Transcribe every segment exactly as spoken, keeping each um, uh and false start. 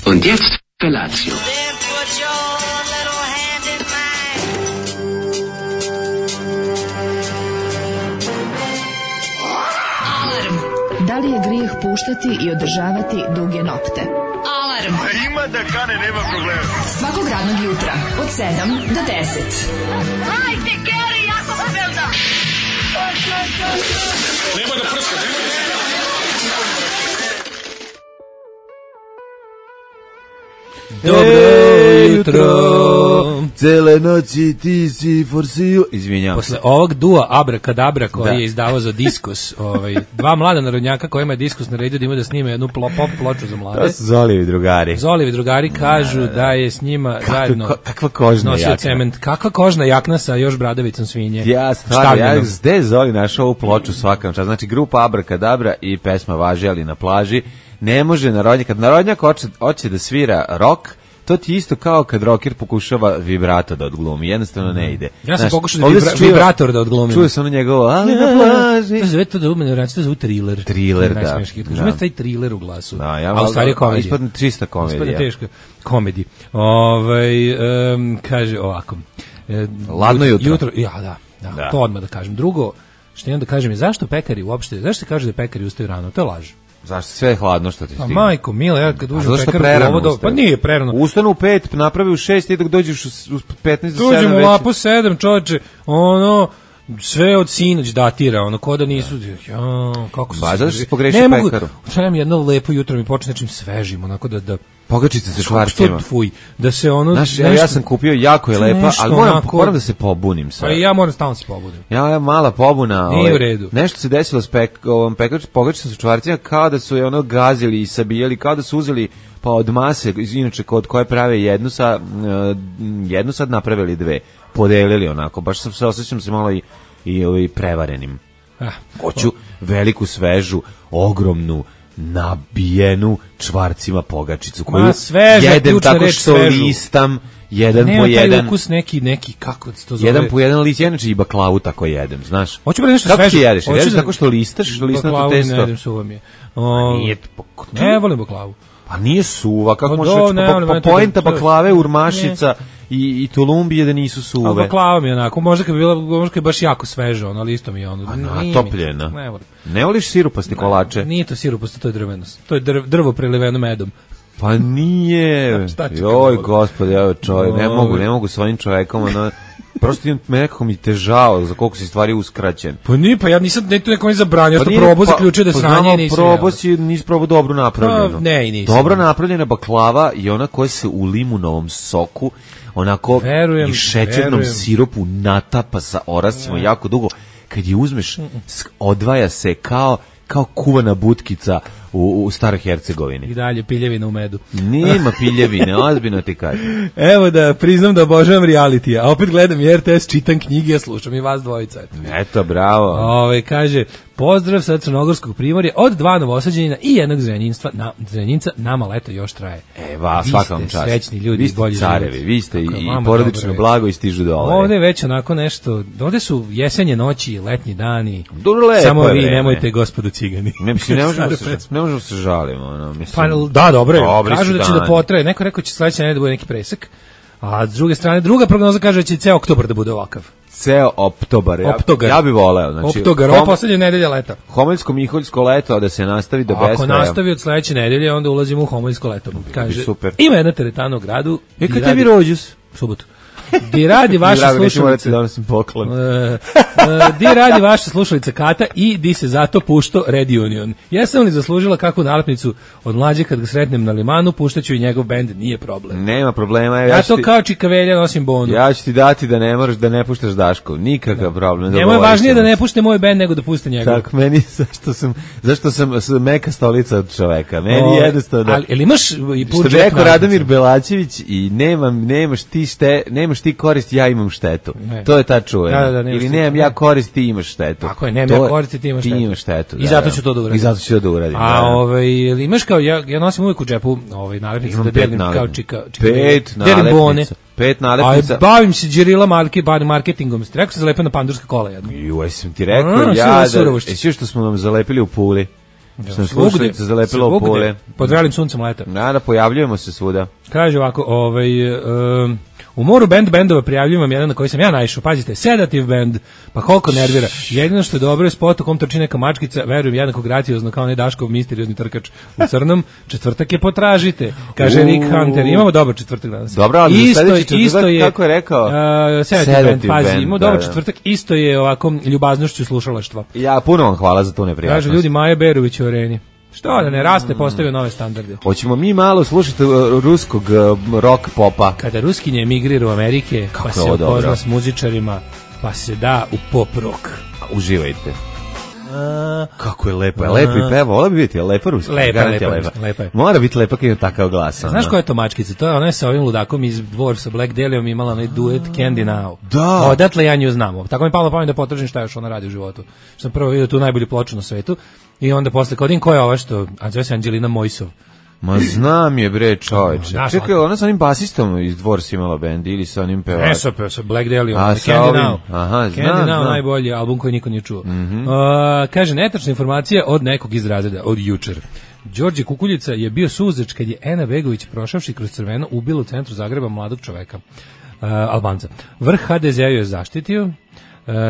Und jetzt Felatio. Da li je grijeh puštati i održavati duge nokte? Alarm! A ima da kane, nema problema. Svakog radnog jutra, od sedam do deset. Hajde, Geri, jako se velda! Nema da prska, nema da prska. Dobro jutro, cele noći ti si forsio. Izvinjavam Posle se. ovog dua Abrakadabra koji Da. je izdavao za Diskus, ovaj, dva mlada narodnjaka kojima je Diskus naredio da ima da snime jednu plo, pop ploču za mlade. To su Zolijevi drugari. Zolijevi drugari kažu da, da, da je s njima Kakva, zajedno ko, kakva kožna nosio jakna. cement. Kakva kožna jakna sa još bradavicom svinje. Ja stvarno, ja štavljenom. gde je Zoli našao ovu ploču svakam čas. Znači grupa Abrakadabra i pesma Važi ali na plaži. Ne može narodnjak, kad narodnjak hoće, hoće da svira rock, to ti isto kao kad rocker pokušava vibrato da odglumi, jednostavno ne ide. Ja sam Znaš, pokušao da ovdje vibra, se čuje- vibrator da odglumim. Čuje se ono njegovo, ali na plaži. To se zove to da umene reći, to se zove thriller. Thriller, da. Najsmešniji. Da. Ima taj thriller u glasu. Da, ja a u stvari je komedija. Ispadne čista komedija. Ispadne teška komedija. Ovaj um, kaže ovako. E, Ladno jutro. Jutro, ja, da, da, Da. to odmah da kažem. Drugo, što imam da kažem je zašto pekari uopšte, zašto se kaže da pekari ustaju rano? To je laž. Zašto sve je hladno što ti A stigne? majko, mila, ja kad uđem u Zašto pekaru prerano ovo, ustaju? pa nije prerano. Ustanu u pet, napravi u šest i dok dođeš u, u petnaest do sedam Dođemo u već. lapo sedam, čoveče, ono, sve od sinoć datira, ono, ko da nisu, ja, kako su Ba, se- zato što si pogrešio Ne mogu- pekaru. Trebam jedno lepo jutro mi počne nečim svežim, onako da, da, Pogačice sa švarcima. što tvuj, da se ono, Znaš, ja, ja nešto- sam kupio, jako je lepa, nešto ali moram, onako- moram da se pobunim sad. Pa i ja moram stalno se pobudim. Ja, ja mala pobuna. Nije ovaj, u redu. Nešto se desilo s pek, ovom pekač, pogačicom sa čvarcima, kao da su je ono gazili i sabijali, kao da su uzeli pa od mase, inače kod koje prave jednu, sa, uh, jednu sad napravili dve, podelili onako, baš sam se osjećam se malo i, i, i prevarenim. Ah, Hoću veliku, svežu, ogromnu, nabijenu čvarcima pogačicu koju Ma, sveža, jedem ključna tako reč, što svežu. listam jedan nema po taj jedan. ukus neki, neki, kako se to zove? Jedan po jedan list, ja inače i baklavu tako jedem, znaš. Hoću bre nešto Kako sveže. ti jedeš? Hoću Jedeš da- tako što listaš, listato Baklavu testo? ne jedem, suva mi je. O, Nije, ne volim baklavu. pa nije suva, kako Pa možeš do, reći, ne, pa, ali pa meni to poenta da- baklave, urmašica i, i tulumbije da nisu A suve. baklava mi je onako, možda kad bi bila, možda kad je baš jako sveže, ono, ali isto mi je ono. A nije mi- natopljena. Ne volim. Ne voliš sirupasti kolače? Nije to siruposto, to je drveno. To je drv, drvo preliveno medom. Pa nije. Šta ću kad Joj, volim? gospode, evo čovjek, ne Oj. mogu, ne mogu s ovim čovjekom, ono, prosto imam nekako mi težao za koliko si stvari uskraćen. Pa nije, pa ja nisam, ne, to neko mi zabranio, ja sam nije, probao, pa- zaključio da je pa sranje znamo, i nisam probao jeo. si, nisi probao dobro napravljeno. Pa, ne, i nisam. Dobro napravljena baklava i ona koja se u limunovom soku onako Verujem, i šećernom verujem. sirupu natapa sa orascima jako dugo. Kad je uzmeš, sk- odvaja se kao kao kuvana butkica u, u Staroj Hercegovini. I dalje piljevina u medu. Nema piljevine, ozbiljno ti kažem. Evo da priznam da obožavam reality, a opet gledam i R T S, čitam knjige, slušam i vas dvojica. Eto. Eto, bravo. Ove, kaže, pozdrav sa Crnogorskog primorja od dva novosađenina i jednog zrenjinstva, na, zrenjinca, nama leto još traje. E, va, Vi svaka vam ste čast. srećni ljudi, Vi ste bolji carevi, život. vi ste i, Kako je i vama porodično dobro. blago i stižu dole. Ovde je već onako nešto, ovde su jesenje noći, letnji dani. Dobro, lepo Samo je vi vreme. nemojte, gospodo cigani. Ne, mislim, ne možemo, Stara se, pesma. ne možemo se žalimo. Ono, mislim, Pa da, dobro je. Dobri Kažu su da će da dani. potraje. Neko je rekao će sledeće nedelje da bude neki presek. A s druge strane, druga prognoza kaže da će ceo oktobar da bude ovakav. Ceo oktobar. Ja, Optogar. ja bih voleo. Znači, Oktobar, hom- ova poslednja nedelja leta. Homoljsko-miholjsko leto, a da se nastavi do Ako beskraja. nastavi od sledeće nedelje, onda ulazimo u homoljsko leto. Kaže, super. ima jedna teretana u gradu. E, di kad radi- tebi rođus? U subotu. Di radi vaša Drago, neću morati slušalica. da nosim poklon. E, e, di radi vaša slušalica Kata i di se zato pušto Red Union. Jesam li zaslužila kakvu nalepnicu od mlađe kad ga sretnem na limanu, puštaću i njegov bend, nije problem. Nema problema. evo, Ja ću to ti- kao čikavelja nosim bonu. Ja ću ti dati da ne moraš da ne puštaš Daškov. Nikakav problem. Njemu je dogovorit važnije da ćemo ne se. pušte moj bend nego da puste njegov. Tako, meni, zašto sam, zašto sam s- meka stolica od čoveka. Meni O, je jednostavno da... Ali, ili imaš i Što bi budžet rekao nalepnice? Radomir Belačević i nemam, nemaš ti šte, nemaš ti korist, ja imam štetu. Ne. To je ta čuvena. Da, da, da, nemaš Ili ti- nemam ne. ja korist, ti imaš štetu. Tako je, nemam To ja je- korist, ti imaš štetu. Ti imaš štetu. I zato ću to da uradim. I zato ću to da uradim. A da, da. ovaj ili imaš kao ja ja nosim uvijek u džepu ovaj nalepnice Imam da pet delim kao nalepnica. čika, čika Pet delim bone. nalepnica. Pet nalepnica. A bavim se đerila marke, bar marketingom. Rekao sam zalepa na pandurska kola jedno. Ju, jesam ti rekao, A, sve ja, ove da, surovošće. jesi što smo vam zalepili u Puli? Što nam slušalice zalepilo u pole. Pod vrelim suncem leta. Da, da, pojavljujemo se svuda. Kaže ovako, ovaj... Um, u moru band bendova prijavljujem vam jedan na koji sam ja naišao. Pazite, Sedative band, pa koliko nervira. Jedino što je dobro je spot u kom trči neka mačkica, verujem jednako graciozno kao onaj Daškov misteriozni trkač u crnom. Četvrtak je potražite, kaže Rick Hunter. Imamo dobar četvrtak danas. Dobro, ali isto, sledeći četvrtak, isto je, kako je rekao? Uh, Sedative, Sedative band, pazi, band, imamo da, dobar da. četvrtak, isto je ovako ljubaznošću slušalaštva. Ja, puno vam hvala za tu neprijatnost. Kaže ljudi Maja Berović u areni. Što da ne raste, postavio nove standarde. Hoćemo mi malo slušati uh, ruskog uh, rock popa. Kada Ruskinje emigrira u Amerike, Kako pa je se ovo upozna dobro. s muzičarima, pa se da u pop rock. Uživajte. Kako je lepo, je lepo i peva, vola bi biti, je lepa ruska. Lepa, garant je lepa, lepa je. Mora biti lepa kad ima takav glas. Znaš ono. koja je to mačkica? To je ona je sa ovim ludakom iz Dvor sa Black Dahliom imala onaj duet Candy Now. Da. Odatle ja nju znam. Tako mi je palo na pamet da potražim šta još ona radi u životu. Što sam prvo vidio tu najbolju ploču na svetu i onda posle kodim ko je ova što, a zove se Anđelina Mojsov. Ma znam je bre čoveče. Znaš, Čekaj, ona sa onim basistom iz Dvors imala bend ili sa onim pevačem? Ne, sa, sa Black Dahliom, A, Candy sa ovim? Now. Aha, Candy znam, Now, znam. najbolji album koji niko nije čuo. Mhm. Uh, kaže, netačna informacija od nekog iz razreda, od jučer. Đorđe Kukuljica je bio suzač kad je Ena Begović prošavši kroz crveno ubila u centru Zagreba mladog čoveka, uh, Albanca. Vrh ha de zea ju je zaštitio, uh,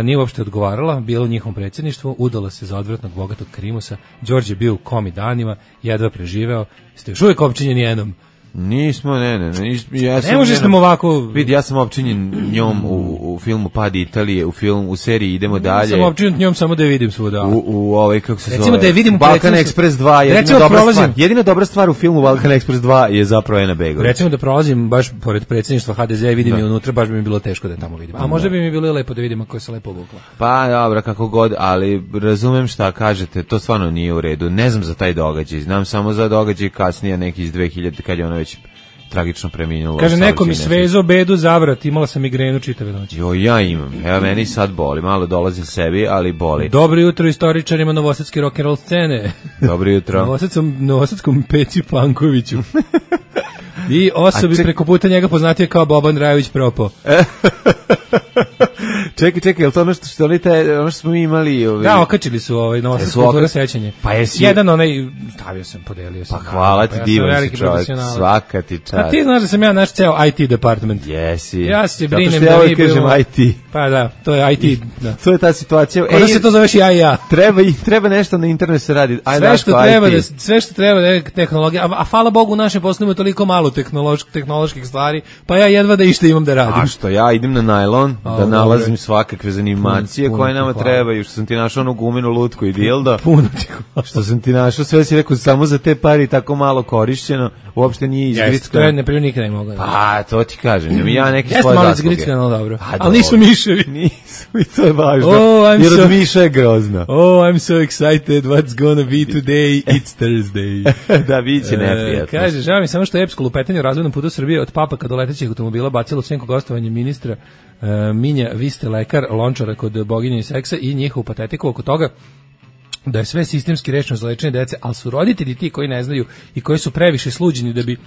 nije uopšte odgovarala, bila u njihovom predsjedništvu, udala se za odvratnog bogatog krimusa, Đorđe je bio u komi danima, jedva preživeo, ste još uvijek opčinjeni jednom. Nismo, ne, ne, ne. Ja sam Ne možeš njena- nam ovako... Vidi, ja sam opčinjen njom u, u filmu Pad Italije, u film, u seriji Idemo dalje. Sam opčinjen njom samo da je vidim svuda. U, u ovaj, kako se Recimo zove? da je vidim u Balkan predsjedništvu- Express dva, jedina Recimo dobra prolazim- stvar. Jedina dobra stvar u filmu Balkan Express dva je zapravo Ena Begović. Recimo da prolazim baš pored predsjedništva ha de zea i vidim je unutra, baš bi mi bilo teško da je tamo vidim. A možda bi mi bilo i lepo da vidim ako je se lepo obukla. Pa dobro, kako god, ali razumem šta kažete, to stvarno nije u redu. Ne znam za taj događaj, znam samo za događaj kasnije neki iz dve hiljade kad je ona već tragično preminula. Kaže, u neko mi saobraćajnoj svezo bedu zavrat, imala sam migrenu čitave noći. Jo, ja imam. Evo, meni sad boli. Malo dolazim sebi, ali boli. Dobro jutro istoričarima novosadske rock'n'roll scene. Dobro jutro. Novosadskom, novosadskom Peci Pankoviću. I osobi A ček- preko puta njega poznatije kao Boban Drajović Propo. čekaj, čekaj, je li to ono što, što, oni te, ono što smo mi imali? Ovi... Da, okačili su ovaj novosadska Jesu kultura oka- sećanje. Pa jesi- Jedan onaj, stavio sam, podelio sam. Pa hvala ti, ja sam divan si veliki čovjek. profesionalac. Svaka ti čast. A ti znaš da sam ja naš ceo I T department. Jesi. Ja se Zato brinem što ja da uvijek mi kažem budemo- I T. Pa da, to je I T. Da. To je ta situacija. Onda se to zoveš ja i ja. Treba, i- treba nešto na internetu se radi. Ajde, Sve što Daško, treba I T. da sve što treba da je tehnologija, a, a hvala Bogu u našem poslu ima toliko malo tehnoloških tehnoloških stvari, pa ja jedva da išta imam da radim. A što ja idem na najlon A, da dobro. nalazim svakakve zanimacije Puno, koje puno nama ti hvala. trebaju, što sam ti našao onu gumenu lutku i dildo. Puno ti hvala. Što sam ti našao, sve si rekao samo za te pari tako malo korišćeno, uopšte nije Jeste, to je izgrickano. ne primjer nikada ne mogu. Pa, to ti kažem, ja neke Jeste svoje malo zasluge. izgrickano, dobro. Pa, Ali nisu dobro. miševi. Nisu, i to je važno. Oh, I'm jer so- od miša je grozno. Oh, I'm so excited, what's gonna be today, it's Thursday. Da, bit će E, neprijatno. kaže, žao mi samo što je epsko lupetanje u razvodnom putu Srbije od papaka do letećih automobila bacilo senku gostovanje ministra e, Minja, vi ste lekar, lončara kod boginje i seksa i njihovu patetiku oko toga da je sve sistemski rešeno za lečenje dece, ali su roditelji ti koji ne znaju i koji su previše sluđeni da bi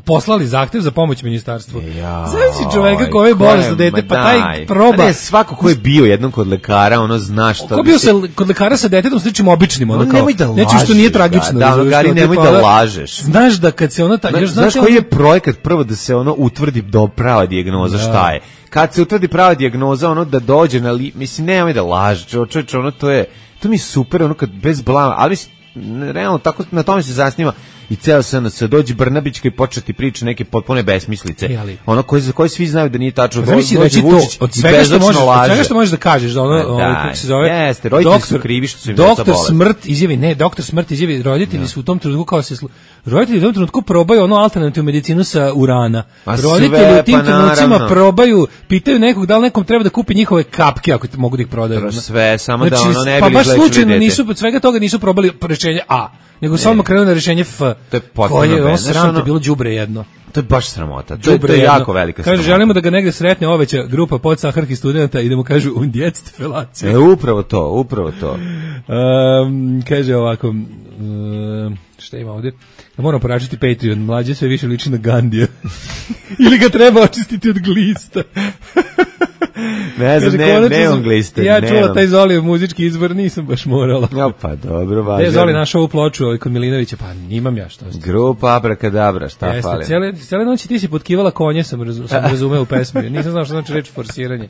poslali zahtev za pomoć ministarstvu. Ja, Znaš čoveka koji je bolesno dete, pa taj proba. Ne, svako ko je bio jednom kod lekara, ono zna šta... Ko bio se kod lekara sa detetom sličnim običnim, ono No, kao, nemoj da nečim što nije lažeš, tragično. da, da, razumeš, Gari, kao nemoj tipa, da ono, lažeš. Znaš da kad se ona... Ta, Znaš, još, znaš znači, koji ono- je projekat prvo da se ono utvrdi do prava dijagnoza šta je? Kad se utvrdi prava dijagnoza, ono da dođe na li... Mislim, nemoj da lažeš, čovječe, ono to je... To mi je super, ono kad bez blama, ali mislim, realno, tako, na tome se zasniva i ceo S N S, dođe Brnabićka i početi priča neke potpune besmislice. E, ali- Ono koje, za koje svi znaju da nije tačno. Pa zamisli Dođe reći to Vučić od i svega što bezočno možeš, od laže. svega što možeš da kažeš da ono, Pa ovaj, daj, kako se zove, jeste, roditelji su krivi što su im deca doktor bolesna. Smrt izjavi, ne, doktor Smrt izjavi, roditelji su u tom trenutku kao se slu- roditelji u tom trenutku probaju ono alternativnu medicinu sa urana. Ma sve, Roditelji u tim pa trenucima naravno. probaju, pitaju nekog da li nekom treba da kupi njihove kapke ako te mogu da ih prodaju. ono. Sve, samo da ono ne pa bi baš izlečili slučajno dete. nisu, od svega toga nisu probali rešenje A, nego su odmah krenuli na rešenje F. To je potpuno koje je ono bez- znaš, sram, to ono- je bilo đubre jedno. To je baš sramota. To je, to Đubre je jedno. jako velika Kaže, sramota. želimo da ga negde sretne oveća grupa podsaharskih studenta i da mu kažu und jetzt felacija. E, upravo to, upravo to. Um, kaže ovako, um, šta ima ovdje? Da moram poračiti Patreon, mlađe sve više liči na Gandija. Ili ga treba očistiti od glista. Ne znam, Kaže, ne, konačno nemam sam- gliste. Ja nemam. čula taj Zolijev muzički izbor, nisam baš morala. Ja, pa dobro, Gde je važno. Zoli našao ovu ploču ovaj, kod Milinovića? Pa imam ja, što ste. Grupa Abrakadabra, šta Jeste, fali? cijele, cijele noći ti si potkivala konje, sam, razu, sam razumeo u pesmi. Nisam znao što znači reč forsiranje.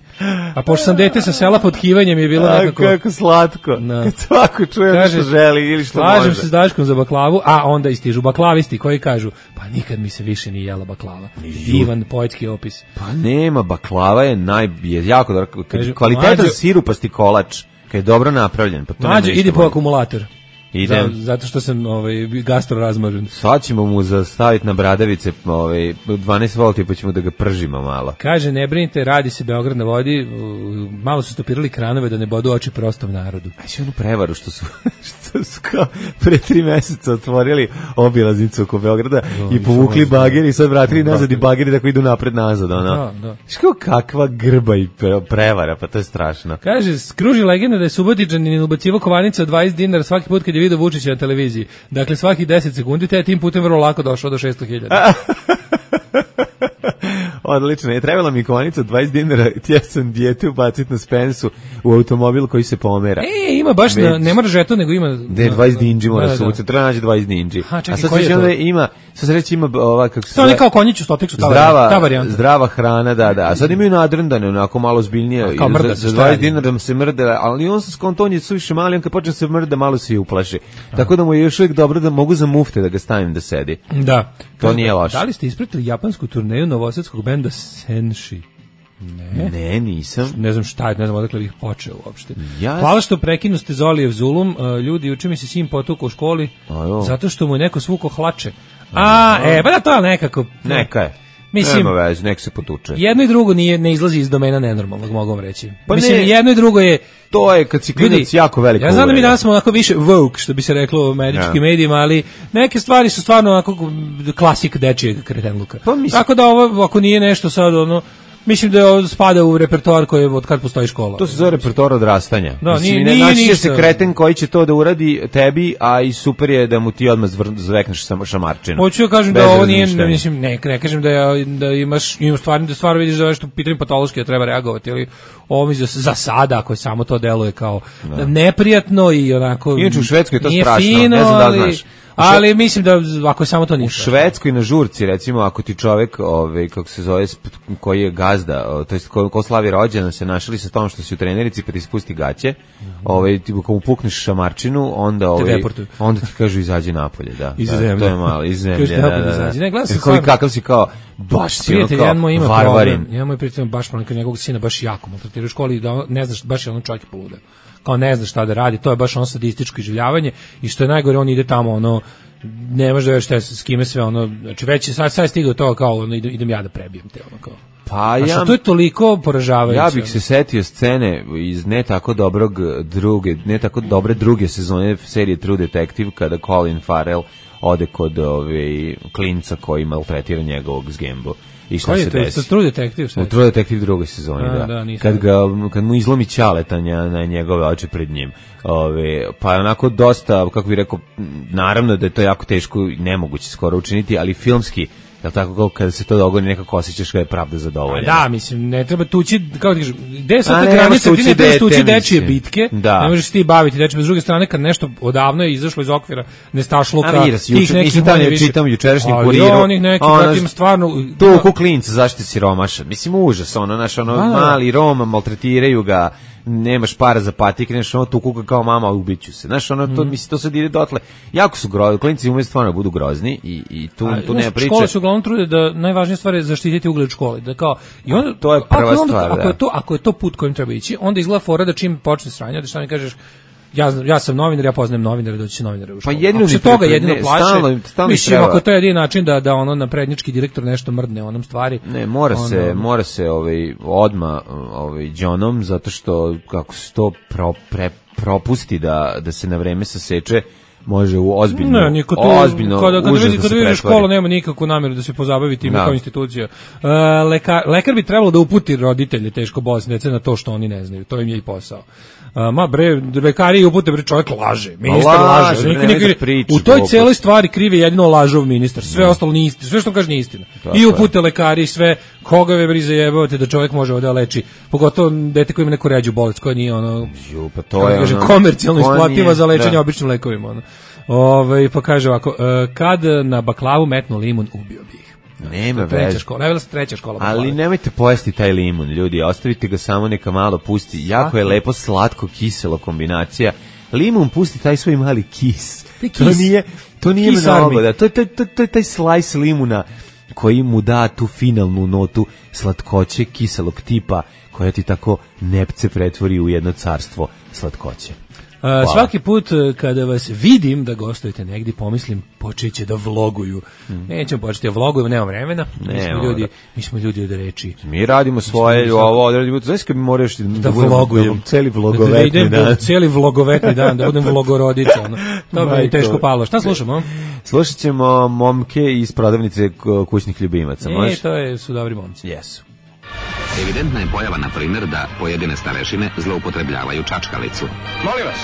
A pošto sam dete sa sela, potkivanjem je bilo A, nekako... kako slatko. Da. Kad svako čuje ono Kaže, što želi ili što slažem može. se s Daškom za baklavu, a onda istižu baklavisti koji kažu, pa nikad mi se više nije jela baklava. Divan poetski opis. Pa nema, baklava je naj je jako dobro. Kad Kaže, je kvalitetan mlađo- sirupasti kolač, kad je dobro napravljen, pa to nema Mlađe, ništa idi po bolje. akumulator. Idem. Za- zato što sam ovaj, gastro razmažen. Sad ćemo mu zastaviti na bradavice ovaj, dvanaest volti pa ćemo da ga pržimo malo. Kaže, ne brinite, radi se Beograd na vodi, u- malo su stopirali kranove da ne bodu oči prostom narodu. Aj si onu prevaru što su, što su kao pre tri meseca otvorili obilaznicu oko Beograda Jo, i nisam povukli znao. bager i sad vratili nazad i bageri tako idu napred nazad. Ono. Da, da. Znaš kao kakva grba i pre- prevara, pa to je strašno. Kaže, skruži legenda da je Subotičanin ubacivo kovanice od dvadeset dinara svaki put kad je video Vučića na televiziji. Dakle, svaki deset sekundi, te je tim putem vrlo lako došao do šesto hiljada. Odlično, je trebala mi kovanica od dvadeset dinara, ja sam dijete ubaciti na Spensu u automobil koji se pomera. E, ima baš, Već. na, ne mora žeton, nego ima... Gde je dvadeset dinđi mora Da, da, se da. uvući, treba naći dvadeset dinđi. Aha, čekaj, A sad koji se je onda to? ima, sad se reći ima ova, kako se To je zove, kao konjić u stoteksu, ta zdrava, varijanta, ta varijanta. zdrava hrana, da, da. A sad imaju nadrndane, onako malo zbiljnije. kao I mrda za, se, za šta dvadeset radi? dinara se mrde, ali on se skonton je suviše mali, on kad počne se mrda, malo se i uplaši. Tako da mu je još uvijek dobro da mogu za mufte da ga stavim da sedi. Da. To nije loše. Da li ste ispratili japansku turneju novosadskog benda Senshi? Ne. Ne, nisam. Ne znam šta je, ne znam odakle bih počeo uopšte. Ja- Hvala što prekinu ste Zolijev zulum. Uh, ljudi, juče mi se sin potukao u školi A jo. zato što mu je neko svuko hlače. A, e, pa da to je nekako... Neka je. Mislim, Nema veze, nek se potuče. jedno i drugo nije, ne izlazi iz domena nenormalnog, mogu vam reći. Pa Mislim, ne. jedno i drugo je... To je kad si klinac jako velika ja znam da mi uvreda. danas smo onako više woke, što bi se reklo u američkim Ja. medijima, ali neke stvari su stvarno onako klasik dečijeg kretenluka. Pa mislim- Tako da ovo, ako nije nešto sad, ono, mislim da je ovo spada u repertoar koji je od kad postoji škola. To se zove repertoar odrastanja. Da, Mislim, nije- ne nije naći će ništa. se kreten koji će to da uradi tebi, a i super je da mu ti odmah zvr- zvekneš samo šamarčinu. Hoću ja kažem Bez da ovo nije, razmišljanja. ne, mislim, ne, ne kažem da, ja, da imaš, imaš stvarno, da stvarno vidiš da je nešto u pitanju patološki da treba reagovati, ali ovo mi za, za sada, ako samo to deluje kao neprijatno i onako... Inače, u Švedskoj je to nije strašno, fino, ne znam da li ali- znaš. Ali mislim da ako je samo to U ništa. Švedskoj na žurci, recimo, ako ti čovek, ovaj, kako se zove, sp- koji je gazda, o, to jest ko, ko slavi rođendan, se našli sa tom što si u trenerici pa ti spusti gaće, ovaj, ti ako mu pukneš šamarčinu, onda, ovaj, deportuju. onda ti kažu izađi napolje, da. Iz da, zemlje. To je malo, iz zemlje, Kažu da, napolje da, da. izađi. Ne, gledao sam Jer koji, stvarno- kakav si kao, baš si ono Prijatelj, kao jedan moj ima varvarin. problem. Jedan moj prijatelj ima baš problem, kad njegovog sina baš jako maltretira u školi i da on, ne znaš, baš je ono čovjek poludeo. Kao ne zna šta da radi, to je baš ono sadističko iživljavanje i što je najgore, on ide tamo ono, ne može da već šta, s kime sve ono, znači već je sad, sad je stigao to kao ono, idem, idem ja da prebijem te ono kao. Pa A ja, što to je toliko poražavajuće. ja bih se setio scene iz ne tako dobrog druge, ne tako dobre druge sezone serije True Detective kada Colin Farrell ode kod ove klinca koji maltretira njegovog zgembu. I šta Koji je se to? desi? To True Detective, šta U je? True Detective drugoj sezoni, A, da. da, nisam. kad, ga, kad mu izlomi ćaletanja na njegove oči pred njim. Ove, pa je onako dosta, kako bih rekao, naravno da je to jako teško i nemoguće skoro učiniti, ali filmski, jel tako, kao kada se to dogodi, nekako osjećaš da je pravda zadovoljena. Da, mislim, ne treba tući, kao ti kažem, gde je A sad ta ne, granica, nemaš ti ne tući trebaš tući dete, dečije mislim. bitke, Da. ne možeš ti baviti dečije, s druge strane, kad nešto odavno je izašlo iz okvira nestašluka, A vidi se, tih juče- nekih nisam tamo manje ja više- čitam u jučerašnjem Ali kuriru. onih nekih, Ono, brate, ima stvarno... Tu kuklinca, zašto si siromašan? Mislim, užas, ono, naš, ono, Da, da. mali Roma, maltretiraju ga, nemaš para za patik, neš, ono, tu kuka kao mama, ubiću se. Znaš, ono, to, Mhm. mislim, to sad ide dotle. Jako su grozni, klinci umeju stvarno da budu grozni i, i tu, A, tu znaš, nema priče. Škole su uglavnom trude da najvažnija stvar je zaštititi ugled škole. Da kao, i onda, to je prva ako onda, stvar, ako da. je to, ako je to put kojim treba ići, onda izgleda fora da čim počne sranje, da šta mi kažeš, ja, znam- ja sam novinar, ja poznajem novinare, doći će novinare u školu. jedino Ako se mi toga treba- jedino ne, plaše, stalno- stalno mislim, treba. ako je to jedini način da, da ono naprednjački direktor nešto mrdne onom stvari. Ne, mora onda- se, mora se ovaj odma ovaj džonom zato što kako se to pro, pre, propusti da da se na vreme saseče, može u ozbiljno Ne, niko tu, ozbiljno kada, kada, užas vidi, da kada se vidiš pretvori. škola nema nikakvu namjeru da se pozabavi time Da. kao institucija. E, lekar, lekar bi trebalo da uputi roditelje teško bolesne dece na to što oni ne znaju. To im je i posao. A, ma bre, lekari upute, bre, čovjek laže. Ministar laže, laže. bre, Niko nemoj ne- da priča u toj gluposti. celoj stvari krivi jedino lažov ministar. Sve ostalo nije istina. Sve što kaže nije istina. Tako I je. upute lekari i sve. Koga ve brize jebate da čovjek može ovde da leči. Pogotovo dete koje ima neku ređu bolest, koja nije ono Ju, pa to kako je kažem, ono- komercijalno to isplativa nije- za lečenje da. običnim lekovima. Ono. Ove, pa kaže ovako, e, kad na baklavu metnu limun, ubio bi ih. Nema Treća veze. škola, najvela se treća škola baklave. Ali nemojte pojesti taj limun, ljudi, ostavite ga samo neka malo pusti. Jako je lepo slatko kiselo kombinacija. Limun pusti taj svoj mali kis. Taj To kis. nije, to nije Kis mnogo, army. da. To je to, to, to je taj slice limuna koji mu da tu finalnu notu slatkoće kiselog tipa koja ti tako nepce pretvori u jedno carstvo slatkoće. A, svaki put e, kada vas vidim da gostujete negdje, pomislim, počeće da vloguju. Nećemo početi da vlogujemo, nema vremena. Mi Ne, smo ovo ljudi, da. mi smo ljudi od reči. Mi radimo svoje, ovo odradimo. Znaš kad mi moraš da, Da budemo- vlogujem. da celi Da vlogovetni idem dan. cijeli vlogovetni dan, da budem vlogorodica. Ono. To bi mi Majko. teško palo. Šta slušamo? Slušat ćemo momke iz prodavnice k- kućnih ljubimaca. E, Možeš? to je, su dobri momci. Jesu. Evidentna je pojava, na primjer, da pojedine starešine zloupotrebljavaju čačkalicu. Molim vas,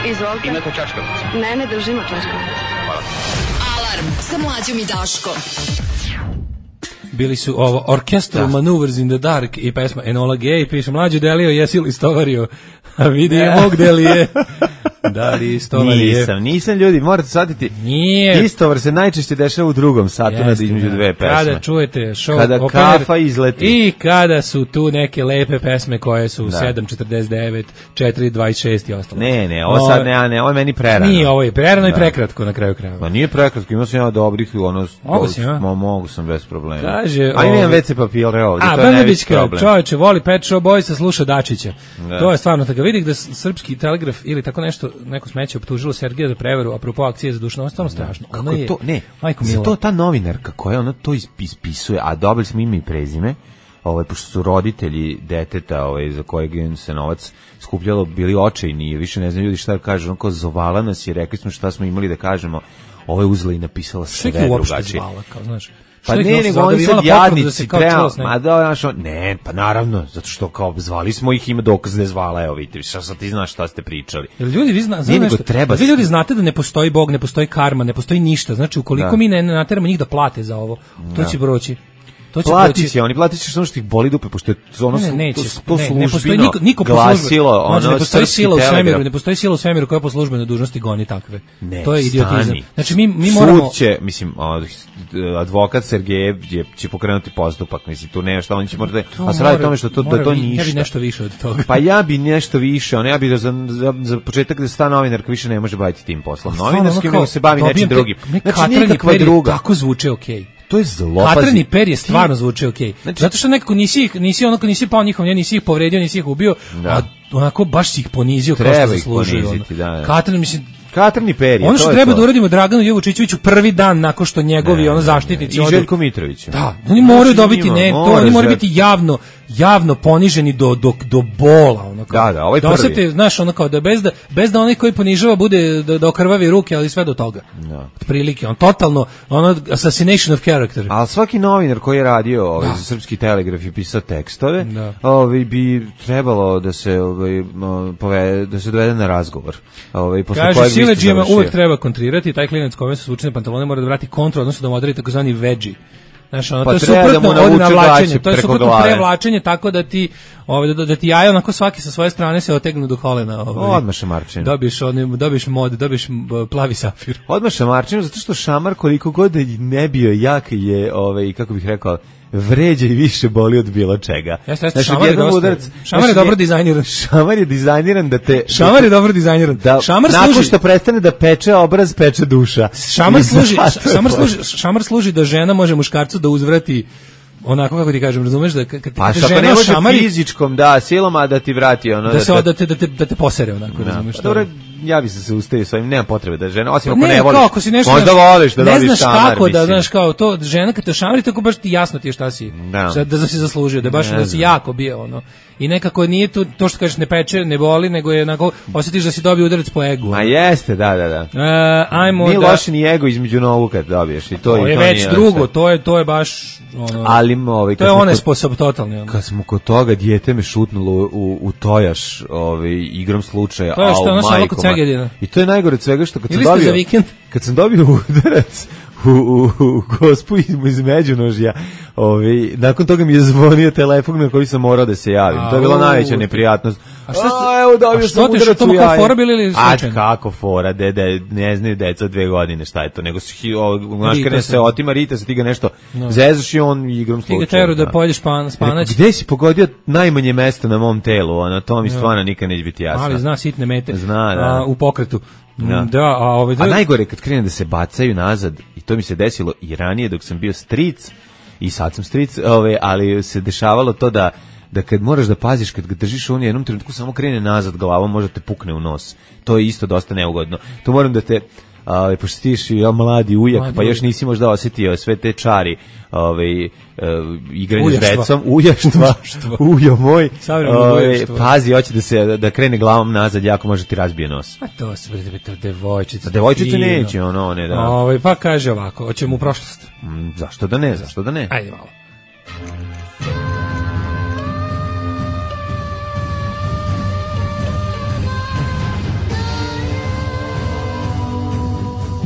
Izvolite. imate čačkalicu? Ne, ne držimo čačkalicu. Alarm sa mlađom i Daškom. Bili su ovo Orchestral Maneuvers in the Dark i pesma Enola Gay, piše mlađu Delio, jesi li stovario? A vidimo gde li je. Da li istovarije? Nisam, nisam ljudi, morate shvatiti. Nije. Istovar se najčešće dešava u drugom satu na Jeste, između da. dve pesme. Kada čujete show Kada opener kafa izleti. i kada su tu neke lepe pesme koje su Da. sedam četrdeset devet, četiri dvadeset šest i ostalo. Ne, ne, ovo sad ne, ne, ovo je meni prerano. Nije, ovo je prerano i Da. prekratko na kraju krajeva. Ma nije prekratko, imao sam ja dobrih, ono... Mogu si, a? Mo, mogu sam bez problema. Kaže, A imam ovaj- ve ce papire ovdje, A, to je najveći Brnabićka, problem. čoveče, voli Pet Shop Boysa, sluša Dačića. Da. To je stvarno tako. Vidim da s- srpski telegraf ili tako nešto, neko smeće optužilo Sergeja za prevaru, apropo akcije za dušno, stvarno strašno. Kako Ona je to, ne, majko za mila. to ta novinarka koja ona to is- ispisuje, a dobili smo ime i prezime, ovaj, pošto su roditelji deteta ovaj, za kojeg je se novac skupljalo bili očajni i više ne znam ljudi šta da kažu, onako zovala nas i rekli smo šta smo imali da kažemo, ovo je uzela i napisala sve Što ih je uopšte drugačije. zvala, kao, znaš? Pa Što ih ne, uopšte nego zvala? Da oni bi sad imala potvrdu da jadnici, se kao treba, čula s nekim. ma da, znaš, on- ne, pa naravno, zato što kao zvali smo ih, ima dokaz da je zvala, evo vidite, šta sad ti znaš šta ste pričali. Jel ljudi vi zna, Ne, zna nego nešto? treba Vi s- ljudi znate da ne postoji Bog, ne postoji karma, ne postoji ništa. Znači ukoliko Da. mi ne nateramo njih da plate za ovo, to će proći. To će Plati proći. će, oni plati će samo što ih boli dupe, pošto je ono, Ne, slu- neće. to, to ne, ne postoji službino niko, niko po glasilo, službenoj- Znači, ono, ne postoji srpski sila u svemiru, telegraf. ne postoji sila u svemiru koja po službenoj dužnosti goni takve. Ne, To je idiotizam. stani. Znači mi mi moramo Sud će, mislim, o, advokat Sergejev je, će pokrenuti postupak, mislim, tu nema šta, on će morati, a se radi o tome što to, da to vi- ništa. Ja bi nešto više od toga. Pa ja bi nešto više, ono, ja bi da za, za, za početak da sta novinarka više ne može baviti tim poslom. Novinarskim nego se bavi nečim drugim. Znači, nikakva druga. Tako zvuče okej. To je zlopazi. Katrani per je stvarno zvuči okej. Znači- Zato što nekako nisi ih, nisi onako nisi pao njihov, nisi ih povredio, nisi ih ubio, Da. a onako baš si ih ponizio kao Treba što ih zaslužuju. poniziti, ono. da, da. Katran, mislim, Katrani perje, ono to što je treba to. da uradimo Draganu Jovučićeviću prvi dan nakon što njegovi Ne, ono ne, zaštitnici ne. I odu- Željko Mitrović. Da, oni moraju Znači, dobiti njima ne, to mora oni moraju žel- biti javno javno poniženi do do do bola, ono kao. Da, da, ovaj da prvi. osete, znaš, ono kao da bez da bez da onaj koji ponižava bude da, da okrvavi ruke, ali sve do toga. Da. Otprilike, on totalno ono assassination of character. Ali svaki novinar koji je radio ovaj, za Srpski telegraf i pisao tekstove, Da. ovaj, bi trebalo da se, ovaj, mo, pove, da se dovede na razgovor. Ovaj, posle Kaže, kojeg biste siledžijama završio. uvek treba kontrirati, taj klinac kome su slučajne pantalone mora da vrati kontru, odnosno da modeli takozvani veggie. Znaš, ono, Pa to je treba da suprotno mu od navuče navlačenja, gaće to je preko suprotno glave. prevlačenje, tako da ti, ovaj, da, da ti jaja onako svaki sa svoje strane se otegnu do kolena. Ovaj. Odmah šamarčinu. Dobiješ, onim, dobiješ mod, dobiješ m, plavi safir. Odmah šamarčinu, zato što šamar koliko god da ne bio jak je, ovaj, kako bih rekao, vređa i više boli od bilo čega. Jeste, jeste, Znaš, šamar je odjednom dosta- udarac- šamar je znaš, dobro je- dizajniran. Šamar je dizajniran da te... Šamar je dobro dizajniran. Da, Šamar nakon služi, što prestane da peče obraz, peče duša. šamar I služi, zato je šamar to. služi, šamar služi da žena može muškarcu da uzvrati onako kako ti kažem, razumeš da kad, kad Pa te što ako žena ne može šamari, fizičkom, da, silom, a da ti vrati ono... da se te- da te da te da te posere onako, razumeš. Pa šta? dobro, ja bi se zaustavio s ovim, nema potrebe da žena, osim ako ne, ne voliš. Kao, ako si nešto, možda voliš da ne dobiješ znaš šamar, kako da, mislim. znaš, kao to, žena kad te šamari, tako baš ti jasno ti je šta si, Da. šta, da si zaslužio, da baš Ne da si znam. jako bio, ono. I nekako nije to, to što kažeš ne peče, ne boli, nego je onako, osjetiš da si dobio udarac po egu. Ma jeste, da, da, da. E, ajmo Nije da... loše ni ego između nogu kad dobiješ i to, To i je to već nije drugo, loše. to je, to je baš, ono, Ali ovaj, to kad je smo onaj kod- sposob totalni, ono. Kad smo kod toga, dijete me šutnulo u, u tojaš ovaj, igrom slučaja. To je što au, ono samo majko kod moja. Segedina. I to je najgore od svega što kad sam Ili ste dobio... za vikend? Kad sam dobio udarac u, u, u gospu iz, iz međunožja, ovaj, nakon toga mi je zvonio telefon na koji sam morao da se javim. To je bila Au. najveća neprijatnost. A šta ste- A, evo dobio a što sam ti, udarac što u mu kao jaje. fora bili ili A slučajno? kako fora, dede, ne znaju deca od dve godine šta je to, nego se, hi- o, znaš, Rita kad ne se. se otima, rita se, ti ga nešto zezaš i on igrom Ti ga slučaja. teru da da. pojedeš pan, spanać, Gde si pogodio najmanje mesta na mom telu, ono, to mi stvarno nikad neće biti jasno. ali zna sitne mete. Zna, da. A, u pokretu. Da. Da, a ovaj... A najgore je kad krene da se bacaju nazad, i to mi se desilo i ranije dok sam bio stric, i sad sam stric, ove, ali se dešavalo to da da kad moraš da paziš, kad ga držiš, on je jednom trenutku samo krene nazad glavom, možda te pukne u nos. To je isto dosta neugodno. To moram da te, ovaj, pošto ti si ja, mladi ujak, Mladi pa još ujak. nisi možda osjetio sve te čari, ovaj, uh, igranje s Ujaštva. decom, ujaštva, Ujaštva. ujo moj, Savremeno ovaj, ujaštvo. pazi, hoće da se da krene glavom nazad, jako može ti razbije nos. A to su bre, to devojčice. A devojčice fino. neće, ono, one, da. Ovaj, pa kaže ovako, hoćemo u prošlost. Mm, zašto da ne, zašto da ne? Ajde malo.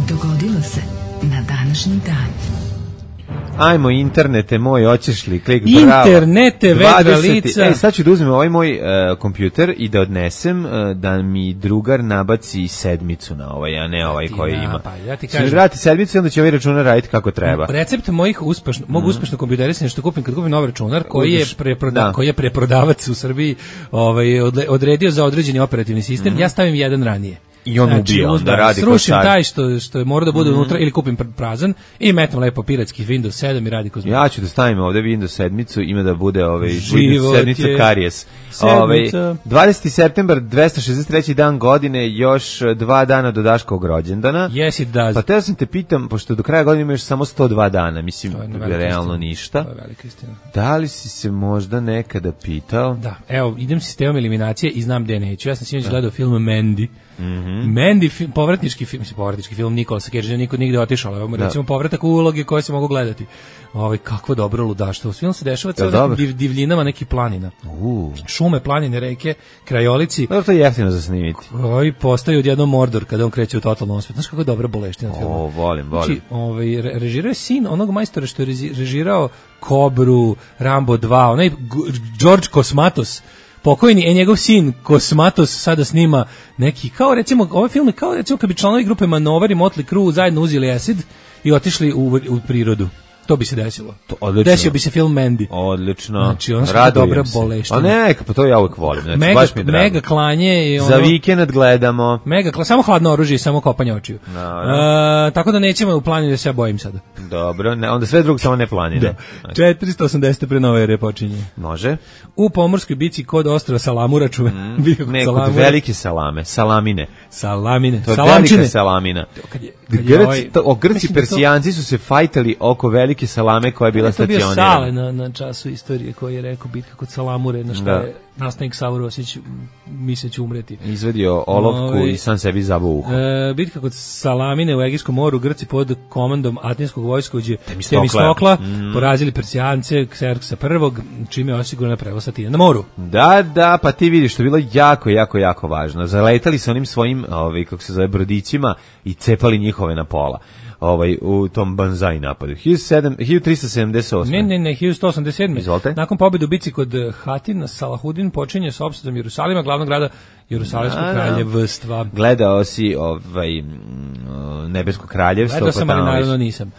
Dogodilo se na današnji dan. Ajmo internete moj, hoćeš li, klik, bravo. Internete, vedra dvadeseti lica. E, sad ću da uzmem ovaj moj uh, kompjuter i da odnesem uh, da mi drugar nabaci sedmicu na ovaj, a ne ovaj ti koji ima. napa, ja ti Sve kažem. vrati sedmicu i onda će ovaj računar raditi kako treba. Recept mojih uspešno, mog uspešnog kompjuterisanja što kupim kad kupim novi računar koji je Uzmeš- preproda, da. koji je preprodavac u Srbiji, ovaj odle- odredio za određeni operativni sistem, ja stavim jedan ranije. I on ubija, onda uzmem, radi ko srušim car. taj što što je mora da bude unutra ili kupim pr- prazan i metam lepo piratski Windows sedam i radi ko zna. Ja ću da stavim ovde Windows sedmicu, ima da bude ovaj Život Windows sedmica je karijes. sedmica. Ovaj dvadeseti septembar, dvesta šezdeset treći dan godine, još eh, dva dana do Daškovog rođendana. Yes it does. Pa te sam te pitam, pošto do kraja godine imaš samo sto dva dana, mislim, To je velika realno istina. ništa. To je velika istina. Da li si se možda nekada pitao? Da, evo, idem sistemom eliminacije i znam gde neću. Ja sam sinoć gledao film Mandy. Mandy, film, povratnički film, mislim, povratnički film Nicolas Cage, niko nigde otišao, evo, recimo povratak u uloge koje se mogu gledati. Ovaj kakvo dobro ludaštvo. Film se dešava Jel sa dobro? div, divljinama nekih planina. U. Šume, planine, reke, krajolici. Dobro, to je jeftino za snimiti. Koji postaju odjednom Mordor kada on kreće u totalnom osvet. Znaš kako je dobra boleština filma. O, volim, volim. Znači, ovaj, re- režirao je sin onog majstora što je rezi- režirao Kobru, Rambo dva, onaj G- George Kosmatos, pokojni, e njegov sin Kosmatos sada snima neki, kao recimo, ovaj film je kao recimo kad bi članovi grupe Manovar i Motley Crue zajedno uzeli acid i otišli u, u prirodu. To bi se desilo. To odlično. Desio bi se film Mandy. Odlično. Znači, ono što je Radujem dobra se. boleština. A neka, pa to ja uvek volim. Znači, Mega, baš mi je drago. mega klanje i ono... Za vikend gledamo. Mega, kla- samo hladno oružje i samo kopanje očiju. Naravno. E, tako da nećemo u planu da se ja bojim sada. Dobro, ne, onda sve drugo samo ne planine. Znači, četiristo osamdeset pre nove ere počinje. može? U pomorskoj bici kod ostrva Salamura čuve. Mm, Ne, kod velike salame, salamine. Salamine. To je Salamčine. velika salamina. Kad je, kad je Grci, ovaj- to, o, Grci mislim da to- Persijanci su se fajtali oko velike salame koja je bila je to bio Sale stacionirana. na, na času istorije koji je rekao bitka kod Salamure, na što Da. je nastavnik Savur Osić misle će umreti. Izvedio olovku Ovaj- i sam sebi zabuo uho. E, bitka kod Salamine u Egejskom moru, Grci pod komandom atinskog vojskovođe Temistokla. Temistokla porazili Persijance Kserksa prvog, čime je osigurana prevoz Atine na moru. Da, da, pa ti vidiš, to je bilo jako, jako, jako važno. Zaletali su onim svojim, ovaj, kako se zove, brodićima i cepali njihove na pola. Ovaj, u tom banzai napadu. hiljadu trista sedamdeset osme. Ne, ne, ne, hiljadu sto osamdeset sedme. Izvolite. Nakon pobjede u bici kod Hatina, Salahudin počinje s opsadom Jerusalima, glavnog grada Jerusalimskog Da, da. kraljevstva. Gledao si ovaj, mm, Nebesko kraljevstvo. Gledao sam, pa ali tamo naravno viš- nisam.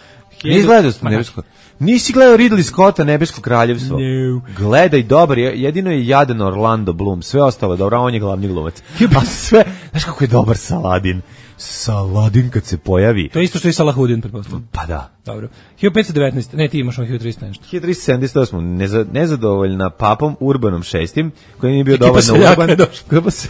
Nisi gledao Ma, Nebesko? Nisi gledao Ridley Scotta Nebesko kraljevstvo? No. Gledaj, dobar je, jedino je jadan Orlando Bloom, sve ostalo je dobro, a on je glavni glumac. A sve, znaš kako je dobar Saladin? Saladin kad se pojavi. To je isto što i Salahudin, pretpostavljam. Pa da. Dobro. hiljadu petsto devetnaeste. Ne, ti imaš on hiljadu trista nešto. hiljadu trista sedamdeset osam. Neza, nezadovoljna papom Urbanom šestim, koji nije bio Ekipa dovoljno seljaka urban. je došla. Grupa, se,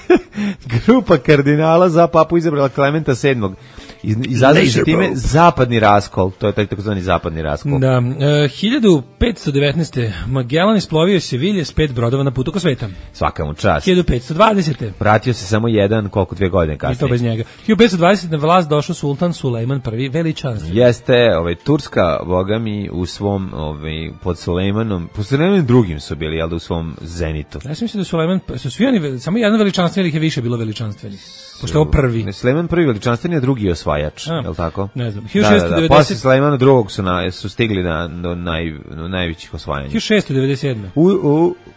grupa kardinala za papu izabrala Klementa sedmog. Iz, izazvajući time zapadni raskol. To je taj takozvani zapadni raskol. Da. E, hiljadu petsto devetnaeste. Magellan isplovio Sevilje s pet brodova na putu oko sveta. Svaka mu čast. hiljadu petsto dvadesete. Vratio se samo jedan, koliko dve godine kasnije. I to bez njega. hiljadu petsto dvadesete. na vlast došao sultan Sulejman prvi veličanstveni. Jeste, ovaj, Turska, boga mi, u svom, ovaj, pod Sulejmanom, pod Sulejmanom drugim su bili, jel da, u svom zenitu. Ja sam mislio da Sulejman, su svi oni, samo jedan veličanstveni ih je više bilo veličanstveni. Pošto je ovo prvi. Sulejman prvi veličanstveni, a drugi je osvajač, A, je li tako? Ne znam. Da, da, da. Posle Sulejmana drugog su, na, su stigli na, do naj, do najvećih osvajanja. hiljadu šessto devedeset sedme. U,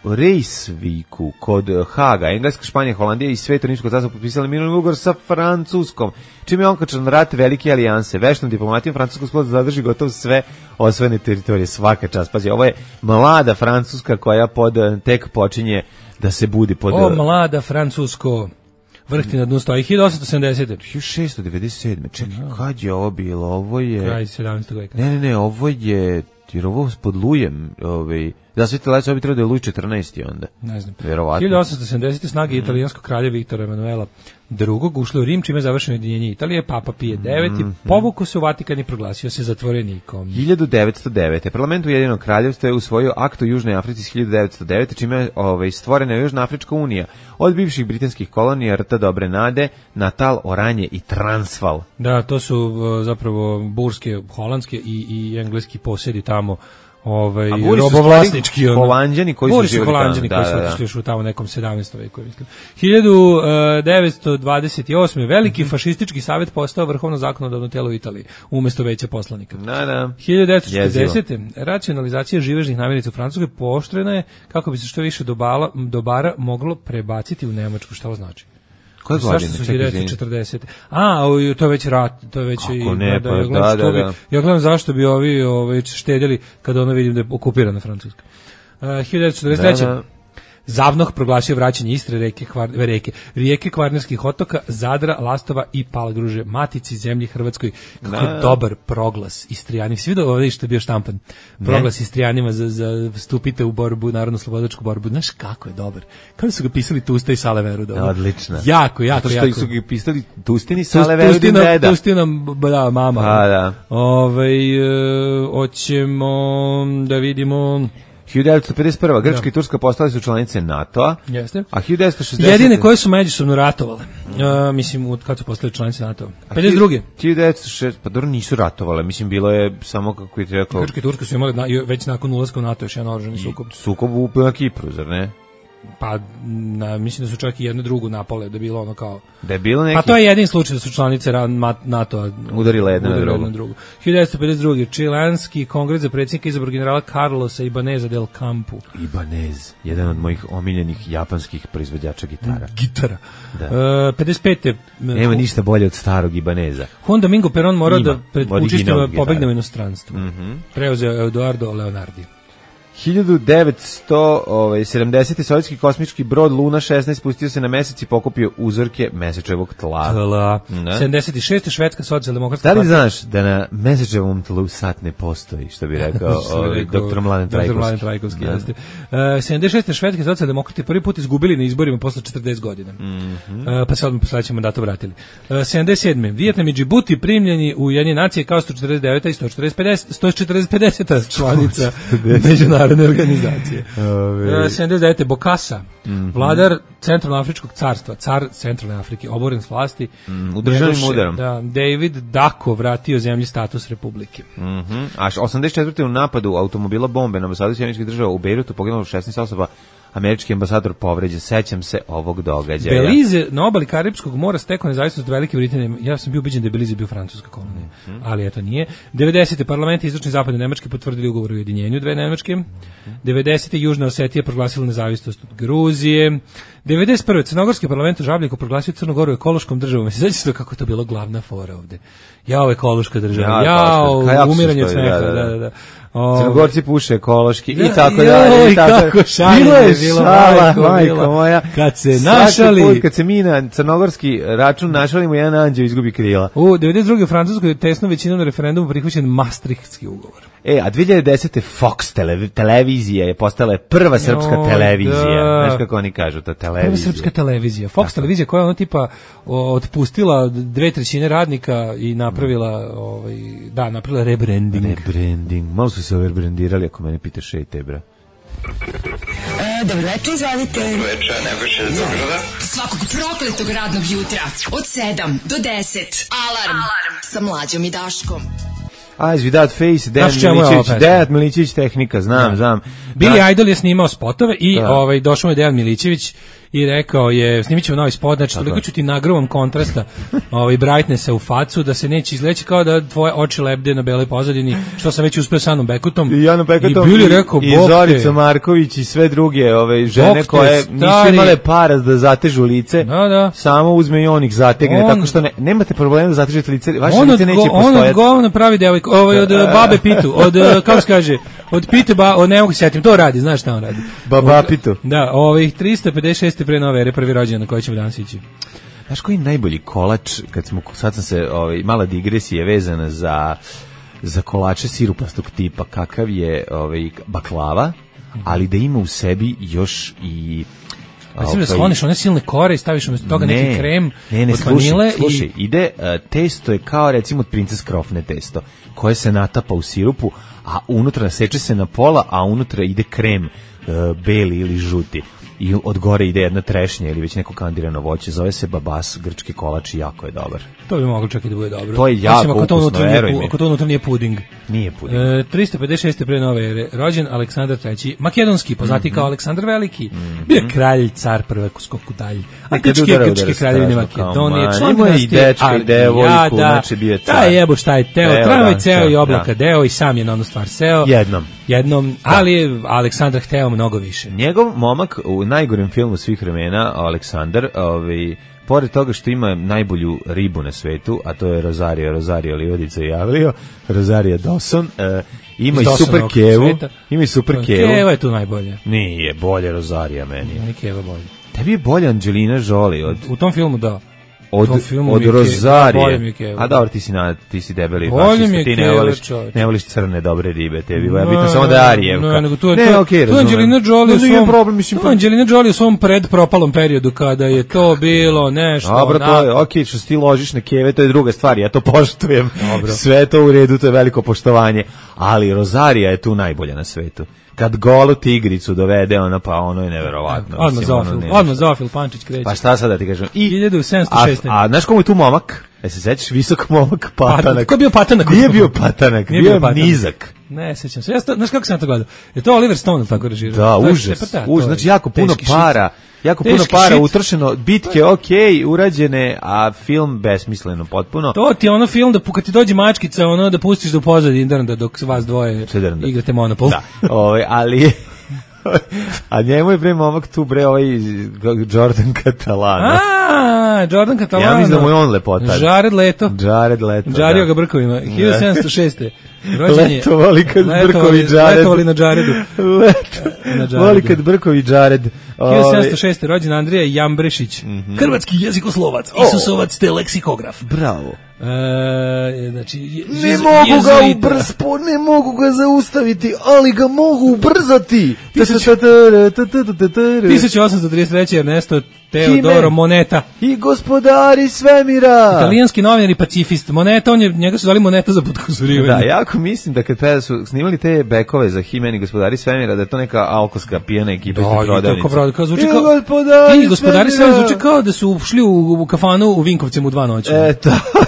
u Reisviku, kod Haga, Engleska, Španija, Holandija i Sveto Rimsko carstvo potpisali mirovni ugovor sa Francuskom, čime je onkačan rat velike alijanse. Veštom diplomatijom Francuska uspela da zadrži gotovo sve osvojene teritorije, svaka čast. Pazi, ovo je mlada Francuska koja pod, tek počinje da se budi pod... O, mlada Francusko, vrh ti na dnu stoji. hiljadu osamsto sedamdesete. hiljadu šessto devedeset sedme. Čekaj, kad je ovo bilo? Ovo je... Kraj sedamnaestog veka. Ne, ne, ne, ovo je... Jer ovo pod Lujem, ovaj... Da, Sveti Lajc, ovo bi trebao da je Luj četrnaesti onda. Ne znam. Verovatno. hiljadu osamsto sedamdesete. snage italijanskog kralja Viktora Emanuela drugog ušle u Rim, čime je završeno ujedinjenje Italije. Papa Pije deveti. Mm -hmm. povukao se u Vatikan i proglasio se zatvorenikom. hiljadu devetsto devete. Parlament Ujedinjenog kraljevstva je usvojio akt o Južnoj Africi iz hiljadu devetsto devete. čime je ovaj, stvorena Južna Afrička unija. Od bivših britanskih kolonija Rta Dobre Nade, Natal, Oranje i Transvaal. Da, to su zapravo burske, holandske i, i engleski posjedi tamo. Ovaj robovlasnički ono. Holanđani koji su živjeli tamo. Holanđani koji su otišli još u tamo nekom sedamnaestom veku, mislim. hiljadu devetsto dvadeset osme. veliki mm -hmm. fašistički savjet postao vrhovno zakonodavno telo u Italiji umesto veća poslanika. Da, da. hiljadu devetsto četrdesete. racionalizacija živežnih namirnica u Francuskoj pooštrena je kako bi se što više dobala, dobara moglo prebaciti u Nemačku. Šta ovo znači? Koje godine? hiljadu devetsto četrdesete. A, to je već rat, to je već Kako i ne, da, pa, ja gledam, da, da, da. ja gledam zašto bi ovi ovaj štedjeli kada ono vidim da je okupirana Francuska. Uh, hiljadu devetsto četrdeset treće. Da, da. Zavnoh proglasio vraćanje Istre, reke, Kvar, reke, rijeke Kvarnerskih otoka, Zadra, Lastova i Palagruže, matici zemlji Hrvatskoj. Kako je dobar proglas Istrijani. Svi vidio ovdje što je bio štampan. Proglas Istrijanima za, za stupite u borbu, narodno-slobodačku borbu. Znaš kako je dobar. Kako su ga pisali Tusta i Sale Veruda. Odlično. Jako, jako, to što jako. su ga pisali Tustin i Sale Verudin deda. Tustina, da, mama. A, da. Ove, e, oćemo da vidimo... hiljadu devetsto pedeset prva. Grčka da. i Turska postali su članice NATO-a. Jeste. A hiljadu devetsto šezdesete. Jedine koje su međusobno ratovale. Uh, mislim, kad su postali članice NATO-a. pedeset druge. hiljadu devetsto šest. Pa dobro, nisu ratovale. Mislim, bilo je samo kako je rekao... Grčka i Turska su imali na, već nakon ulaska u NATO još jedan oružani sukob. Sukob u na Kipru, zar ne? Pa, na, mislim da su čak i jednu drugu napale, da je bilo ono kao... Da je bilo neki... Pa to je jedin slučaj da su članice NATO-a udarile jedna na drugu. drugu. hiljadu devetsto pedeset druge. Čileanski kongres za predsjednika izabrao generala Carlosa Ibaneza del Campo. Ibanez, jedan od mojih omiljenih japanskih proizvođača gitara. Gitara. Da. Uh, pedeset pete. Nema ništa bolje od starog Ibaneza. Juan Domingo Perón morao da pred učistima pobegne u inostranstvo. Mm -hmm. Preuzeo Eduardo Leonardi. hiljadu devetsto sedamdesete. sovjetski kosmički brod Luna šesnaest spustio se na mesec i pokupio uzorke mesečevog tla. Tla. sedamdeset šeste. švedska socijaldemokratska partija. Da li znaš da na mesečevom tlu sat ne postoji, što bi rekao ovaj, doktor Mladen Trajkovski. doktor Mladen Trajkovski, jeste. Uh, sedamdeset šeste. švedski socijaldemokrati prvi put izgubili na izborima posle četrdeset godina. Mm -hmm. uh, pa se odmah po sledećem mandatu vratili. Uh, sedamdeset sedme. Vijetnam i Džibuti primljeni u Ujedinjene nacije kao sto četrdeset deveta i sto četrdeset pedeseta članica međunarodne organizacije. Uh, sedamdeset devete. Bokassa, mm -hmm. vladar Centralnoafričkog carstva, car Centralne Afrike, oboren s vlasti. Mm, udržanim udarom. Da, David Dako vratio zemlji status republike. Mm -hmm. A osamdeset četvrte. u napadu automobila bombe na ambasadu Sjedinjenih Država u Bejrutu poginulo šesnaest osoba, američki ambasador povređen. Sećam se ovog događaja. Belize na obali Karipskog mora stekao nezavisnost od Velike Britanije. Ja sam bio ubeđen da je Belize bio francuska kolonija, mm -hmm. ali eto nije. devedesete. parlament i istočni zapadne Nemačke potvrdili ugovor o ujedinjenju dve Nemačke. devedesete Južna Osetija proglasila nezavisnost od Gruzije. devedeset prve Crnogorski parlament u Žabljiku proglasio Crnu Goru ekološkom državom. Se sećate kako je to bilo glavna fora ovde? Jao, ekološka država. Jao, ja, umiranje od smeha. Da, da, da. da, da. Crnogorci puše ekološki Da, i tako joj, dalje. I tako. kako šalje Bilo je bilo, šala, majko, majko bilo. moja. Kad se Svaki našali... put kad se mi na crnogorski račun našalimo, jedan anđeo izgubi krila. U devedeset druge u Francuskoj je tesnom većinom na referendumu prihvaćen Maastrichtski ugovor. E, a dve hiljade desete Fox tele, televizija je postala prva srpska Joj, televizija. da. Znaš kako oni kažu, to televizija. Prva srpska televizija. Fox televizija koja je ono tipa o, otpustila dve trećine radnika i napravila, ovaj, da, napravila rebranding. Rebranding. Malo su se overbrandirali, ako mene pitaš, ej te, bra. E, dobro večer, izvolite. Dobro večer, Nebojša iz Beograda. Svakog prokletog radnog jutra od sedam do deset. Alarm, Alarm. Sa Mlađom i Daškom. Eyes Without Face, Dejan Znaš čemu je ova Milićević, pesma? Dejan Milićević tehnika, znam, znam. Billy Da. Idol je snimao spotove i Da. ovaj došao je Dejan Milićević i rekao je snimićemo novi spot, znači toliko ću ti nagrovom kontrasta, ovaj brightnessa u facu da se neće izleći kao da tvoje oči lebde na beloj pozadini, što sam već uspeo sa Anom Bekutom. I Jano Pekatom I Billy rekao, i "Bog te." Zorica Marković i sve druge ove žene Bog te, koje nisu stari. imale para da zatežu lice, Da, da. samo uzme i on ih zategne, On- tako što ne, nemate problema da zatežete lice, vaše On lice od, neće go, on od postojati. govna pravi devojku, ovaj od uh, babe Pitu, od, uh, kako se kaže, od Pite, ba, od ne mogu se setim, to radi, znaš šta on radi. Baba Od- Pitu. Da, ovih tristo pedeset šest pre nove ere, prvi rođendan na koji ćemo danas ići. Znaš koji je najbolji kolač, kad smo, sad sam se, ovaj, mala digresija vezana za, za kolače sirupastog tipa, kakav je ovaj, baklava, ali da ima u sebi još i... Mislim da ovaj, skloniš one silne kore i staviš umjesto toga neki krem ne, ne, od slušaj, vanile slušaj, i... ide, uh, testo je kao recimo od Princes Krofne testo, koje se natapa u sirupu, a unutra seče se na pola, a unutra ide krem uh, beli ili žuti. I od gore ide jedna trešnja ili već neko kandirano voće, zove se babas, grčki kolač i jako je dobar. To bi moglo čak i da bude dobro. To je jako Osim ako to ukusno, unutra nije veruj pu- mi. Ako to unutra nije puding. Nije puding. E, tristo pedeset šest pre nove ere, rođen Aleksandar treći, makedonski, poznati Mhm. kao Aleksandar Veliki. Bio je kralj, car prve skoku dalje. A Nekad grčke, udara, grčke udara kraljevine strašno, Makedonije, kao, član ma, imao je i dinastije dečka i devojku, Argijada. znači bio je car. Da, jebo šta je teo, Teo, tramvaj da, ceo da, i oblaka da. deo i sam je na onu stvar seo. Jednom. Jednom, ali je Aleksandar hteo mnogo više. Njegov momak u najgorem filmu svih vremena, Aleksandar, ovaj, pored toga što ima najbolju ribu na svetu, a to je Rosario, Rosario Livadica i Javlio, Rosario Dawson, eh, ima Iz i super Dawsonovog kevu, sveta. ima i super kevu. Keva je tu najbolje. Nije, bolje Rosario meni. Nije Keva bolje. Tebi je bolje Angelina Jolie od, U tom filmu da. od, tom filmu od mi je Ke- bolje mi je Rozarije. Keva. A dobro, ti si, na, ti si debeli Bolje fašista, mi je ti ne Keva, voliš, čoveče. ne voliš crne dobre ribe, tebi je bitno samo da je Arijevka. Ne, nego tu je, ne, to, okej, tu je razumem. Angelina Jolie u No, nije svom, problem, mislim, tu je Angelina Jolie u svom predpropalom periodu kada je to bilo nešto. Dobro, to je, onako. okej, što se ti ložiš na keve, to je druga stvar, ja to poštujem. Dobro. Sve je to u redu, to je veliko poštovanje. Ali Rozarija je tu najbolja na svetu. Kad golu tigricu dovede, ona pa ono je neverovatno. Odmah Mislim, ono Zofil, nema odmah šta. Zofil Pančić kreće. Pa šta sad da ti kažem? I, hiljadu sedamsto a, šeste. a znaš komu je tu momak? E se sećaš, visok momak, patanak. Ko je bio patanak? Nije bio patanak, Nije bio bio je patanak. nizak. Ne, sećam se. Ja sto, znaš kako sam to gledao? Je to Oliver Stone tako režirao? Da, To je- užas, pa da, to užas, je znači jako puno teški para, jako puno Teški para shit. utrošeno, bitke okej, urađene, a film besmisleno potpuno. To ti je ono film da pu- kad ti dođe mačkica, ono da pustiš da u pozadini drnda dok vas dvoje Se drnda. igrate Monopol. Da, ovaj, ali a njemu je bre momak tu bre ovaj Jordan Catalano. A, Jordan Catalano. Ja mislim da mu je on lepotar. Jared Leto. Jared Leto. Žario da. ga brkovima. hiljadu sedamsto šeste. Rođen je- Letovali kad Letovali- brkovi Jared. Letovali na Jaredu. Leto. Na Jaredu. Voli kad brkovi Jared. hiljadu sedamsto šeste. rođen Andrija Jambrešić. Hrvatski jezikoslovac, Isusovac te leksikograf. Bravo. E, znači, je- Ne jezu- mogu ga jezuita. ubrs, po- ne mogu ga zaustaviti, ali ga mogu ubrzati. tisuću osamsto trideset treće. Ernesto Teodoro Kime? Moneta. I gospodari svemira. Italijanski novinar i pacifist. Moneta, on je, njega su zvali Moneta za podkozorivanje. Da, jako mislim da kad peda su snimali te bekove za He-Man i gospodari svemira, da je to neka alkoska pijena ekipa iz Da, i prodavnice. tako prodavnica, kao zvuči I kao... gospodari I gospodari sve svemira. zvuči kao da su ušli u, u kafanu u Vinkovcima u dva noći. E, tako.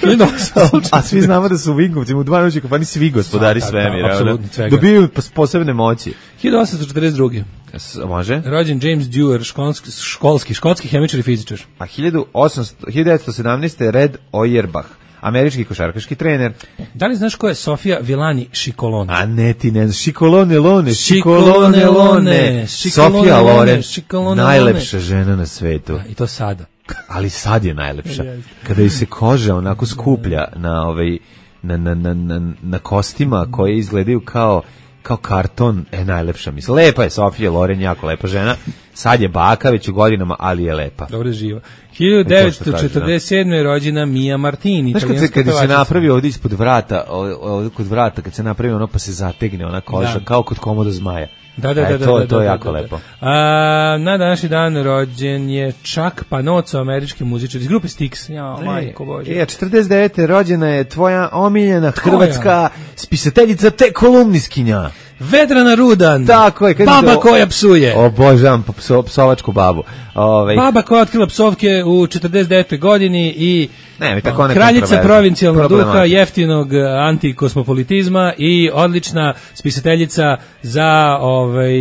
hiljadu osamsto A svi znamo da su u Vinkovcima u dva noći kafani svi gospodari Da, da, svemira. da, apsolutno, ono. svega. Dobijaju pos- posebne moći. hiljadu osamsto četrdeset druge. S- Može? Rođen James Dewar, školski, školski, škotski hemičar i fizičar. A hiljadu osamsto hiljadu devetsto sedamnaeste. Red Auerbach, američki košarkaški trener. Da li znaš ko je Sofia Villani Šikolone? A ne, ti ne znaš. Šikolone Lone, Šikolone Lone, Sofia Loren, Šikolone najlepša žena na svetu. I to sada. Ali sad je najlepša. Kada joj se koža onako skuplja na ovaj na na na na, na kostima koje izgledaju kao kao karton, e najlepša mislim. Lepa je Sofia Loren, jako lepa žena. Sad je baka već u godinama, ali je lepa. Dobro je živa. hiljadu devetsto četrdeset sedme je rođena Mia Martini. Znaš kad se, kad se napravi ovdje ispod vrata, ovdje kod vrata, kad se napravi ono pa se zategne ona koža, da. Kao kod komoda zmaja. Da, da, e, da, to, da, to da, je da, jako da, da. lepo. A, na današnji dan rođen je Chuck Panozzo, američki muzičar iz grupe Styx. Ja, majko bože. E, četrdeset devete rođena je tvoja omiljena hrvatska spisateljica te kolumniskinja. Vedrana Rudan. Tako je. Baba do... koja psuje. Obožavam pso, psovačku babu. Ove... Baba koja otkrila psovke u četrdeset devetoj godini i ne, tako kraljica provincijalnog duha, jeftinog antikosmopolitizma i odlična spisateljica za, ovaj,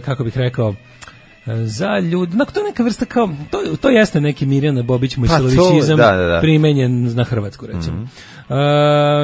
kako bih rekao, za ljudi, no, to je neka vrsta kao, to, to jeste neki Mirjana Bobić Mojsilovićizam pa da, da, da. primenjen na Hrvatsku, recimo. Mm-hmm. Uh,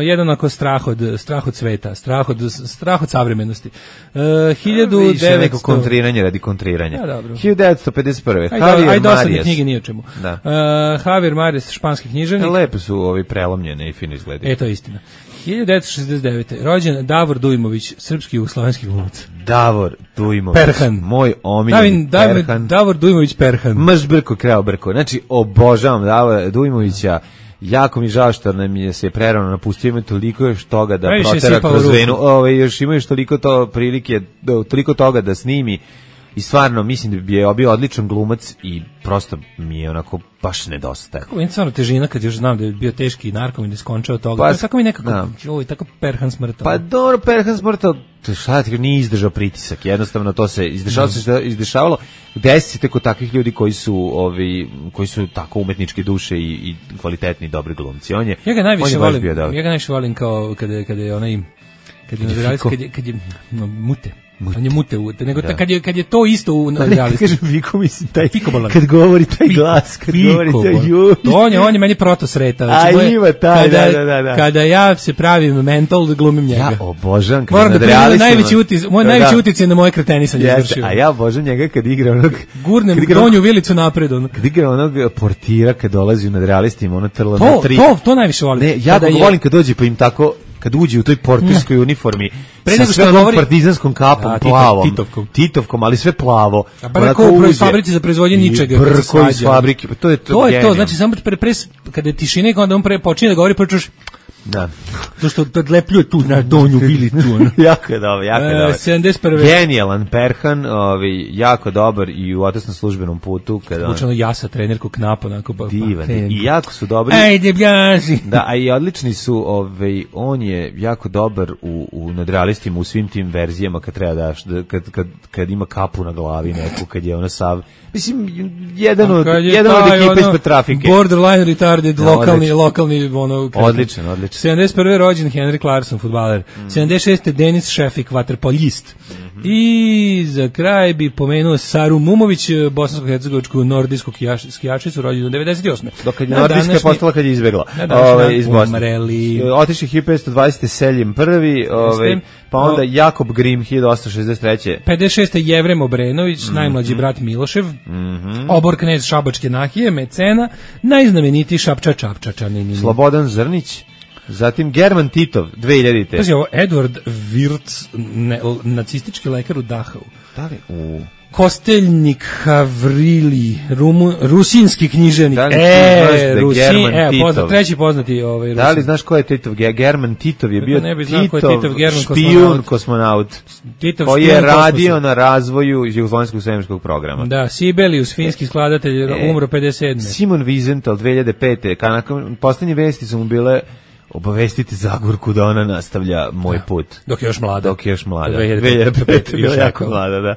jedan ako strah od, strah od sveta, strah od, strah od savremenosti. Uh, hiljadu devetsto neko kontriranje radi kontriranja. Ja, dobro. hiljadu devetsto pedeset prve Aj, Javier aj dosadne Marias. knjige ni o čemu. Da. Uh, Javier Marias, španski književnik. Lepo su ovi prelomljene i fino izgledaju. E, to je istina. hiljadu devetsto šezdeset devete rođen Davor Dujmović, srpski jugoslovenski glumac. Davor Dujmović. Perhan. Moj omiljeni Perhan. Davor Dujmović Perhan. Mrš brko, kreo brko. Znači, obožavam Davora Dujmovića. Jako mi žao što nam je se prerano napustio, ima toliko još toga da Najviše protera kroz venu. Ove, još ima još toliko to prilike, toliko toga da snimi. I stvarno, mislim da bi je bio odličan glumac i prosto mi je onako baš nedostaje. Kako je stvarno težina kad još znam da je bio teški narkom i da je skončao toga. Pa, tako mi nekako, da. Joj, tako Perhan smrtao. Pa dobro, Perhan smrtao, šta ti nije izdržao pritisak, jednostavno to se izdešavalo, mm. se izdešavalo. Desi se kod takvih ljudi koji su ovi, koji su tako umetničke duše i, i kvalitetni, dobri glumci. On je, ja ga najviše on je volim, bio dobar. Ja ga najviše volim kao kada je, kada je onaj, kad je, kad je, kad je, kad je no, mute. Mute. On je mute, mute. Nego ta, kad, je, kad je to isto u realisti. Kažem Viko, mislim, taj, Fikobolan. Kad govori taj glas, kad Fikobolan. govori taj ju. To on je, on je meni protosreta. Znači, a ima taj, kada, da, da, da. Kada ja se pravim mental, glumim njega. Ja obožavam kad moram nad da realistima. Najveći utic, moj da, najveći da. uticaj na moje kretenisanje yes, izvršio. A ja obožavam njega kad igra onog... Gurnem donju vilicu napred. Ono. Kad igra onog portira, kad dolazi nad realistima, ono trlo to, na tri. To, to najviše volim. Ne, ja ga je... volim kad dođe pa im tako... kad uđe u toj portirskoj uniformi pre sa sve onom govori... partizanskom kapom, da, plavom, titovkom. titovkom, ali sve plavo. A pa neko u fabrici za proizvodnje ničega. Brko iz fabrike, to je to. To je to, znači samo pre, pre, kada je tišina i onda on pre počinje da govori, počuš da. To što odlepljuje tu na donju vilicu. jako je dobro, jako je dobro. sedamdeset prve Genijalan Perhan, ovaj, jako dobar i u otesnom službenom putu. Kada Učeno on... jasa, trenerku Knap, onako pa, divan. Pa, i jako su dobri. Ajde, bljaži. Da, a i odlični su, ovaj, on je jako dobar u, u nadrealistima, u svim tim verzijama kad treba daš, da, kad, kad, kad ima kapu na glavi neku, kad je ona sav... Mislim, jedan od, jedan od ekipa ispred trafike. Borderline retarded, da, lokalni, odličan. lokalni, ono... Odličan, odličan. sedamdeset prve rođen Henry Clarkson, fudbaler. Mm. sedamdeset šeste Denis Šefik, vaterpoljist. Mm-hmm. I za kraj bi pomenuo Saru Mumović, bosansko-hercegovačku nordijsku skijačicu, rođenu devedeset osme Dok je nordijska današnji... postala kad je izbegla. Ove, iz Bosne. Otišli hiljadu petsto dvadesete Seljem prvi, ove, pa onda o... Jakob Grim, hiljadu osamsto šezdeset treće pedeset šeste Jevrem Obrenović, mm-hmm. najmlađi brat Milošev. Mm-hmm. Obor knez Šabačke nahije, mecena, najznamenitiji Šapča Čapčačanin. Slobodan Zrnić, zatim German Titov, dve hiljadite Pazi ovo, Edward Wirtz, ne, nacistički lekar u Dachau. Da li? U... Kosteljnik Havrili, Rumu, rusinski književnik. Da li e, da Rusin, e, pozna, treći poznati ovaj Rusin. Da li znaš ko je Titov? German Titov je bio Titov, Titov špijun kosmonaut. Titov koji je radio na razvoju jugoslovenskog svemirskog programa. Da, Sibelius, finski skladatelj, e, umro pedeset sedme Simon Wiesenthal, dve hiljade pete Nakon poslednje vesti su mu bile obavestiti Zagorku da ona nastavlja moj da. put. Dok je još mlada. Dok je još mlada. dve hiljade pete Bila jako mlada, da.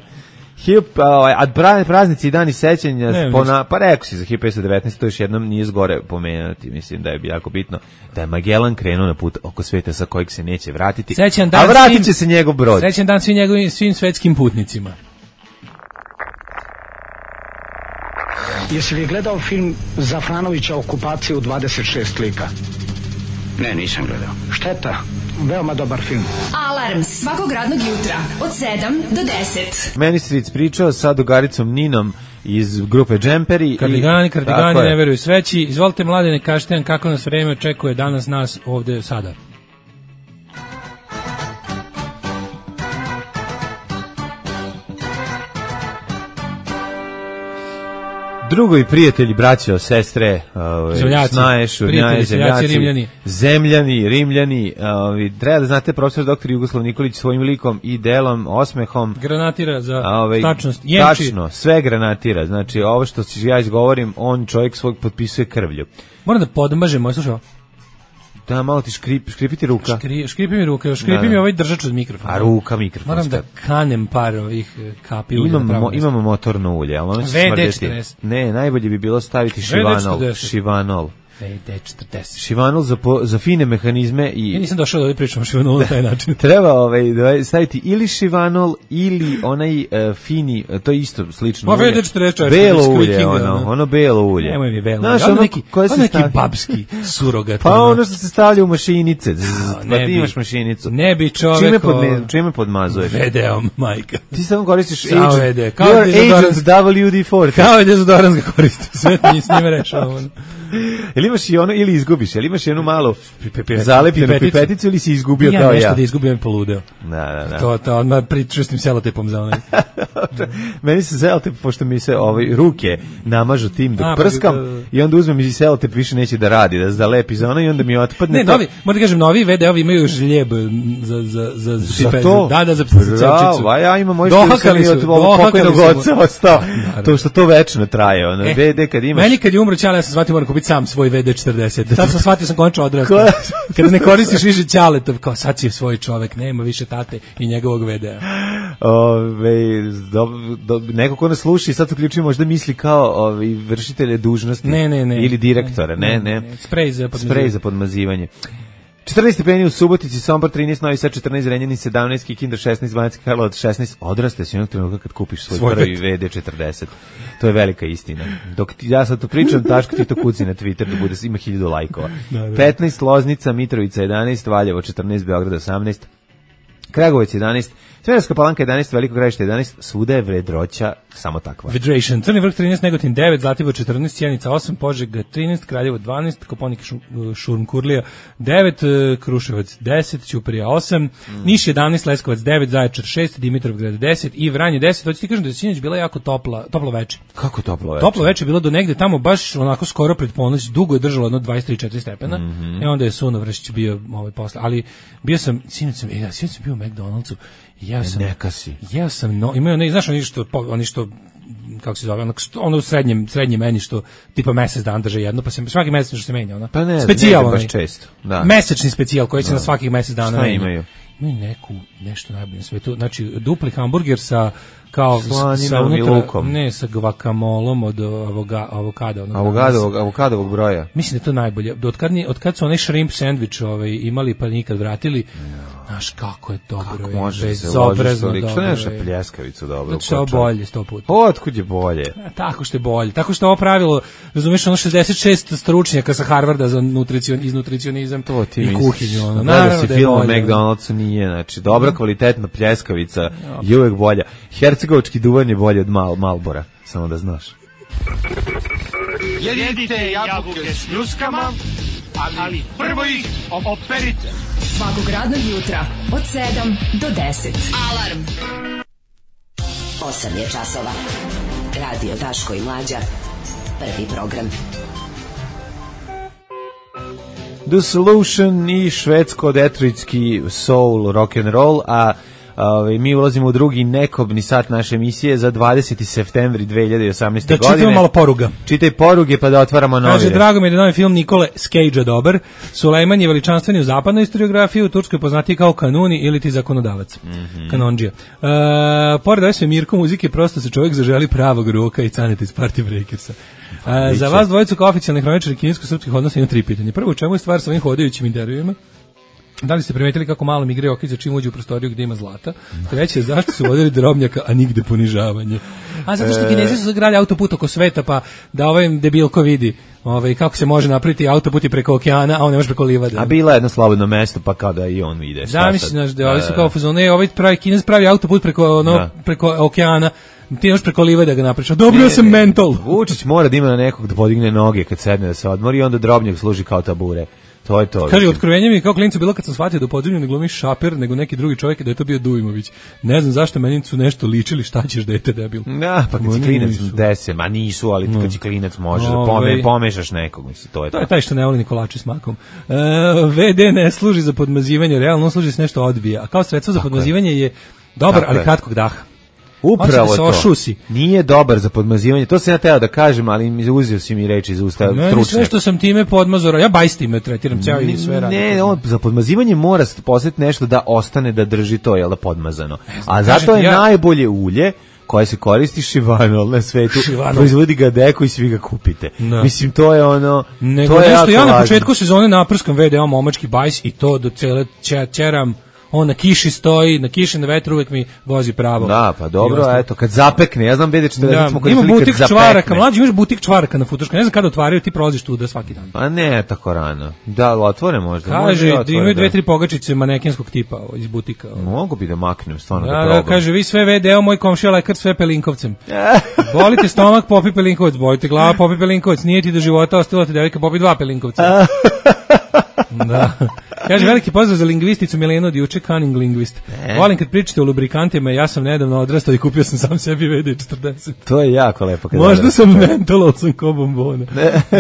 A praznici i dani sećanja, spona, pa rekao si za hiljadu petsto devetnaeste to još jednom nije zgore pomenuti, mislim da je jako bitno da je Magellan krenuo na put oko sveta sa kojeg se neće vratiti, a vratit će se njegov brod. Srećan dan svim njegovim svim svetskim putnicima. Jesi li gledao film Zafranovića Okupacija u dvadeset šest lika? Ne, nisam gledao. Šteta, veoma dobar film. Alarm svakog radnog jutra od sedam do deset. Ministric pričao sa drugaricom Ninom iz grupe Džemperi. Kardigani, kardigani, ne veruju sveći. Izvolite, Mladene, kažete nam kako nas vreme očekuje danas nas ovde sada. Drugovi, prijatelji, braćo, sestre, ovaj, zemljaci, snaje, šurnjaje, zemljaci, rimljani. zemljani, rimljani, ovaj, treba da znate, profesor doktor Jugoslav Nikolić svojim likom i delom, osmehom, granatira za ovaj, tačnost, jemči. Tačno, sve granatira, znači ovo što ja izgovorim, on čovjek svog potpisuje krvlju. Moram da podmažem, moj slušao. Da, malo ti škrip, škripiti ruka. Škri, škripi mi ruka, škripi da, mi ovaj držač od mikrofona. A ruka mikrofon. Moram da kanem par ovih kapi ulja. Imamo, imamo motorno ulje, ali ono će smrdjeti. Ne, najbolje bi bilo staviti šivanol. Šivanol. V D četrdeset. Šivanol za, po, za fine mehanizme i... Ja nisam došao da ovdje pričam o šivanolu na taj način. Treba ovaj, staviti ili šivanol ili onaj uh, fini, to je isto slično ulje. V D četrdeset. Belo ulje, ono, ono belo ulje. Nemoj mi belo ulje. Ono, ono neki, ono neki babski surogat. Pa ono što se stavlja u mašinice. No, pa ti imaš mašinicu. Ne bi čovek... Čime, podme, čime podmazuješ? V D-om, majka. Ti samo koristiš Samo agent. V D. Kao Your agent W D četiri. Kao je dezodorans ga koristi. Sve ti s njime rešao. Ili imaš i ono, ili izgubiš, ili imaš jednu malu zalepljenu pipeticu ili si izgubio ja kao ja. Ja nešto da izgubio poludeo. Da, da, da. To, to, odmah pričustim selotepom za onaj. Meni se selotep, pošto mi se ovaj, ruke namažu tim dok A, prskam pa, da, da. I onda uzmem i selotep više neće da radi, da da lepi za ono i onda mi otpadne. Ne, to... novi, moram da kažem, novi V D-ovi imaju žljeb za, za, za, za to? Da, da, za celčicu. A ja imam moj što sam i od ovog pokojnog oca ostao. To što to večno traje. Ono, e, V D kad imaš... Meni kad je umro ćale, ja sam shvatio moram kupiti sam svoj V D četrdeset. Sad sam shvatio sam končno odrastao. Kada ne koristiš više ćaletov, kao sad si svoj čovek, nema više tate i njegovog V D-a. Ove, do, do, neko ko nas sluši sad uključuje možda misli kao ovi, vršitelje dužnosti ne, ne, ne. ili direktora, ne, ne. ne. Sprej za podmazivanje. Sprej za podmazivanje. četrnaest stepeni u Subotici, Sombor trinaest, Novi Sad četrnaest, Renjanin sedamnaest, Kikinda šesnaest, Banatski Karlovac šesnaest. Odraste si onog trenutka kad kupiš svoj, svoj prvi V D četrdeset. To je velika istina. Dok ti, ja sad to pričam, Daško ti to kuci na Twitter da bude, ima hiljadu lajkova. Da, da. petnaest, Loznica, Mitrovica jedanaest, Valjevo četrnaest, Beograd osamnaest, Kragujevac jedanaest, Smederevska Palanka jedanaest, Veliko Gradište jedanaest, svuda je vedroća samo takva. Vedration. Crni vrh trinaest, Negotin devet, Zlatibor četrnaest, Sjenica osam, Požega trinaest, Kraljevo dvanaest, Koponik Šurm-Kurlija devet, Kruševac deset, Ćuprija osam, mm. Niš jedanaest, Leskovac devet, Zaječar šest, Dimitrovgrad deset i Vranje deset. Hoćete ti kažem da je sinoć bila jako topla, toplo veče. Kako toplo veče? Toplo veče bilo do negde tamo baš onako skoro pred ponoć, dugo je držalo jedno dvadeset tri četiri stepena. Mm -hmm. I onda je Suno Vršić bio ovaj posle, ali bio sam sinoć sam, ja sinoć sam bio u McDonald'su. Ja sam neka si. Ja sam no, imao ne znaš oni što oni što kako se zove, ono, ono u srednjem, srednjem meni što tipa mesec dan drže jedno, pa se svaki mesec što se menja, ona. Pa ne, specijal, ne baš često. Da. Mesečni specijal koji se da. Na svakih mesec dana menja. Imaju? Imaju neku, nešto najbolje na svetu, znači dupli hamburger sa kao sa unutra, ne, sa guacamolom od avoga, avokada. Onog avokadovog, avokadovog broja. Mislim da je to najbolje. Od kad, od kad su onaj shrimp sandvič ovaj, imali pa nikad vratili, znaš kako je dobro. Kako je, može bezobrazno dobro. Što nemaš pljeskavicu dobro? Znači što je bolje sto puta. Otkud je bolje? A, tako što je bolje. Tako što ovo pravilo, razumiješ, ono šezdeset šest stručnjaka sa Harvarda za nutricion, iz nutricionizam to ti i kuhinju. Ono. Naravno da si film o McDonald'su nije, znači dobra kvalitetna pljeskavica je uvek bolja. Hercegovački duvan je bolje od Mal, Malbora, samo da znaš. Jedite jabuke s ljuskama, ali prvo ih operite. Svakog radnog jutra od sedam do deset. Alarm. osam je časova. Radio Daško i Mlađa. Prvi program. The Solution i švedsko-detroitski soul rock and roll, a Ove, mi ulazimo u drugi nekobni sat naše emisije za dvadeseti septembar dve hiljade osamnaeste. Da godine. Čitamo malo poruga. Čitaj poruge pa da otvaramo novine. Kaže, drago mi je da novi film Nikole Cagea dobar. Sulejman je veličanstveni u zapadnoj historiografiji, u Turskoj poznati kao kanuni ili ti zakonodavac. Mm -hmm. Kanondžija. E, pored ove sve Mirko muzike, prosto se čovjek zaželi pravog roka i caneta iz Party Breakersa. E, za vas dvojicu kao oficijalnih hroničara kinijsko-srpskih odnosa imam tri pitanja. Prvo, u čemu je stvar sa ovim hodajućim intervjuima? Da li ste primetili kako malo mi igre oki za čim uđe u prostoriju gde ima zlata? Treće, zašto su vodili drobnjaka, a nigde ponižavanje? A zato što Kinezi su sagradili autoput oko sveta, pa da ovaj debilko vidi ovaj, kako se može napraviti autoput i preko okeana, a on ne može preko livade. A bila je jedno slobodno mesto, pa kao da i on ide. Da, misliš, znaš, da ovi su kao fazone, ovaj pravi, Kinez pravi autoput preko, ono, preko okeana, ti još preko livade ga napriča. Dobro, ja sam mental. Vučić mora da ima na nekog da podigne noge kad sedne da se odmori i onda drobnjak služi kao tabure. To je to. Kaže, otkrovenje mi kao klincu bilo kad sam shvatio da u podzemlju ne glumi Šaper, nego neki drugi čovjek, da je to bio Dujmović. Ne znam zašto meni su nešto ličili, šta ćeš dete debil. Da, pa kad si klinac dese, ma nisu, ali kad si klinac možeš da pome, pomešaš nekog, misli, to je to. To je taj što ne voli Nikolači s makom. E, ve de ne služi za podmazivanje, realno služi se nešto odbija, a kao sredstvo za podmazivanje je dobar, ali kratkog daha. Upravo to. Nije dobar za podmazivanje. To sam ja teo da kažem, ali mi uzeo si mi reči iz usta stručnjaka. Ne, sve što sam time podmazora, ja bajs time tretiram ceo i sve radim. Ne, on, za podmazivanje mora posjetiti nešto da ostane da drži to, jel da, podmazano. A zato je ja... najbolje ulje koje se koristi Šivanol na svetu, proizvodi ga Deko i svi ga kupite. No. Mislim, to je ono... Nego to je nešto, ja na početku sezone naprskam ve de a momački bajs i to do cele čeram. On na kiši stoji, na kiši na vetru uvek mi vozi pravo. Da, pa dobro, eto, kad zapekne, ja znam ve de četrdeset da, smo koristili kad zapekne. Čvaraka, mlađi, imaš butik čvaraka na Futuška, ne znam kada otvaraju, ti prolaziš tu da svaki dan. Pa ne, tako rano. Da, otvore možda. Kaže, da imaju dve, tri pogačice manekenskog tipa iz butika. Mogu bi da maknem, stvarno da, da probam. Da, kaže, vi sve ve de a, moj komšija lekar, sve pelinkovcem. Bolite stomak, popi pelinkovac, bolite glava, popi pelinkovac, nije ti do života ostalo ti devojka, popi dva pelinkovca. Da. Kaže, veliki pozdrav za lingvisticu Milenu od juče, cunning lingvist. Ne. Volim kad pričate o lubrikantima, ja sam nedavno odrastao i kupio sam sam sebi ve de četrdeset. To je jako lepo. Možda sam mental, ali sam ko bombona.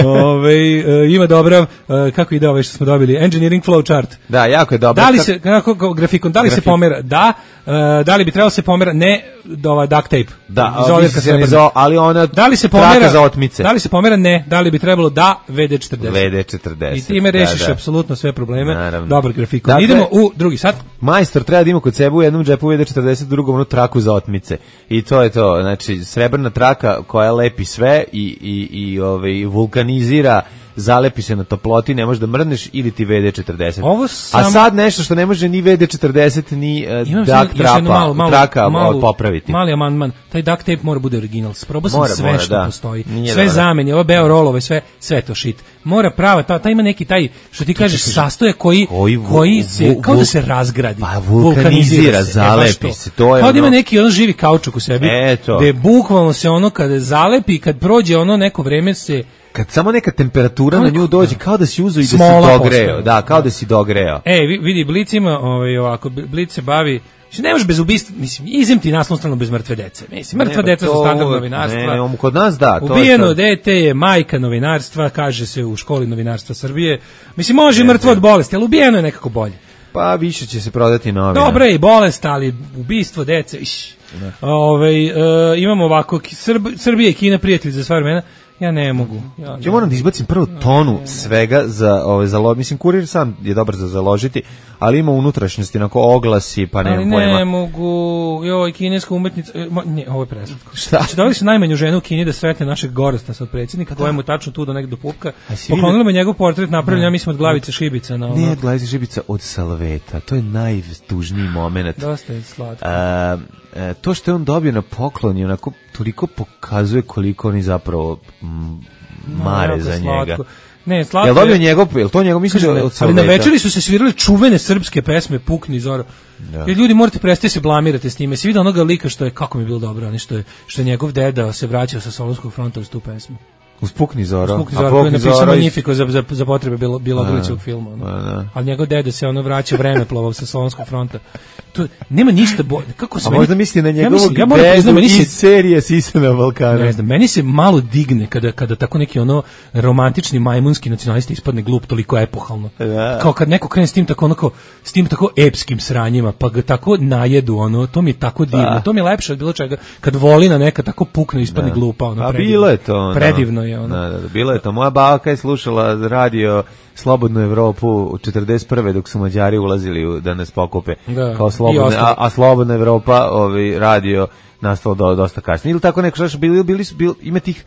Ove, uh, ima dobra, uh, kako ide ove što smo dobili, engineering flow chart. Da, jako je dobro. Da li se, kako, grafikon, da li Grafik. se pomera? Da. Uh, da li bi trebalo se pomera? Ne, ova duct tape. Da, se za, ali ona da li se pomera za otmice. Da li se pomera? Ne. Da li bi trebalo? Da, ve de četrdeset. ve de četrdeset. I time rešiš da, da. apsolutno sve probleme. Naravno. Dobar grafikon. Dakle, idemo u drugi sat. Majstor treba da ima kod sebe u jednom džepu ve de četrdeset, drugom onu traku za otmice. I to je to. Znači, srebrna traka koja lepi sve i, i, i ovaj, vulkanizira, zalepi se na toploti, ne možeš da mrneš, ili ti ve de četrdeset. Sam... A sad nešto što ne može ni ve de četrdeset, ni uh, duct trapa, malo, malo, traka malo, popraviti. Mali amandman, taj duct tape mora bude original. Probao sam mora, sve mora, što da. postoji. Nije sve dobro. zameni, ove beo rolove, sve, sve to shit. Mora prava, ta, ta ima neki taj, što ti kažeš, sastoje koji, koji, koji se, vu, kao da se razgradi. Pa vulkanizira, se, zalepi se. To je kao ono... da ima neki ono živi kaučuk u sebi. Eto. Gde bukvalno se ono kada zalepi, kad prođe ono neko vreme se... Kad samo neka temperatura na nju dođe, kao da si uzeo i da si dogreo. Da, kao da si dogreo. E, vidi, Blic ima, ovaj, ovako, Blic se bavi, ne možeš bez ubistva, mislim, izem ti naslovnu stranu bez mrtve dece. Mislim, mrtva ne, deca su standard novinarstva. Ne, ne, kod nas da. To ubijeno je to. dete je majka novinarstva, kaže se u školi novinarstva Srbije. Mislim, može ne, mrtvo od bolesti, ali ubijeno je nekako bolje. Pa više će se prodati novina. Dobro je i bolest, ali ubistvo dece, iš. Ove, e, imamo ovako, Srb, Srbije i Kina prijatelji za sva vremena. Ja ne mogu. Ja, ne ja moram da izbacim prvo tonu ne, ne. svega za ove za mislim kurir sam je dobar za založiti, ali ima unutrašnjosti onako oglasi, pa nemam pojma. Ne mogu. Joj, kineska umetnica, ne, ovo je preslatko. Šta? Znači, dali su najmanju ženu u Kini da sretne našeg Gorasta sad predsjednika, koja mu tačno tu do negde do pupka. Poklonila me njegov portret napravljen, ja mislim od glavice šibica na ono. Ne, od glavice šibica, od salveta. To je najtužniji momenat. Dosta je slatko. A, E, to što je on dobio na poklon je onako toliko pokazuje koliko oni zapravo m, mare no, za slatko. njega. Ne, slatko. Jel dobio njegov, jel to njegov mislim da od ali na večeri su se svirale čuvene srpske pesme Pukni Zoro. Da. Jer ljudi morate prestati se blamirate s njime. Se vidi onoga lika što je kako mi je bilo dobro, oni što je što je njegov deda se vraćao sa Solunskog fronta uz tu pesmu. Uspukni Zoro. Uspukni Zoro, koji je napisao Magnifico za, za, za potrebe bilo, Bilogalićevog filma. Ono. A, ali njegov deda se ono vraća vremeplovom sa Solonskog fronta. To, nema ništa bolje. Kako se A meni, možda misli na njegovog ja dedu priznam, iz se, serije Sisa na Balkanu. Ne znam, meni se malo digne kada, kada tako neki ono romantični majmunski nacionalisti ispadne glup toliko epohalno. Da. Kao kad neko krene s tim tako onako, s tim tako epskim sranjima, pa ga tako najedu, ono, to mi je tako divno. Da. To mi je lepše od bilo čega. Kad volina neka tako pukne ispadne da. glupa, ono, A bilo je to. Predivno je ono. Da, da, da, bilo je to. Moja baka je slušala radio Slobodnu Evropu u četrdeset prve dok su Mađari ulazili u, da nas pokupe da. kao slobodne, a, a Slobodna Evropa ovaj radio nastalo do, dosta kasnije. Ili tako neko što bili bili su bili ima tih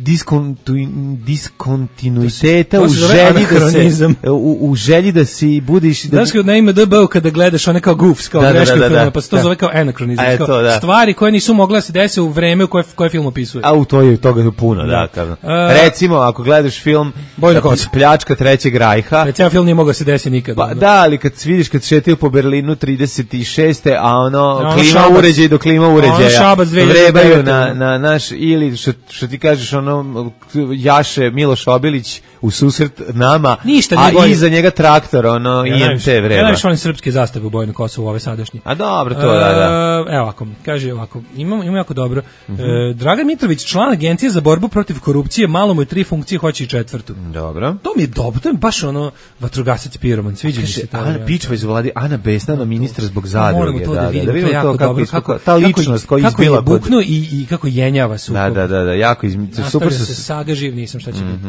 diskontu- diskontinuiteta To u se zove želji da anahronizam. se u, u želji da si budiš da Znaš kao na I M D B kada gledaš one kao goofs, kao Da, da, greške da, u da, filmu, da. pa se to Da. zove kao anakronizam. A, kao eto, da. Stvari koje nisu mogle da se dese u vreme u koje, koje film opisuje. A u to je toga je puno, da. Da. Kao. A- Recimo, ako gledaš film Bojna kosa. Pljačka trećeg rajha, Taj ceo film nije mogao da se desi nikad. pa ono. da, ali kad vidiš kad šetaju po Berlinu trideset šeste a ono, ono klima Šabac. uređaj do klima uređaja, Šabac dve hiljade devete. vrebaju na, na naš, ili što, što ti kažeš, ono, jaše Miloš Obilić u susret nama, Ništa a nije bolje. iza njega traktor, ono, Ja I M najviše- T Ja vreba. najviše volim srpske zastave u Bojnom Kosovu, ove sadašnje. A dobro, to da, da. E, evo ovako, kaže ovako, imamo, imamo jako dobro. E, Dragan Mitrović, član Agencije za borbu protiv korupcije, malo mu je tri funkcije, hoće i četvrtu. Dobro. To mi je dobro, to je baš ono vatrogasac piroman, sviđa mi se to. Ana Pičva iz vladi, Ana Besnana, ministar zbog Moramo zadruge, to da, da da, vidimo, da to je vidimo jako to kako, dobro, isko- kako, ta kako- ličnost koja je kako izbila je kod... buknuo i, i kako jenjava sukob. Da, da, da, da, jako iz... super Nastavlja su... se saga, živ nisam, šta će biti.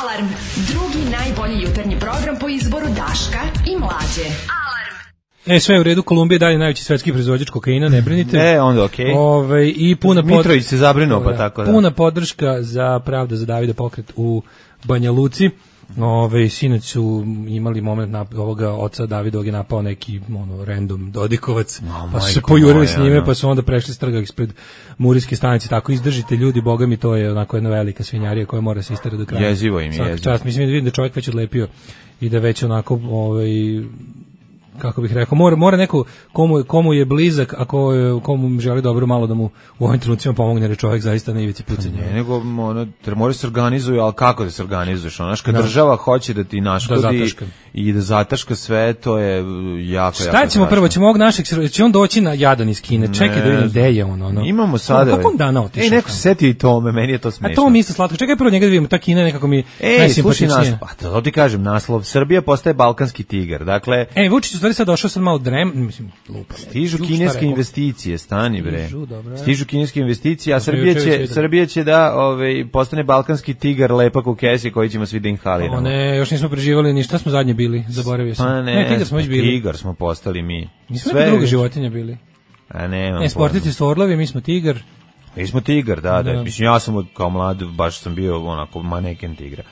Alarm, drugi najbolji jutarnji program po izboru Daška i Mlađe. E, sve je u redu, Kolumbija je dalje najveći svetski proizvođač kokaina, ne brinite. E, onda okej. Ove, i puna pod- Mitrović se zabrinuo, pa tako da. Puna podrška za Pravda za Davida pokret u Banja Luci. Ove, sinoć su imali moment na ovoga oca Davidovog je napao neki ono random Dodikovac, pa su se majko pojurili moja, s njime, ono. pa su onda prešli s trga ispred Murijske stanice. Tako izdržite ljudi, boga mi, to je onako jedna velika svinjarija koja mora se isterati do kraja. Jezivo im je, Svaka jezivo. čast, mislim da vidim da čovjek već odlepio i da već onako ovaj kako bih rekao, mora, mora neko komu, komu je blizak, a ko, je- komu želi dobro malo da mu u ovim trenucima pomogne, jer je čovjek zaista na ivici pucanja. Ne, nego ono, tre- mora se organizuju, ali kako da se organizuješ? Ono, znaš, kad Da. država hoće da ti naškodi Da zataška. i da zataška sve, to je uh, jako, Šta jako ćemo strašno. prvo, ćemo ovog našeg, sro- će on doći na jadan iz Kine, čekaj da vidim gde je on. Ono. Imamo sada... Kako on dana otišao? Ej, neko tamo? se setio i tome, meni je to smešno. A to mi isto slatko, čekaj prvo njega da vidimo, ta Kina je nekako mi Ej, slušaj najsimpatičnija. nas, pa to ti kažem, naslov, Srbija postaje balkanski tigar, dakle, E, Vučić u stvari sad došao sad malo drem, mislim, lupa. stižu Šta kineske rekao? investicije, stani bre. Stižu, dobro. Stižu kineske investicije, a To smo Srbija juče već će, videli. Srbija će da ovaj, postane balkanski tigar lepak u kesi koji ćemo svi da inhaliramo. O ne, još nismo preživali ni šta smo zadnje bili, zaboravio sam. Pa ne, tigar smo već bili. Tigar smo postali mi. Nismo neka druga životinja bili. A ne, Ne, sportici su orlovi, mi smo tigar. Mi smo tigar, da, da. Da. Mislim, ja sam od, kao mlad, baš sam bio onako maneken tigra.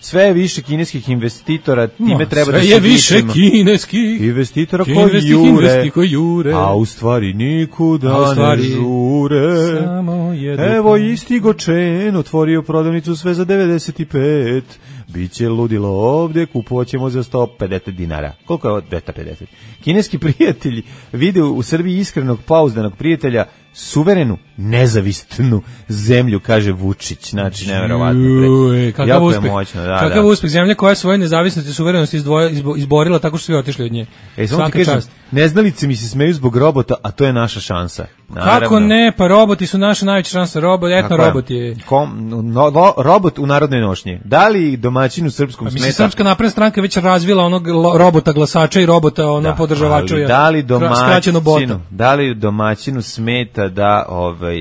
Sve je više kineskih investitora, time Ma, treba sve da se je više dičimo. kineskih. Investitora koji Kineskih jure, investi koji jure. a u stvari nikuda A u stvari ne žure. samo jedu Evo pa. isti Gočen otvorio prodavnicu sve za devedeset pet. Biće ludilo ovdje, kupoćemo za sto pedeset dinara. Koliko je ovo? dvesta pedeset. Kineski prijatelji vide u Srbiji iskrenog, pouzdanog prijatelja, suverenu, nezavisnu zemlju, kaže Vučić. Znači, nevjerovatno. bre. Uje, kakav Jako uspeh. je moćno, da, kakav da. uspeh, zemlja koja je svoje nezavisnosti i suverenosti izdvoja, izbo, izborila tako što svi otišli od nje. E, samo ti Svaka kažem, čast. neznalice mi se smeju zbog robota, a to je naša šansa. Naravno. Kako ne, pa roboti su naša najveća šansa, robot, etno Tako je. robot je. Kom, no, no, robot u narodnoj nošnji. Da li domaćin u srpskom Pa mislim, smeta? Srpska napredna stranka je već razvila onog lo- robota glasača i robota ono Da, podržavača. ali ja. da li Kra- skraćeno bota. domaćinu, da li domaćinu smeta da ovaj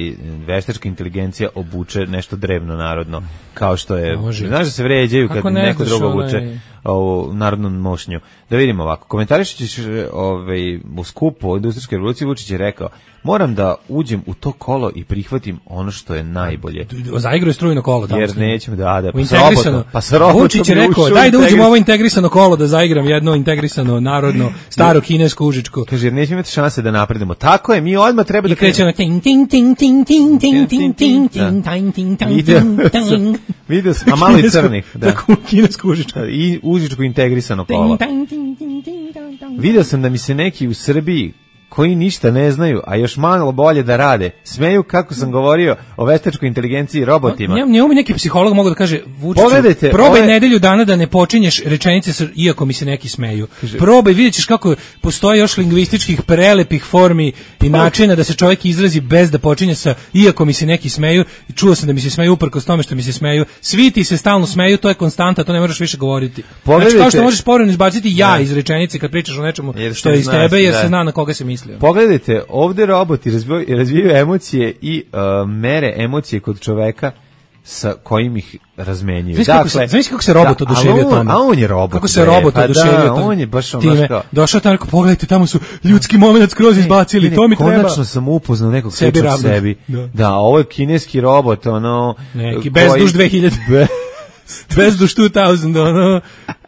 veštačka inteligencija obuče nešto drevno narodno, kao što je, Može. znaš da se vređaju kad Kako ne neko znaš, drugo onaj- obuče ovu narodnu nošnju. Da vidimo ovako, komentarišući ovaj, u skupu o industrijskoj revoluciji Vučić je rekao, moram da uđem u to kolo i prihvatim ono što je najbolje. Zaigraju strujno kolo tamo. Jer s njim. nećemo da, da, U pa s integrisano. robotom, pa s robotom Vučić je bi rekao, ušao daj da uđemo u integrisano. ovo integrisano kolo da zaigram jedno integrisano, narodno, staro kinesko užičko. Kaže, jer nećemo imati šanse da napredemo. Tako je, mi odmah treba da I kreće na ting ting ting ting ting ting ting ting ting ting ting ting Video ting sam, video sam, a malo i crnih. Da. Tako kinesko užičko. I užičko integrisano kolo. Ting, ting, ting, ting, ting, ting. Video sam da mi se neki u Srbiji koji ništa ne znaju, a još malo bolje da rade, smeju kako sam govorio o veštačkoj inteligenciji i robotima. Njemu njemu neki psiholog mogu da kaže Vučiću, Pogledajte, probaj ove- nedelju dana da ne počinješ rečenice sa, iako mi se neki smeju. Probaj, vidjet ćeš kako postoji još lingvističkih prelepih formi i načina da se čovjek izrazi bez da počinje sa iako mi se neki smeju. I čuo sam da mi se smeju uprkos tome što mi se smeju. Svi ti se stalno smeju, to je konstanta, to ne možeš više govoriti. Pogledajte- Znači kao što možeš povremeno izbaciti ja Da. iz rečenice kad pričaš o nečemu Jer što se je iz zna, tebe jer da. se zna na koga se misli. Pogledajte, ovde roboti razvijaju, razvijaju emocije i uh, mere emocije kod čoveka sa kojim ih razmenjuju. Znaš kako, Dakle, znaš kako se robot da, oduševio on, tome? A on je robot. Kako se bre, robot pa oduševio da, tome? on je baš on Time, baš kao... došao tamo, rekao, pogledajte, tamo su ljudski moment skroz izbacili, ne, to mi treba. Konačno sam upoznao nekog Sebi sličnog ravnog. sebi. Da. Da, ovo je kineski robot, ono... Neki, koji- bezduš dve hiljade. Bezduš dve hiljade, ono,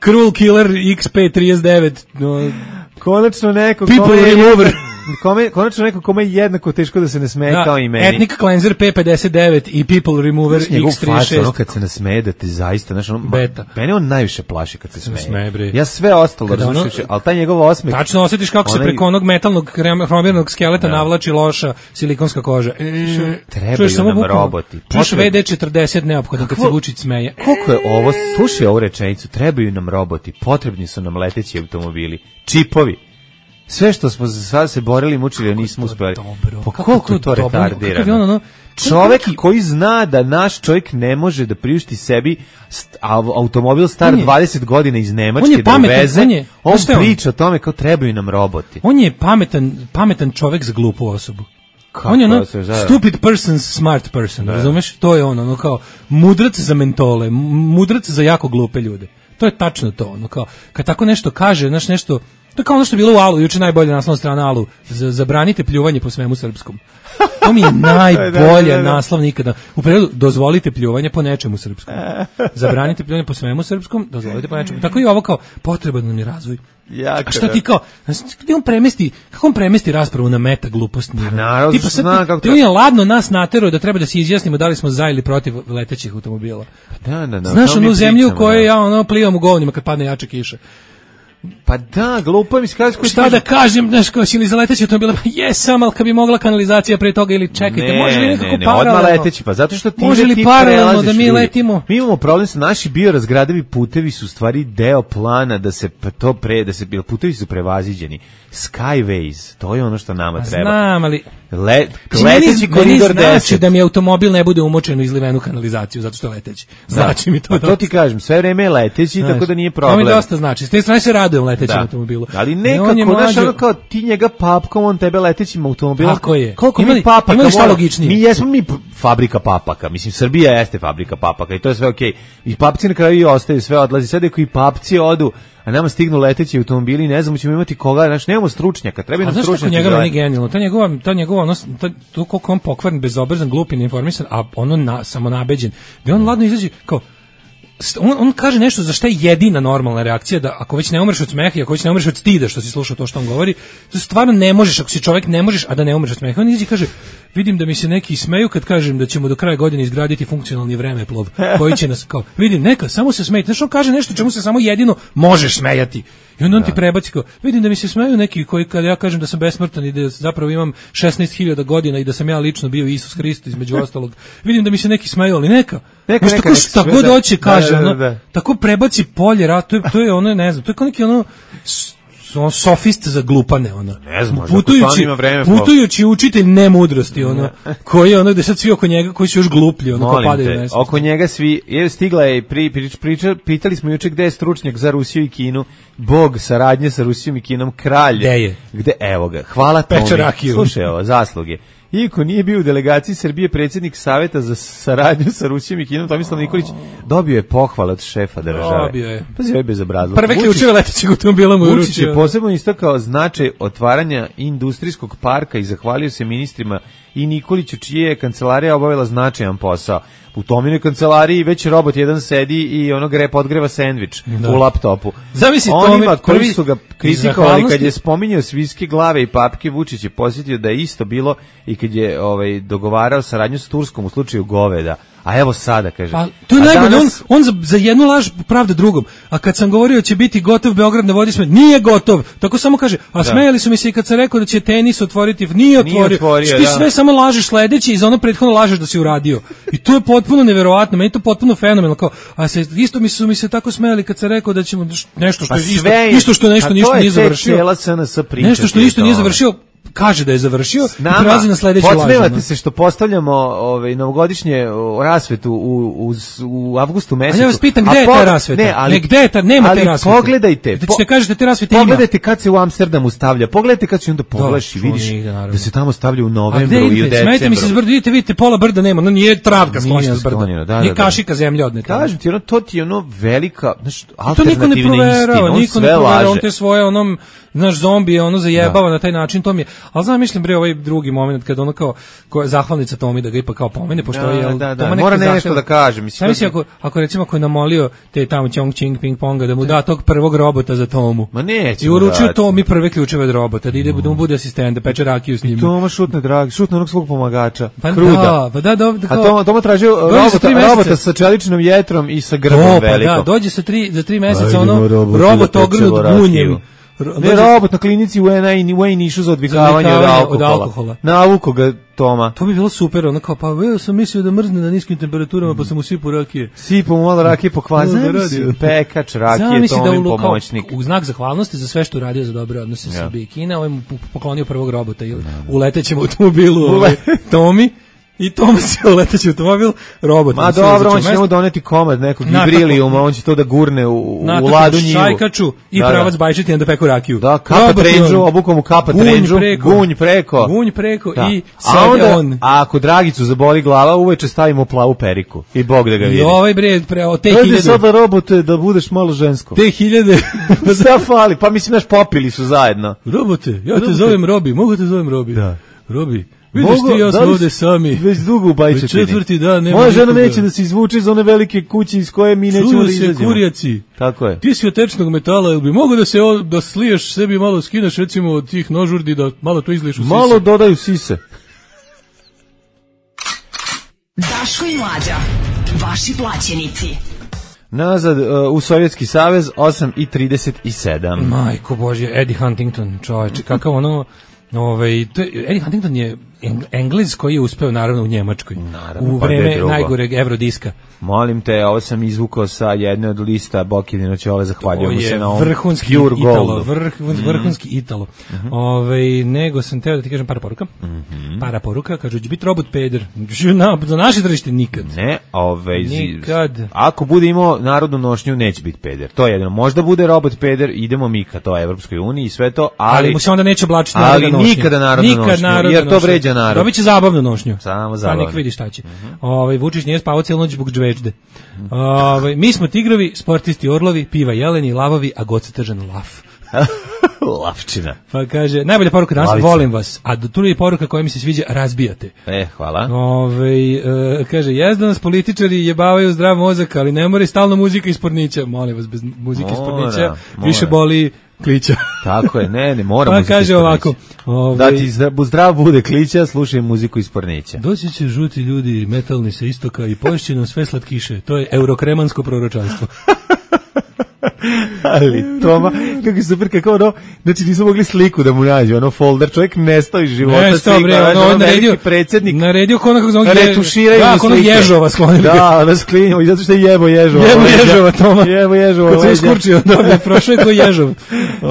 Cruel Killer X P trideset devet, no, Konačno neko People kome je Remover. jednako- kome, konačno neko kome je jednako teško da se ne smeje da, kao i meni. Ethnic Cleanser P pedeset devet i People Remover Znaš, njegov X trideset faca, ono šest. kad se nasmeje da te zaista, znaš, ono, Beta. mene on najviše plaši kad se smeje. smeje, bre. Ja sve ostalo Kada ono- različujući, ali taj njegov osmeh... Tačno osjetiš kako se onaj- preko onog metalnog krem- hromirnog skeleta navlači loša silikonska koža. Trebaju Čuješ samo nam bukvalno- roboti. Čuješ Potrebno- V D četrdeset neophodan kad se Kako- Vučić smeje. Koliko je ovo, slušaj ovu rečenicu, trebaju nam roboti, potrebni su nam leteći automobili, čipovi. Sve što smo sad se borili i mučili, a nismo uspeli. dobro? Pa Kako koliko je to to dobro? retardirano? Kakav je on, ono- Čovek Kakav- koji zna da naš čovjek ne može da priušti sebi st- au- automobil star On je- dvadeset godina iz Nemačke on je da pametan, uveze, on je- on znaš šta je on? priča o tome kao trebaju nam roboti. On je pametan, pametan čovek za glupu osobu. Kako on je ono, se, da. stupid person, smart person, razumeš? To je ono, ono kao mudrac za mentole, m- mudrac za jako glupe ljude. To je tačno to, ono kao, kad tako nešto kaže, znaš nešto, to je kao ono što je bilo u Alu, juče najbolja naslovna strana Alu, za- zabranite pljuvanje po svemu srpskom. To mi je najbolja Da, da, da. naslov nikada. U prevodu, dozvolite pljuvanje po nečemu srpskom. Zabranite pljuvanje po svemu srpskom, dozvolite po nečemu. Tako i ovo kao, potreban nam je razvoj. Jako, A šta ti kao, znaš, gde on premesti, kako on premesti raspravu na meta glupost nivo? Pa naravno, Tipa što sad zna ti- kako ti to- on je ladno nas naterao da treba da se izjasnimo da li smo za ili protiv letećih automobila. Da, da, da, Znaš to mi onu zemlju u pričamo, kojoj da. ja ono plivam u govnima kad padne jača kiša. Pa da, glupo mi se kaže koji Šta da kažem, znaš, kao si ili za leteće automobila, pa jesam, ali kad bi mogla kanalizacija pre toga ili čekajte, Ne, može li nekako ne, ne, paralelno? odmah leteći, pa zato što ti Može li ti paralelno prelaziš da mi ljudi. letimo? Mi imamo problem sa naši biorazgradivi putevi su u stvari deo plana da se pa to pre, da se bil putevi su prevaziđeni. Skyways, to je ono što nama treba. Znam, ali... Le, Mislim, leteći meni- koridor meni znači deset. da mi automobil ne bude umočen u izlivenu kanalizaciju, zato što je leteći. Znači mi to Pa to ti kažem, sve vreme je leteći, Znaš, tako da nije To problem. mi dosta znači. S te strane se radujem letećem Da. automobilu. Ali I nekako, on je znaš, mlađo- ono kao ti njega papkom, on tebe letećim automobilom. Tako je. Koliko Ima li- mi papaka ima li šta mora- logičnije? Mi jesmo mi p- fabrika papaka. Mislim, Srbija jeste fabrika papaka i to je sve okej. I papci na kraju i ostaju, sve odlazi. Sad ako i papci odu, a nama stignu leteći automobili, ne znamo, ćemo imati koga, znaš, nemamo stručnjaka, treba A nam znaš kako stručnjaki. njega za- meni genijalno? Ta njegova, ta njegova, ono, ta, to koliko on pokvaren, bezobrazan, glup i neinformisan, a ono na, samo nabeđen. Da on ladno izađe kao, st- on, on kaže nešto za šta je jedina normalna reakcija, da ako već ne umreš od smeha i ako već ne umreš od stida što si slušao to što on govori, to stvarno ne možeš, ako si čovjek ne možeš, a da ne umreš od smeha. On izađe i kaže, vidim da mi se neki smeju kad kažem da ćemo do kraja godine izgraditi funkcionalni vremeplov koji će nas, kao, vidim, neka, samo se smejte. Znaš, on kaže nešto čemu se samo jedino možeš smejati. I onda on ti prebaci kao, vidim da mi se smeju neki koji kad ja kažem da sam besmrtan i da zapravo imam šesnaest hiljada godina i da sam ja lično bio Isus Hrist između ostalog. Vidim da mi se neki smeju, ali neka. Neka, Znaš, neka, tako neka šta sve, god da. hoće kaže, Da, da, da, ono, da. tako prebaci polje rat, to je, to je ono, ne znam, to je kao neki ono s- on sofist za glupane, ono. Ne znam, možda ako putujući, stvarno ima vreme, pa- putujući učitelj nemudrosti, ono, koji je ono, gde sad svi oko njega, koji su još gluplji, ono, kao Molim padaju te, na nesvest. oko njega svi, je stigla je pri, pri, priča, pitali smo juče gde je stručnjak za Rusiju i Kinu, bog saradnje sa Rusijom i Kinom, kralj. Gde je? Gde, evo ga, hvala Peče Tomi. rakiju. Slušaj ovo, zasluge. Iako nije bio u delegaciji Srbije predsjednik Saveta za saradnju sa Rusijom i Kinom, Tomislav Nikolić dobio je pohvale od šefa države. Dobio je. Pa je bezobrazluk. Prve Vučić- ključeve letećeg automobila mu je Vučić je uručio. posebno istakao značaj otvaranja industrijskog parka i zahvalio se ministrima i Nikoliću, čije je kancelarija obavila značajan posao. U Tominoj kancelariji već robot jedan sedi i onog rep odgreva sendvič Da. u laptopu. Zamisli Onima Tomi, koji prvi su ga iz kritikovali kad zahvalnosti- je spominjao svinjske glave i papke, Vučić je posjetio da je isto bilo i kad je ovaj, dogovarao saradnju s Turskom u slučaju goveda. A evo sada, kaže. Pa, to je a najbolje, danas- on, on za, za jednu laž pravda drugom. A kad sam govorio će biti gotov Beograd na vodi, sme, nije gotov. Tako samo kaže, a smejali su mi se i kad sam rekao da će tenis otvoriti, nije otvorio. Nije otvorio, Što ti da. sve samo lažeš sledeće i za ono prethodno lažeš da si uradio. I to je potpuno neverovatno, meni je to potpuno fenomenalno. Kao, a se, isto mi su mi se tako smejali kad sam rekao da ćemo nešto što Pa je isto, sve je- isto što nešto a ništa to je nije tek završio. cijela S N S priča Nešto što ti je ništa to. nije završio. kaže da je završio Nama, i prelazi na sledeću lažu. Podsmevate se što postavljamo ovaj, novogodišnje rasvetu u, u, u avgustu mesecu. A ja vas pitam gde je ta rasveta? Ne, ali, ne, gde je ta, nema ali te rasvete. Pogledajte. Da ćete kažete te rasvete ima. Pogledajte kad se u Amsterdamu stavlja. Pogledajte kad se onda pogledaš i vidiš nigde, da se tamo stavlja u novembru i u decembru. Smete mi se s brda, vidite, vidite, pola brda nema, no nije travka sklonjena s brda. Sklonjena, da, nije da, da. kašika zemlje odneta. Kažem ti, ono, to ti je ono velika, znaš, to niko ne proverava, istina, on niko ne sve proverava, laže. on te svoje onom, znaš, zombije, ono zajebava na taj način, to mi je, ali znam, mislim, bre, ovaj drugi moment, kad ono kao, ko je zahvalnica Tomi da ga ipak kao pomene, pošto Da, je, jel, da, da, Toma mora nekad nešto zahteva- da kaže, mislim, Šta misli, ako, ako recimo, ako je namolio te tamo Chong Ching Ping Ponga da mu da tog prvog robota za Tomu. Ma neće I mu uručio dati. Tomi prve ključeve od robota, da ide, da mu bude asistent, da peče rakiju s njim. Toma šutne dragi, šutne onog svog pomagača, Pa Kruda. da, pa da, da, da, A kao- Toma, Toma tražio Dođe za robota, tri meseca. robota sa čeličnom jetrom i sa grbom O, pa velikom. da, dođe sa tri, za tri meseca, Ajdemo, ono, robote, robot da ogrnut pečemo rakiju. gunjem. Ro- Ne, dođe- robot na klinici u Ena i u Nišu za odvikavanje Za od odvikavanje alkohola. od alkohola. Navuko ga Toma. To bi bilo super, ono kao, pa ja sam mislio da mrzne na niskim temperaturama, pa sam mu sipao rakije. Sipo mu malo rakije pokvar. Ono da Zamisli, radi. pekač rakije, Zamisli da Tomin u, kao, pomoćnik. u znak zahvalnosti za sve što je radio za dobre odnose Ja. Srbije i Kine, ovaj mu poklonio prvog robota ili u letećem automobilu ovaj, Tomi. I Toma se uleteći automobil, robot. Ma dobro, on će njemu doneti komad nekog Na, ibrilijuma, on će to da gurne u, u na ladu njivu. šajkaču i Da, da. pravac bajčeti da peku rakiju. Da, kapa Robot je trendžu, on. obukom mu kapa Gunj trendžu, preko. gunj preko. Gunj preko Da. i A sede onda, on. a ako Dragicu zaboli glava, uveče stavimo plavu periku. I Bog da ga I vidi. ovaj bre, pre, o te Ajde hiljade, sada robote da budeš malo žensko. te hiljade, Šta fali? Pa mislim, naš popili su zajedno. robote, ja te Robote. zovem Robi, mogu te zovem Robi? Da. Robi, vidiš Mogu- ti, ja da smo li ovde si- sami. Već dugo u bajčetini. Već četvrti dan nema Moja žena nikoga. neće da se izvuče iz one velike kuće iz koje mi nećemo Čuju da se izađemo. kurjaci. Tako je. Ti si od tečnog metala, jel bi mogo da se o- da sliješ sebi malo skineš recimo od tih nožurdi da malo to izliješ u sise? Malo dodaju sise. Daško i Mlađa, vaši plaćenici. Nazad uh, u Sovjetski savez osam i trideset sedam. Majko Božje, Eddie Huntington, čoveče, kakav ono, ovaj, to je, Eddie Huntington je Eng- Englez koji je uspeo naravno u Njemačkoj, Naravno, u pa gde vreme drugo? najgoreg Eurodiska. Molim te, ovo sam izvukao sa jedne od lista Bokidino Ćole, To zahvaljujem mu se je na ovom vrhunski Pure Italo, Goldu. vrh, vrhunski Italo. Ovaj, nego sam teo da ti kažem para poruka. Para poruka, kažu, će biti robot peder. Na, za naše tržište nikad. Ne, ovaj, zi- Nikad. ako bude imao narodnu nošnju, neće biti peder. To je jedino. Možda bude robot peder, idemo mi ka to Evropskoj uniji i sve to, ali, Ali mu se onda neće oblačiti ali narodna nošnja. nikada narodnu Nikad nošnju, narodna jer to nošnja. vređa narod. Dobit će zabavnu nošnju. Samo Pa zabavno. nek vidi šta će. Ovaj, Vučić nije spavao cijelu noć zbog džvežde. Ovaj, mi smo tigrovi, sportisti orlovi, piva jeleni, lavovi, a god se tržan laf. Lavčina. Pa kaže, najbolja poruka danas, Lavica. volim vas. A tu je poruka koja mi se sviđa, razbijate. E, hvala. Ove, e, kaže, jezda nas političari jebavaju zdrav mozak, ali ne mora i stalno muzika iz pornića. Molim vas, bez muzike iz Mora, pornića mora. više boli klića. Tako je, ne, ne, moramo. Pa kaže ovako, ove, Da ti zdrav, zdrav bude klića, slušaj muziku iz Pornića. doći će žuti ljudi, metalni sa istoka i poješće nam sve slatkiše. To je eurokremansko proročanstvo. Ali Toma, kako je super, kako ono, znači nisu mogli sliku da mu nađu, ono folder, čovjek nestao iz života, Ne, sto bre, znaš, ono, veliki naredio, predsjednik, naredio ko ono kako zove, retuširaju da, mu ko ono slike. ježova sklonili. ga. Da, ono sklinjamo, i zato što je jebo ježova. Jebo leđa. ježova, Toma. Jebo ježova. Kad se leđa. uskurčio, dobro, prošao je ko ježov.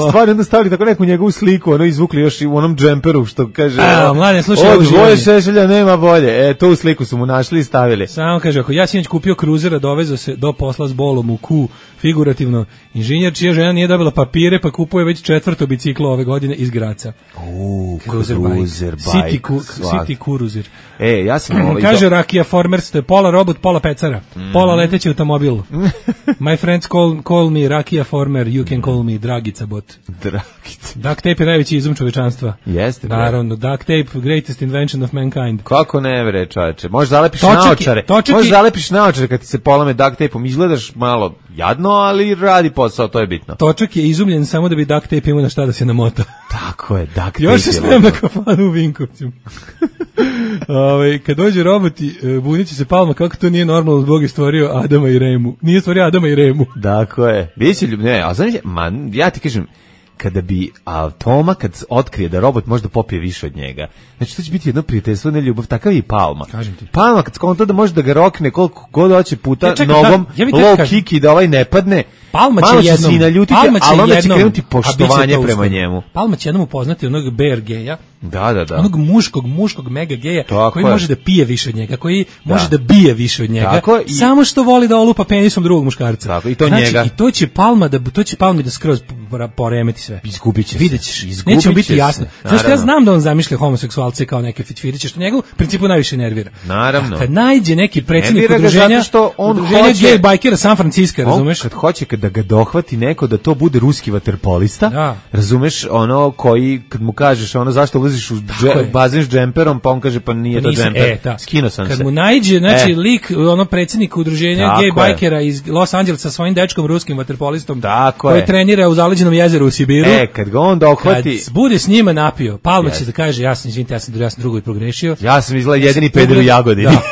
Stvarno, onda stavili tako neku njegovu sliku, ono izvukli još i u onom džemperu, što kaže, A, ono, mladen, slušaj, od ovo dvoje živanje. šešelja nema bolje. E, tu sliku su mu našli i stavili. Samo kaže, ako ja sinoć kupio kruzera, dovezao se do posla s bolom u ku, figurativno, inženjer čija žena nije dobila papire, pa kupuje već četvrto biciklo ove godine iz Graca. U, Cruiser cruiser bike. bike. City, ku, svak. City Cruiser. E, ja sam ovaj... Kaže Rakija Formers, to je pola robot, pola pecara. Mhm. Pola leteći automobil. My friends call, call me Rakija Former, you can call me Dragica bot. Dragica. Duct tape je najveći izum čovečanstva. Jeste, bre. Naravno, duct tape, greatest invention of mankind. Kako ne vre, čoveče? Možeš zalepiš Točak je- naočare. točak Možeš je- zalepiš naočare kad ti se polame duct tape-om. Izgledaš malo jadno, ali radi posao, to je bitno. Točak je izumljen samo da bi duct tape imao na šta da se namota. Tako je, duct tape. Još se je smijem na lepo. kafanu u Vinkovcima. Ove, kad dođe roboti, e, bunit će se Palma kako to nije normalno, Bog je stvorio Adama i Remu. Nije stvorio Adama i Remu. Tako je. Biće ljub... Ne, a znaš, ma, ja ti kažem, kada bi a, Toma kad otkrije da robot može da popije više od njega, znači to će biti jedno prijateljstvo, ne ljubav, takav je i Palma. Kažem ti. Palma kad skonta da može da ga rokne koliko god hoće puta Ja, čekaj, nogom, da, ja bi te low kažem. kick i da ovaj ne padne, Palma će malo jednom, se i naljutiti, Palma će ali onda će jednom, krenuti a bit će poštovanje to prema uskoro. njemu. Palma će jednom upoznati onog Bear Geja, Da, da, da. Onog muškog, muškog mega geja Tako koji je. može da pije više od njega, koji Da. može da bije više od njega, Tako, i- samo što voli da olupa penisom drugog muškarca. Tako, i to znači, njega. I to će Palma da to će Palmi da skroz pora- poremeti sve. Izgubiće se. Videćeš, Izgubit neće mu biti će se, jasno. Znaš, ja naravno. znam da on zamišlja homoseksualce kao neke fitfiriće, što njega u principu najviše nervira. Naravno. A kad najde neki predsjednik Nervira ga udruženja, zato što on udruženja hoće- gej bajkera San Francisco, On razumeš? kad hoće kad da ga dohvati neko da to bude ruski vaterpolista, Da. razumeš, ono koji kad mu kažeš ono zašto ulaziš u dže, je. bazen s džemperom, pa on kaže pa nije to Nisam- džemper. e, da. Skinuo sam Kad se. mu najđe, znači, E. lik, ono, predsjednik udruženja Tako gej je. bajkera iz Los Angelesa sa svojim dečkom ruskim vaterpolistom, Tako koji je. trenira u zaleđenom jezeru u Sibiru. E, kad ga on Kad dohvati, bude s njima napio, Palma Yes. će da kaže, ja sam, izvinite, ja sam, ja sam drugo i progrešio. ja sam izgleda jedini Ja sam peder u ugled- Jagodini. Da.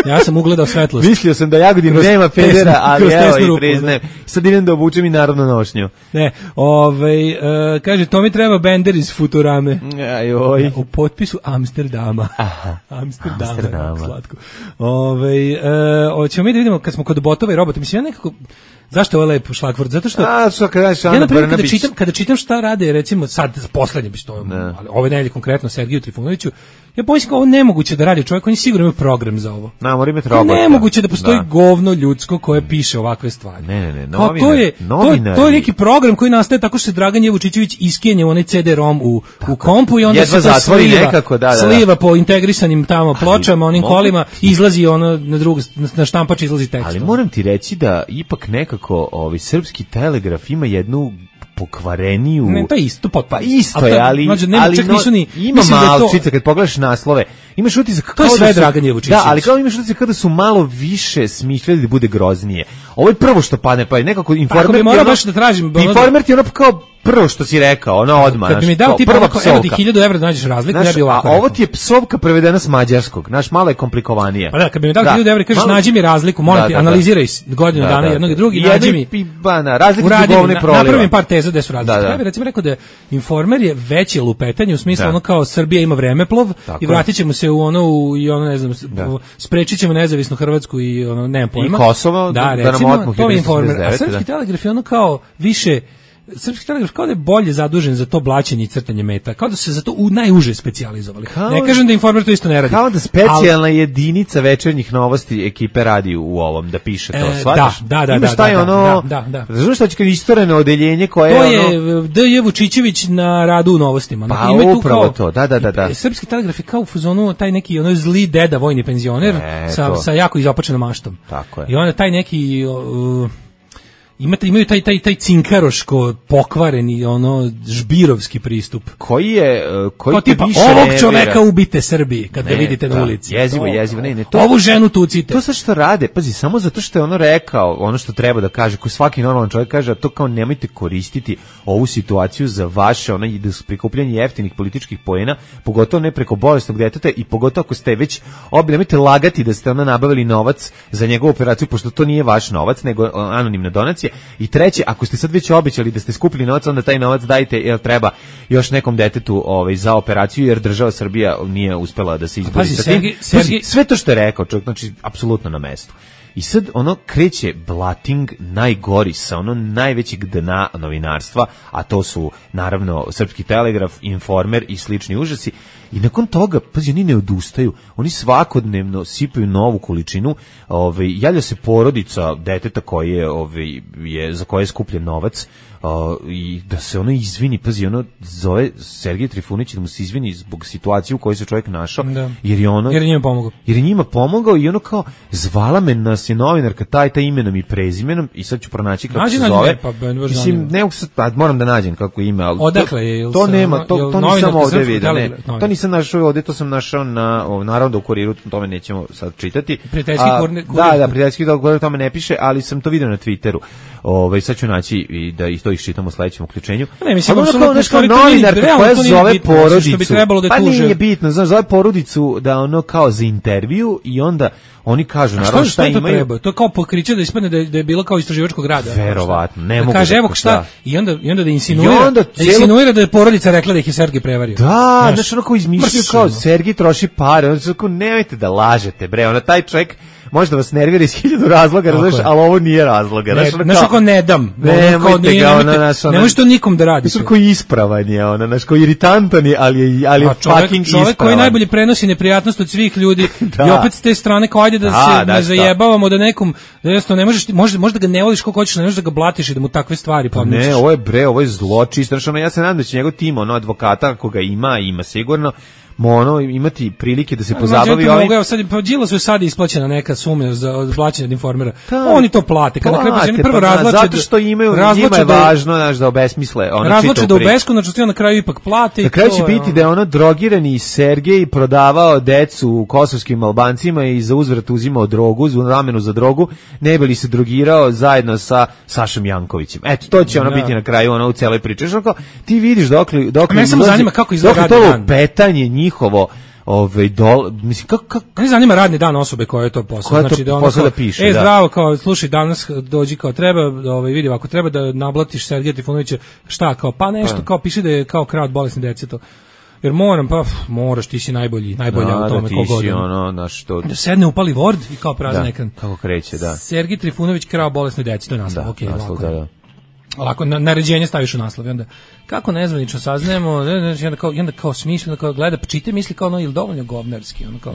Ja sam ugledao svetlost. Mislio sam da Jagodin Kroz nema tesnu- pedera, ali kroz evo tesnu i rupu, priznajem. Sad idem da obučem i narodnu nošnju. Ne, ovaj, e, kaže, to mi treba Bender iz Futurame. Ajoj. U potpisu Amsterdama. Aha. Amsterdama. Amsterdama. Amsterdama. Slatko. Ove, e, hoćemo mi da vidimo kad smo kod botova i robota. Mislim, ja nekako... Zašto je ovo lep šlagvort? Zato što... A, što kad daš Ja, Ana na primjer, kada Brnabić. čitam, kada čitam šta rade, recimo, sad, poslednje, bi to, ali ove nedelje konkretno, Sergiju Trifunoviću, ja pomislim kao ovo nemoguće da radi čovjek, on je sigurno ima program za ovo. Na, mora imati Kao robota. nemoguće da postoji Da. govno ljudsko koje piše ovakve stvari. Ne, ne, ne, Kao to novinar- je, to, je- novinari. to je neki program koji nastaje tako što se Dragan Jevučićević iskenje u onaj ce de rom u, u kompu i onda Jedva se to zatvori sliva, nekako, da, da, da. sliva po integrisanim tamo pločama, onim mogu- kolima, izlazi ono na drugu, na, na štampač izlazi tekst. Ali moram ti reći da ipak nekako ovaj srpski telegraf ima jednu pokvareniju. Ne, to je isto potpuno. Pa isto Ali to je, je- ali, mlađe, nema, ali čak no, nisu ni- ima mislim da je to- malčice kad pogledaš naslove. Imaš utisak To je kao sve da su, Dragan Jevučićević. Da, ali kao imaš utisak kao da su malo više smišljali da bude groznije. Ovo je prvo što padne, pa je nekako Informer. Ako bi ti morao ono- baš da tražim, ono- Informer ti je ono kao prvo što si rekao, ono odmah. Kad bi mi znaš, dao kao tipa prva onako, evo ti psovka. hiljadu evra da nađeš razliku, Znaš, ja bi ovako a ovo rekao. ti je psovka prevedena s mađarskog. Znaš, malo je komplikovanije. Pa da, kad bi mi dao Da. hiljadu evra i kažeš Malo- nađi mi razliku, molim Da, ti, da, da. analiziraj s- godinu dana jednog i drugog i Jedno nađi mi. i ba, na, razlike su Uradi mi, govne na, proliva. napravim par teza gde su razlike. Da, da. Ja bih recimo rekao da Informer je veće lupetanje u smislu Da. ono kao Srbija ima vremeplov Tako i vratit ćemo se u ono u, i ono ne znam s- Da. sprečit ćemo nezavisnu Hrvatsku i ono nemam pojma. Kosovo, da, da nam recimo, otmu to je hiljadu devetsto Informer. A sedamdeset devete, Srpski da. telegraf je ono kao više Srpski telegraf kao da je bolje zadužen za to blaćenje i crtanje meta. Kao da su se za to u najuže specijalizovali. Kao- Ne kažem da Informer to isto ne radi. Kao da specijalna jedinica večernjih novosti ekipe radi u ovom, da piše to, E, shvataš? da, da, da, Imaš da, taj da, ono, da, da, da. razumiješ što će kad istoreno odeljenje koje To je je ono... D J Vučićević na radu u novostima. Pa, Ima tu upravo kao- to, da, da, da, da. Srpski telegraf je kao u fazonu taj neki ono zli deda vojni penzioner E, sa, to. sa jako izopačenom maštom. Tako je. I onda taj neki uh, imate imaju taj taj taj cinkaroško pokvareni ono žbirovski pristup. Koji je, uh, koji Kao te tipa više ovog nervira. čoveka ubite Srbiji kad ga Ne, vidite na da, ulici. jezivo, To- jezivo, ne, ne, to- Ovu ženu tucite. To sad što rade, pazi, samo zato što je ono rekao, ono što treba da kaže, koji svaki normalan čovjek kaže, a to kao nemojte koristiti ovu situaciju za vaše ono prikupljanje jeftinih političkih poena, pogotovo ne preko bolesnog deteta i pogotovo ako ste već obi, nemojte lagati da ste ono nabavili novac za njegovu operaciju, pošto to nije vaš novac, nego o, anonimna donacija. I treće, ako ste sad već obećali da ste skupili novac, onda taj novac dajte, jer treba još nekom detetu ovaj, za operaciju, jer država Srbija nije uspela da se izbori Pazi, sa tim. Sergij- Pazi, Sergij- sve to što je rekao čovjek, znači, apsolutno na mestu. I sad ono kreće blating najgori sa ono najvećeg dna novinarstva, a to su naravno Srpski telegraf, Informer i slični užasi. I nakon toga, pazi, oni ne odustaju, oni svakodnevno sipaju novu količinu, ovaj, javlja se porodica deteta koje je, ovaj, je, za koje je skupljen novac, uh, i da se ono izvini, pazi, ono zove Sergej Trifunić da mu se izvini zbog situacije u kojoj se čovjek našao, Da. jer je ono... Jer je njima pomogao. Jer je njima pomogao i ono kao, zvala me nas je novinarka taj, taj imenom i prezimenom i sad ću pronaći kako Nađi, se nađi, zove. ne, pa, ben, baš Mislim, zanima. ne mogu sad, pa, moram da nađem kako ime, ali Odakle to, je, jel to sa- nema, to, jel to nisam novinarka ovde Srpskog vidio, ne, telegrafa? to nisam našao ovde, to sam našao na, o, naravno da u kuriru, tome nećemo sad čitati. Prijateljski A, kurni- kurir. Da, da, prijateljski kurir, tome ne piše, ali sam to vidio na Twitteru. Ovaj sad ću naći i da i to iščitamo u sledećem uključenju. Ne, mislim, Ali ono apsolutno kao nešto stvari, to nije- novinarka realno koja to nije zove bitno, što porodicu. bi trebalo da pa tuže. nije bitno, znaš, zove porodicu da ono kao za intervju i onda oni kažu A naravno šta, šta šta to imaju. treba? To je kao pokriće da ispadne da je, da je bilo kao istraživačkog rada. Verovatno, ne da mogu kaže, da- evo šta, da. i onda, i onda da insinuira, I onda da cijelo- insinuira da je porodica rekla da ih je Sergej prevario. Da, Znaš, znaš, ono kao razmišljaju kao Sergij troši pare, on su kao, nemojte da lažete, bre, ono, taj čovjek možda vas nervira iz hiljadu razloga, razloga, ali ovo nije razloga. Ne, znaš kako ne dam. Nemojte ga, ona, naš, ona... Ne možeš to nikom da radi. Znaš koji ispravan je, ona, naš, koji iritantan je, ali je, ali je čovjek, fucking čovjek ispravan. Koji najbolje prenosi neprijatnost od svih ljudi da. I opet s te strane kao ajde da, da se da, ne zajebavamo da nekom, da jednostavno ne možeš, možda, možda ga ne voliš kako hoćeš, ne možeš da ga blatiš i da mu takve stvari podmećeš. Ne, ovo je bre, ovo je zlo čisto. Ono, ja se nadam da će njegov tim, ono, advokata, koga ima, ima sigurno, ono imati prilike da se pozabavi ovim. Mogu, evo sad pa Đilasu je sad isplaćena neka suma za plaćanje od informera. Oni to plate. Kad na kraju oni prvo razvlače zato što imaju njima je važno znaš da obesmisle ono razvlače da u beskonačnosti na kraju ipak plate. Na kraju će biti da je ono drogirani Sergej prodavao decu kosovskim Albancima i za uzvrat uzimao drogu, za namenu za drogu, ne bi li se drogirao zajedno sa Sašom Jankovićem. Eto to će ono biti na kraju ono u celoj priči. Što ti vidiš dokle dokle me samo zanima kako izgleda to petanje njihovo ovaj dol mislim kako kako ne zanima radni dan osobe koja je to posao znači da ono da piše e zdravo kao slušaj danas dođi kao treba ovaj vidi ako treba da nablatiš Sergeja Trifunovića šta kao pa nešto pa. Kao piše da je kao krao od bolesne dece to jer moram pa moraš ti si najbolji najbolja no, u tome da kogod ono na što da sedne upali Word i kao prazan ekran kako kreće da Sergej Trifunović krao bolesne dece to je naslov okej okay, naslov, da, da. Lako na, naređenje staviš u naslov i onda kako nezvanično saznajemo znači onda kao onda kao smišljeno kao gleda čita misli kao ono ili dovoljno govnarski ono kao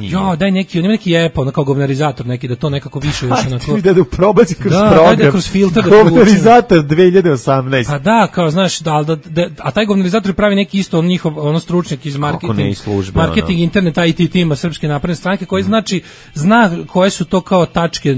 ja daj neki on ima neki epo ono kao govnarizator neki da to nekako više još onako da da probaci kroz da, program da kroz filter da govnarizator dve hiljade osamnaeste a da kao znaš da, da, da a taj govnarizator pravi neki isto on njihov ono stručnjak iz marketing službe, marketing ono. Internet I T tima Srpske napredne stranke koji znači zna koje su to kao tačke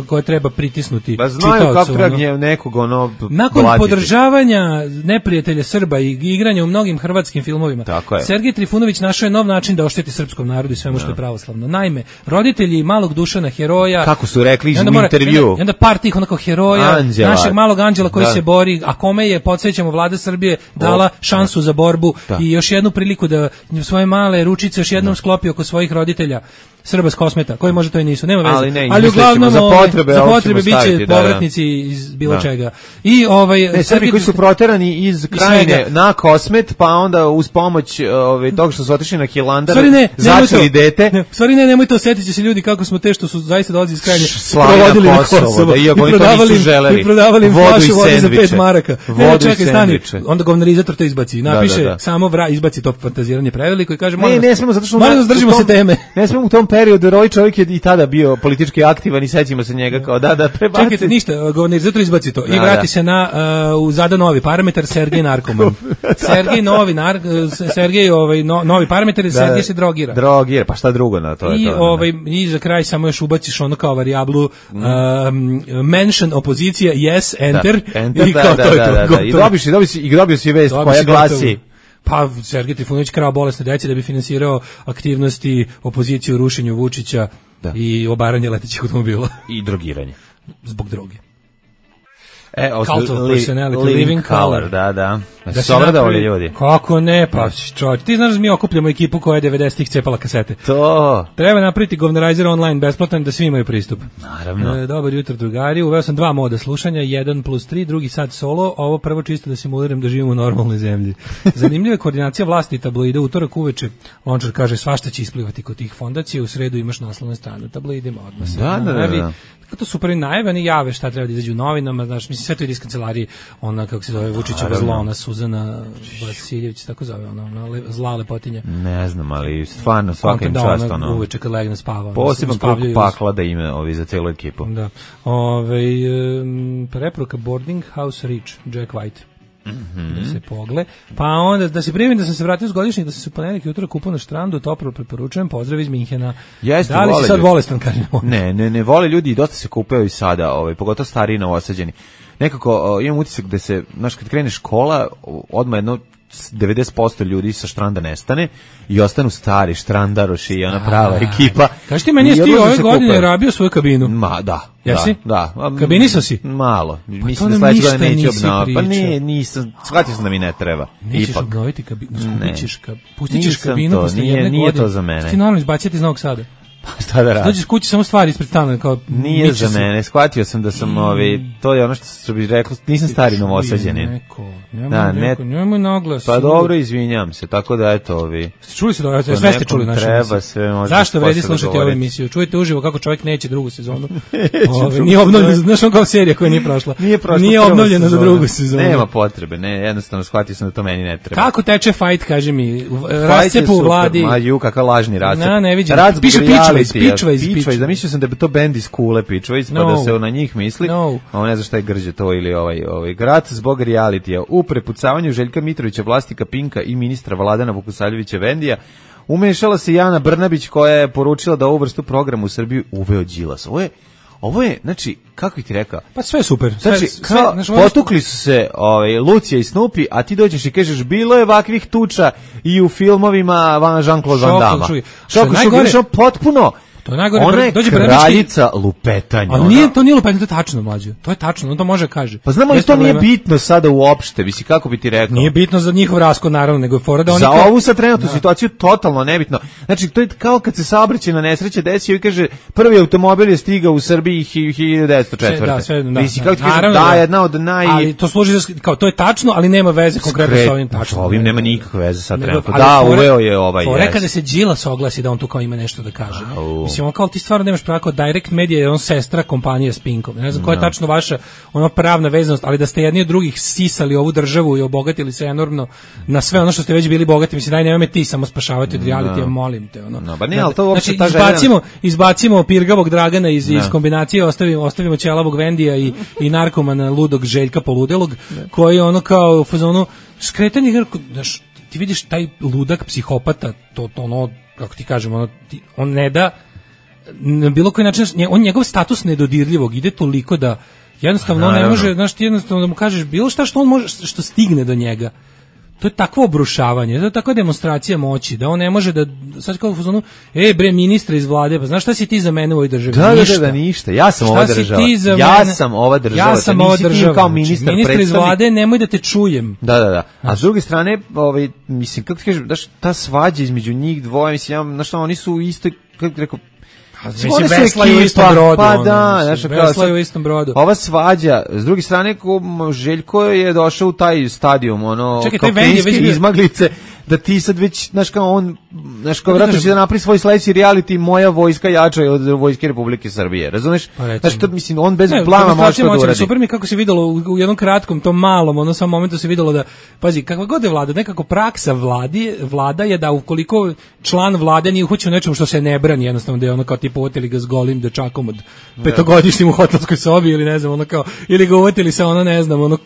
koje treba pritisnuti pa znaju kako treba nekog ono nakon podržavanja neprijatelja Srba i igranja u mnogim hrvatskim filmovima, Sergej Trifunović našao je nov način da ošteti srpskom narodu i svemu što je pravoslavno. Naime, roditelji malog Dušana heroja, kako su rekli u mora, intervju, i onda par tih onako heroja, Anđela, našeg malog anđela koji da. se bori, a kome je, podsjećamo, vlada Srbije dala šansu da. za borbu da. i još jednu priliku da svoje male ručice još jednom da. sklopi oko svojih roditelja. Srba s Kosmeta, koji možda to i nisu, nema veze. Ali, ne, ali uglavnom za potrebe, za potrebe biće da, povratnici da. iz bilo da. čega. I ovaj ne, Srbi koji su proterani iz Krajine na Kosmet, pa onda uz pomoć ovaj tog što su otišli na Hilandar, začeli dete. Ne, stvari ne, nemojte osetiti se ljudi kako smo te što su zaista dolazili iz Krajine provodili na Kosovo, da iako oni to nisu želeli. I prodavali im flašu vode za pet maraka. Vodu i sendviče. Onda govnarizator to izbaci. Napiše samo vra izbaci to fantaziranje preveliko i kaže ne, ne smemo zato što moramo držimo se teme. Ne smemo u tom periodu, jer ovaj čovjek je i tada bio politički aktivan i sećamo se njega kao da, da prebaci. Čekajte, ništa, govnarizator izbaci to da, i vrati da. se na uh, u zada novi parametar Sergej narkoman. Sergej novi, nar, Sergej ovaj, no, novi parametar i Sergej da, se drogira. Drogira, pa šta drugo na to? I, to, ovaj, i za kraj samo još ubaciš ono kao varijablu mm. um, mention opozicija, yes, enter, da, enter i kao da, to da, je to. Da, da, I dobio si, dobio si, i dobio si vest dobio koja glasi... Pa Sergej Trifunović krao bolesne dece da bi finansirao aktivnosti opozicije u rušenju Vučića da. i obaranje letećih automobila. I drogiranje. Zbog droge. E, Cult of personality, living, living color. Da, da. Da se obradovali ljudi. Kako ne, pa čovječ, ti znaš da mi okupljamo ekipu koja je devedesetih cepala kasete. To. Treba napraviti govnarizer online besplatan da svi imaju pristup. Naravno. E, dobar jutro drugari, uveo sam dva moda slušanja, jedan plus tri, drugi sad solo, ovo prvo čisto da simuliram da živim u normalnoj zemlji. Zanimljiva je koordinacija vlasti i tabloide, utorak uveče, Lončar kaže svašta će isplivati kod tih fondacija, u sredu imaš naslovnu stranu tabloidima, odmah se da, da, da, da. To su prvi najave, oni jave šta treba da izađu u novinama, znaš, mislim, sve to ide iz kancelarije, ona, kako se zove, Vučićeva zla, ona Suzana Vasiljević, tako zove, ona, ona le, zla lepotinja. Ne znam, ali stvarno svaka im čast, ona. ono. Uveče kad legne spava. Poseban krug pakla da ime ovi za celu ekipu. Da. Ove, um, preporuka Boarding House Reach, Jack White. Mm-hmm. Da se pogle, pa onda da se primim da sam se vratio s godišnjeg, da sam se u ponedeljak ujutro kupao na štrandu, toplo preporučujem, pozdrav iz Minhena. Jeste, da li si sad ljudi. bolestan, kažem? Ne, ne, ne vole ljudi i dosta se kupaju i sada, ovaj, pogotovo stariji novosađeni. Nekako o, imam utisak da se, znaš, kad krene škola, odmah jedno devedeset posto ljudi sa štranda nestane i ostanu stari štrandaroši i ona prava ekipa. Kaži ti, meni je ti ove godine rabio svoju kabinu. Ma, da. Jesi? Da, da. Kabinisao si? Malo. Pa mislim da sledeće godine neće obnoviti. Pa ne, nisam, shvatio sam da mi ne treba. Nećeš Ipak. obnoviti kabinu, pustit ćeš kabinu posle jedne to, godine. Nije, nije to za mene. Ti normalno izbaciti iz Novog Sada. Pa šta da radi? Dođeš kući samo stvari ispred stana kao nije za mene. Shvatio sam da sam ovi to je ono što što bi rekao, nisam stari Novosađanin. Neko, nemoj da, neko, ne, nemoj naglas. Pa dobro, izvinjavam se. Tako da eto ovi. Ste čuli se da sve ste čuli našu treba, sve može. Zašto vredi slušati ovu emisiju? Čujte uživo kako čovjek neće drugu sezonu. Ove, nije obnovljena, znaš on kao serija koja nije prošla. Nije, prošla nije obnovljena za drugu sezonu. Nema potrebe, ne, jednostavno shvatio sam da to meni ne treba. Kako teče fight, kaže mi, rascepu u vladi. Ma ju, kakav lažni rascep. Na, ne vidim. Piše Pičvejs, Pičvejs, Pičvejs. Zamislio sam da bi to bend iz Kule Pičvejs, pa da se na njih misli. No. A on ne zna šta je grđe to ili ovaj, ovaj. Grat zbog realitija. U prepucavanju Željka Mitrovića, vlasnika Pinka i ministra Vladana Vukosaljevića Vendija, umešala se Jana Brnabić koja je poručila da ovu vrstu programa u Srbiji uveo Đilas. Ovo je, ovo je, znači, kako bih ti rekao? Pa sve je super. Sve, znači, sve, kao, znači, potukli su se ovaj, Lucija i Snoopy, a ti dođeš i kažeš, bilo je ovakvih tuča i u filmovima Jean-Claude Van Damme. Šoko Šubić, potpuno. To je najgore, ona je dođe kraljica lupetanja. Ali nije, to nije lupetanje, to je tačno, mlađe. To je tačno, on to može kaže. Pa znamo li to nije bitno sada uopšte, misli kako bi ti rekao? Nije bitno za njihov raskod, naravno, nego je fora da oni... Za kao... ovu sad trenutnu da. situaciju totalno nebitno. Znači, to je kao kad se saobraćajna nesreća desio i kaže, prvi automobil je stigao u Srbiji hiljadu devetsto četvrte. Da, sve, da. Misli, kako ti kaže, naravno, da, jedna od naj... Ali to služi za, kao, to je tačno, ali nema veze konkretno sa ovim tačno. Sa ovim nema nikakve veze sad trenutno. Da, uveo je ovaj, jes. Fora kada se Đilas oglasi da on tu kao ima nešto da kaže. Mislim, on kao ti stvarno nemaš pravo kao Direct Media je on sestra kompanije s Pinkom. Ne znam koja je no. tačno vaša ona pravna vezanost, ali da ste jedni od drugih sisali ovu državu i obogatili se enormno na sve ono što ste već bili bogati. Mislim, daj nemoj me ti samo spašavati od realitija, no. molim te. Ono. No, ba ne, ali to uopšte znači, izbacimo, željena... izbacimo pirgavog Dragana iz, no. iz kombinacije, ostavimo, ostavimo ćelavog Vendija i, i narkomana ludog Željka Poludelog, no. koji ono kao u fazonu skretanje, znaš, ti vidiš taj ludak psihopata, to, to ono, kako ti kažem, ono, ti, on ne da na bilo koji način, on njegov status nedodirljivog ide toliko da jednostavno on ne može, znaš, ti jednostavno da mu kažeš bilo šta što on može, što stigne do njega. To je takvo obrušavanje, to je takva demonstracija moći, da on ne može da, sad kao u fazonu, e bre, ministra iz vlade, pa znaš šta si ti za mene u ovoj državi? Da, ništa. Da, da, ništa, ja sam šta ova država, ja mene? sam ova država, ja sam ova država, kao ministar, znači, ministar iz vlade, nemoj da te čujem. Da, da, da, a s druge strane, ovaj, mislim, kako ti kažem, daš, ta svađa između njih dvoje, mislim, ja, znaš šta, oni su u istoj, kako ti rekao, Mislim, veslaju u istom brodu. Pa da, znaš, veslaju u istom brodu. Ova svađa, s druge strane, ko Željko je došao u taj stadijum, ono, čekaj, kao klinske izmaglice, da ti sad već, znaš kao on, znaš kao vratno će da napravi svoj sledeći reality, moja vojska jača je od vojske Republike Srbije, razumeš? Pa znaš, to, mislim, on bez ne, plana može to da uradi. Super mi kako se videlo u, u jednom kratkom, tom malom, ono samom momentu se videlo da, pazi, kakva god je vlada, nekako praksa vladi, vlada je da ukoliko član vlade nije uhoćen nečemu što se ne brani, jednostavno da je ono kao tipa uvotili ga s golim dečakom od petogodišnjim u hotelskoj sobi ili ne znam, ono kao, ili ga uvotili sa ono, ne znam, ono,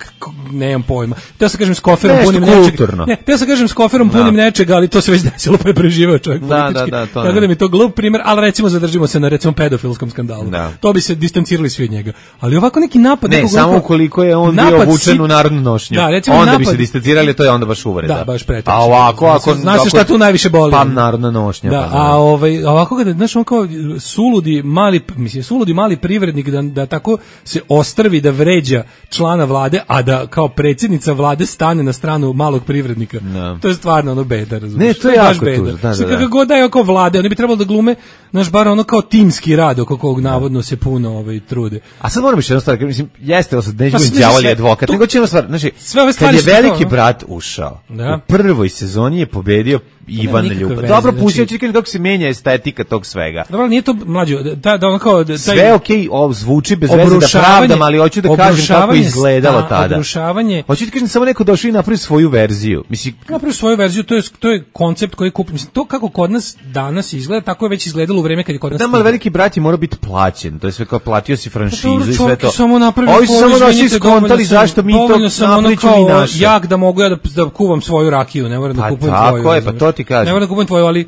nemam pojma. Teo se kažem s koferom punim nečega. Ne, teo se kažem s koferom punim nečega, ali to se već desilo pa je preživeo čovjek da, politički. Da, da, to tako da mi to glup primjer, ali recimo zadržimo se na recimo pedofilskom skandalu. Da. To bi se distancirali svi od njega. Ali ovako neki napad... Ne, samo grupa, ukoliko je on bio obučen u narodnu nošnju. Da, recimo onda napad, bi se distancirali, to je onda baš uvreda. Da, baš preteče. A ovako, ako... Zna se šta tu najviše boli. Pa narodna nošnja. Da, pa, a ovaj, ovako kada, znaš, on kao suludi mali, mislim, suludi mali privrednik da, da tako se ostrvi da vređa člana vlade, a da kao predsjednica vlade stane na stranu malog privrednika. No. To je stvarno ono beda, razumiješ? Ne, to je jako tužno. Da, da, da. Kako god da je oko vlade, oni bi trebalo da glume, znaš, bar ono kao timski rad oko kog navodno se puno ovaj, trude. A sad moram još jednu stvar, mislim, jeste, sad neću biti đavolji advokat, nego će jedna stvar, znači, kad je veliki to, brat ušao, da. u prvoj sezoni je pobedio Ivan Ljubav. Dobro, pustio ću kako se menja estetika tog svega. Dobro, nije to mlađo, da, da ono kao... Da, sve okej, okay, zvuči bez veze da pravdam, ali hoću da kažem kako je izgledalo sta, tada. Obrušavanje... Hoću da kažem, samo neko došao i napravi svoju verziju. Mislim, napravi svoju verziju, to je, to je koncept koji kupi. Mislim, to kako kod nas danas izgleda, tako je već izgledalo u vreme kad je kod nas... Da, ali veliki brat je mora biti plaćen, to je sve kao platio si franšizu pa, i sve to. Samo napravi ovi su samo došli skontali zašto mi to napriču mi naše. Jak da mogu ja da, da kuvam svoju rakiju, ne moram da kupujem tvoju. Tako je, pa to ti kažem. Ne moram da kupujem tvoju, ali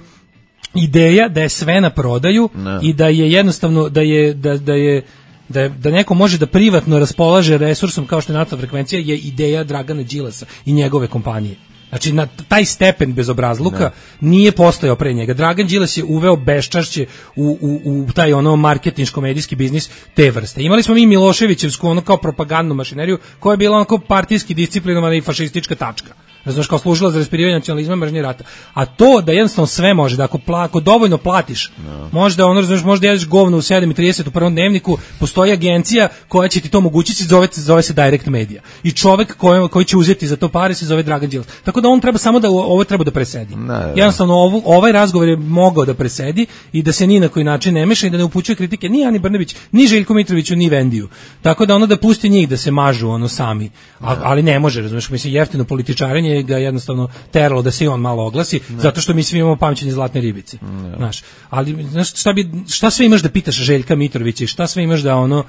ideja da je sve na prodaju no. i da je jednostavno da je da da je da je, da neko može da privatno raspolaže resursom kao što je naftna frekvencija je ideja Dragana Đilasa i njegove kompanije. Znači na taj stepen bezobrazluka no. nije postojao pre njega. Dragan Đilas je uveo beščašće u, u, u taj ono marketinško-medijski biznis te vrste. Imali smo mi Miloševićevsku ono kao propagandnu mašineriju koja je bila onako partijski disciplinovana i fašistička tačka. Razumeš, kao služila za raspirivanje nacionalizma, mržnje rata. A to da jednostavno sve može, da ako, pla, ako dovoljno platiš, no. možda ono, razumeš, možda jedeš govno u sedam i trideset u prvom dnevniku, postoji agencija koja će ti to omogućiti, zove, zove se Direct Media. I čovek koji, koji će uzeti za to pare se zove Dragan Đilas. Tako da on treba samo da ovo treba da presedi. No, no. Jednostavno ovu, ovaj razgovor je mogao da presedi i da se ni na koji način ne meša i da ne upućuje kritike ni Ani Brnabić, ni Željku Mitroviću, ni Vendiju. Tako da ono da pusti njih da se mažu ono sami. A, ali ne može, razumeš, mislim jeftino političarenje ga jednostavno teralo da se i on malo oglasi, ne. zato što mi svi imamo pamćenje zlatne ribice. Ne. Znaš, ali znaš, šta, bi, šta sve imaš da pitaš Željka Mitrovića i šta sve imaš da ono...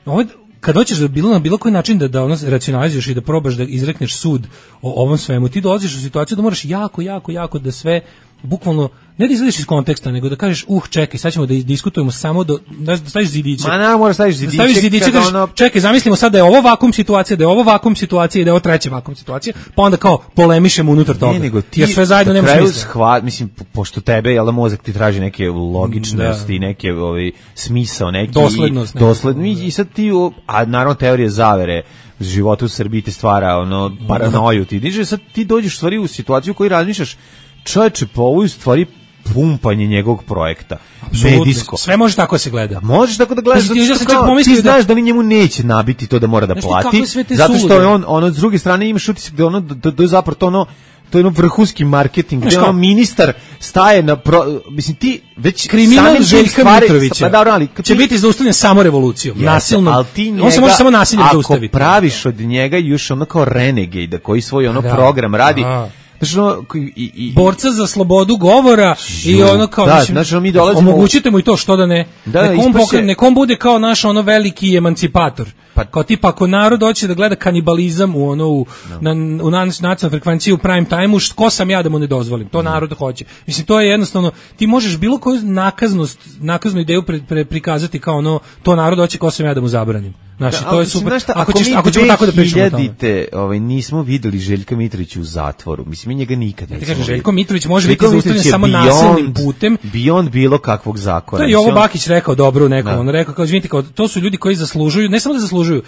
Ovo, kad hoćeš da bilo na bilo koji način da, da ono racionalizuješ i da probaš da izrekneš sud o ovom svemu, ti dolaziš u situaciju da moraš jako, jako, jako da sve bukvalno ne da izlediš iz konteksta, nego da kažeš, uh, čekaj, sad ćemo da diskutujemo samo do, da staviš zidiće. Ma na, moraš staviš zidiće. Da staviš zidiće, kažeš, ono... čekaj, zamislimo sad da je ovo vakum situacija, da je ovo vakum situacija i da je ovo treća vakum situacija, pa onda kao polemišemo unutar toga. Ne, nego ti ja sve zajedno nema smisla. Shvat, mislim, pošto tebe, jel da mozak ti traži neke logičnosti, da. neke ovaj, smisao, neki... Doslednost. I, doslednost. I sad ti, a naravno teorije zavere, života u Srbiji te stvara, ono, paranoju ti diže, sad ti dođeš u stvari u situaciju u kojoj razmišljaš, čovječe, po ovoj stvari pumpanje njegovog projekta. Apsolutno. Medijsko. Sve može tako se gleda. Možeš tako da gledaš, ti, zato što kao, ti znaš da li njemu neće nabiti to da mora da znaš plati, zato što je on, ono, s druge strane imaš utisak da ono, da, da je zapravo to ono, to je ono vrhunski marketing, gdje ono ministar staje na, pro, mislim ti već kriminal Željka Mitrovića pa dobro, ali, će ti, biti zaustavljen samo revolucijom, yes, nasilno, on se može samo nasiljem zaustaviti. Ako praviš od njega još ono kao renegade, koji svoj ono da, program radi, da. Znači, ono, i, i, borca za slobodu govora žu, i ono kao da, znači, mi dolazimo, omogućite mu i to što da ne da, nekom, pokre, nekom bude kao naš ono veliki emancipator pa, kao tipa ako narod hoće da gleda kanibalizam u ono u, no. na, u nacionalnoj frekvenciji u prime time-u, ko sam ja da mu ne dozvolim, to no. narod hoće. Mislim, to je jednostavno, ti možeš bilo koju nakaznost, nakaznu ideju pre, pre, prikazati kao ono, to narod hoće, ko sam ja da mu zabranim. Znači, da, to je super. Šta, ako, ako, ćeš, ako ćemo tako da pričamo o tome. Ovaj, nismo videli Željka Mitrovića u zatvoru. Mislim, mi njega nikad ne kažem, Željko Mitrović može biti zaustavljen samo nasilnim putem. Beyond bilo kakvog zakona. To je Jovo Bakić rekao dobro u nekom. Da. On rekao, kao, izvinite, kao, to su ljudi koji zaslužuju, ne samo da zaslužuju,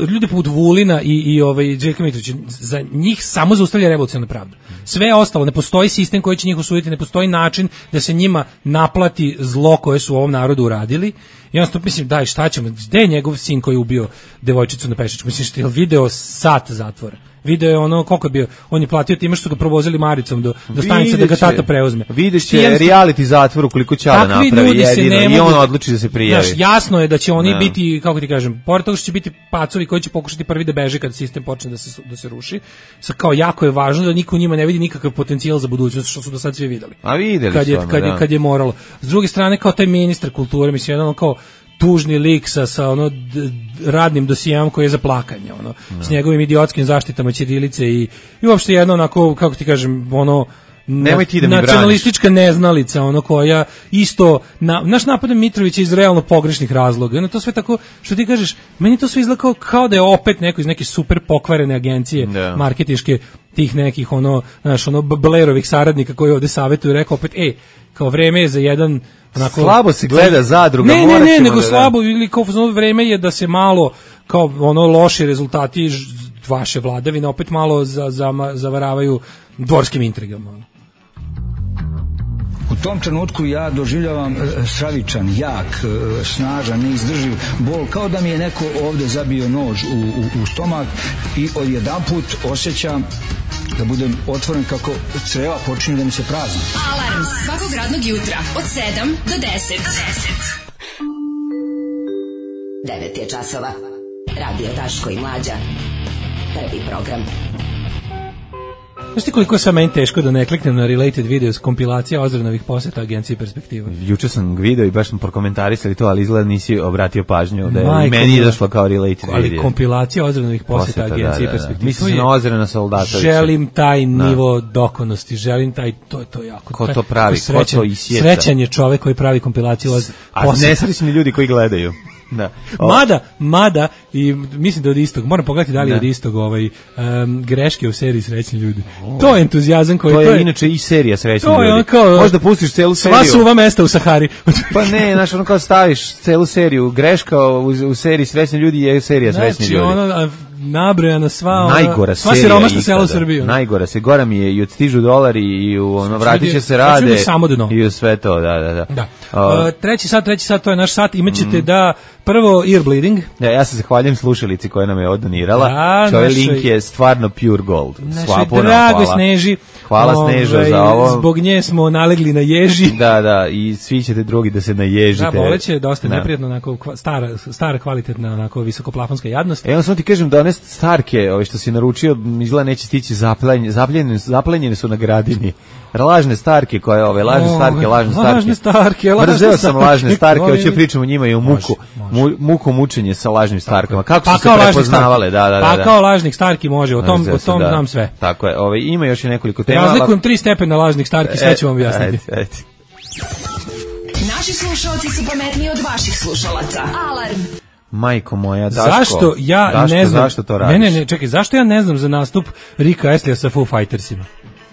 ljudi poput Vulina i, i ovaj, Željka Mitrovića, za njih samo zaustavlja revolucionarna pravda. Sve ostalo, ne postoji sistem koji će njih osuditi, ne postoji način da se njima naplati zlo koje su ovom narodu uradili. I on mislim, daj, šta ćemo, gde je njegov sin koji je ubio devojčicu na Pešiću? Mislim, što je video sat zatvora. Video je ono, koliko je bio, on je platio time što su ga provozili maricom do, do stanice da ga tata preuzme. Vidiš će reality zatvor ukoliko će da napravi jedino i on odluči da se prijavi. Znaš, jasno je da će oni no. biti, kako ti kažem, pored toga što će biti pacovi koji će pokušati prvi da beže kad sistem počne da se, da se ruši. Sa kao jako je važno da niko u njima ne vidi nikakav potencijal za budućnost, što su do sad svi videli. A videli kad je, su. Kad, je, kad je moralo. S druge strane, kao taj ministar kulture, mislim, jedan kao tužni lik sa, sa ono d, radnim dosijemom koji je za plakanje, ono, no. s njegovim idiotskim zaštitama ćirilice i, i uopšte jedno onako, kako ti kažem, ono, Nemoj ti da mi nacionalistička neznalica, ono koja isto, na, naš napad na Mitrovića iz realno pogrešnih razloga, ono to sve tako, što ti kažeš, meni to sve izgleda kao, kao da je opet neko iz neke super pokvarene agencije yeah. marketinške, tih nekih, ono, znaš, ono, Blairovih saradnika koji ovde savjetuju, rekao opet, ej, kao vreme je za jedan onako, slabo se gleda zadruga, ne, ne, ne, nego da slabo ili kao vreme je da se malo kao ono loši rezultati vaše vladavine opet malo za, za, zavaravaju dvorskim intrigama. U tom trenutku ja doživljavam stravičan, jak, snažan, neizdrživ bol, kao da mi je neko ovde zabio nož u, u, u stomak i odjedanput osjećam da budem otvoren kako creva počinju da mi se prazni. Alarm svakog radnog jutra od sedam do deset. devet je časova. Radio Daško i Mlađa. Prvi program. Znaš ti koliko je sad meni teško da ne kliknem na related videos, kompilacija Ozrenovih poseta agencije Perspektiva? Juče sam video i baš sam prokomentarisali to, ali izgleda nisi obratio pažnju da je Majko, meni izašlo kao related ali video. Ali kompilacija Ozrenovih poseta, poseta agencije da, da, Perspektiva. Mislim se na Ozrena Soldatovića. Želim taj nivo da. dokonosti, želim taj, to je to jako. Ko to pravi, ko to isjeca. Srećan je čovek koji pravi kompilaciju poseta. A nesrećni ljudi koji gledaju. Da. Mada, mada i mislim da od istog, moram pogledati da li je od istog ovaj um, greške u seriji Srećni ljudi. Oh. To je entuzijazam koji to je, to je inače i serija Srećni to ljudi. Kao, možda pustiš celu seriju. Sva suva mesta u Sahari. Pa ne, znaš, ono kao staviš celu seriju, greška u, u seriji Srećni ljudi je serija Srećni znači, ljudi. Ono, nabrojana sva najgora sva serija siromašna sela u Srbiji. Najgora se, gora mi je i odstižu dolari i u ono vratit će se rade i u sve to, da, da, da. da. Uh, treći sat, treći sat, to je naš sat, imaćete mm. da prvo ear bleeding. Ja, ja se zahvaljujem slušalici koja nam je odonirala. Da, ovaj link je stvarno pure gold. Našoj dragoj Sneži. Hvala Snežo za ovo. Zbog nje smo nalegli na ježi. Da, da, i svi ćete drugi da se naježite. Da, boleće, dosta da. Neprijatno, onako, stara, stara kvalitetna, onako, visokoplafonska jadnost. E, on samo ti kažem da one starke, ove što si naručio, izgleda neće stići zaplenjene, zaplenjene, zaplenjene su na Gradini. Lažne starke koje ove, lažne starke, lažne starke. Lažne starke, lažne Mrzeo sam lažne starke, hoće pričamo o njima i o muku. Mu, muku mučenje sa lažnim starkama. Kako pa su se prepoznavale? Da, da, da. Pa kao lažnih starki može, o tom, o tom da. znam sve. Tako je, ove, ima još i nekoliko tema. Razlikujem tri stepena lažnih starki, sve ću vam objasniti. Ajde, ajde. Naši slušalci su pametniji od vaših slušalaca. Alarm. Majko moja, Daško. Zašto ja Daško, ne znam? Zašto to radiš? Ne, ne, ne, čekaj, zašto ja ne znam za nastup Rika Astleyja sa Foo Fightersima?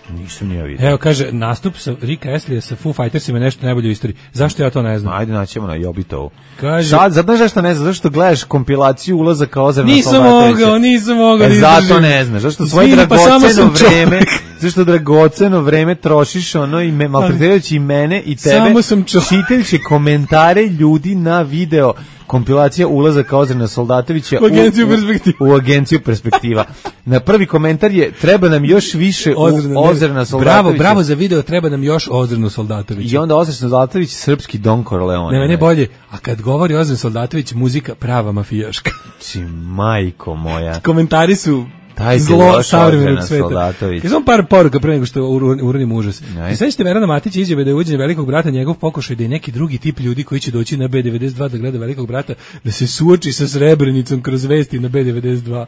Nisam ni ja vidio. Evo, kaže, nastup sa Rika Astleyja sa Foo Fightersima je nešto najbolje u istoriji. Zašto ja to ne znam? Ajde, naćemo na Jobitovu. Kaže, Sad, znaš zašto ne znaš? Zašto gledaš kompilaciju ulazaka Ozrena nisam Soldatovića? mogao, nisam mogao. E, zato ne znaš. Zašto svoje Zvini, dragoceno pa vreme, zašto dragoceno vreme trošiš ono i me, maltretirajući i mene i tebe, čitajući komentare ljudi na video kompilacija ulazaka Ozrena Soldatovića u agenciju Perspektiva. U, u agenciju Perspektiva. Na prvi komentar je treba nam još više Ozrena, Ozrena Soldatovića. Bravo, bravo za video, treba nam još Ozrenu Soldatovića. I onda Ozren Soldatović srpski Don Corleone. Ne, mene bolje. A kad govori Ozren Soldatović, muzika prava mafijaška. Či majko moja. Komentari su Taj zlo savremenog sveta. Samo par poruka pre nego što uradim užas. I sad ćete Verana Matić izjave da je uđenje Velikog brata njegov pokušaj da je neki drugi tip ljudi koji će doći na B devedeset dva da gleda Velikog brata, da se suoči sa Srebrenicom kroz vesti na B devedeset dva.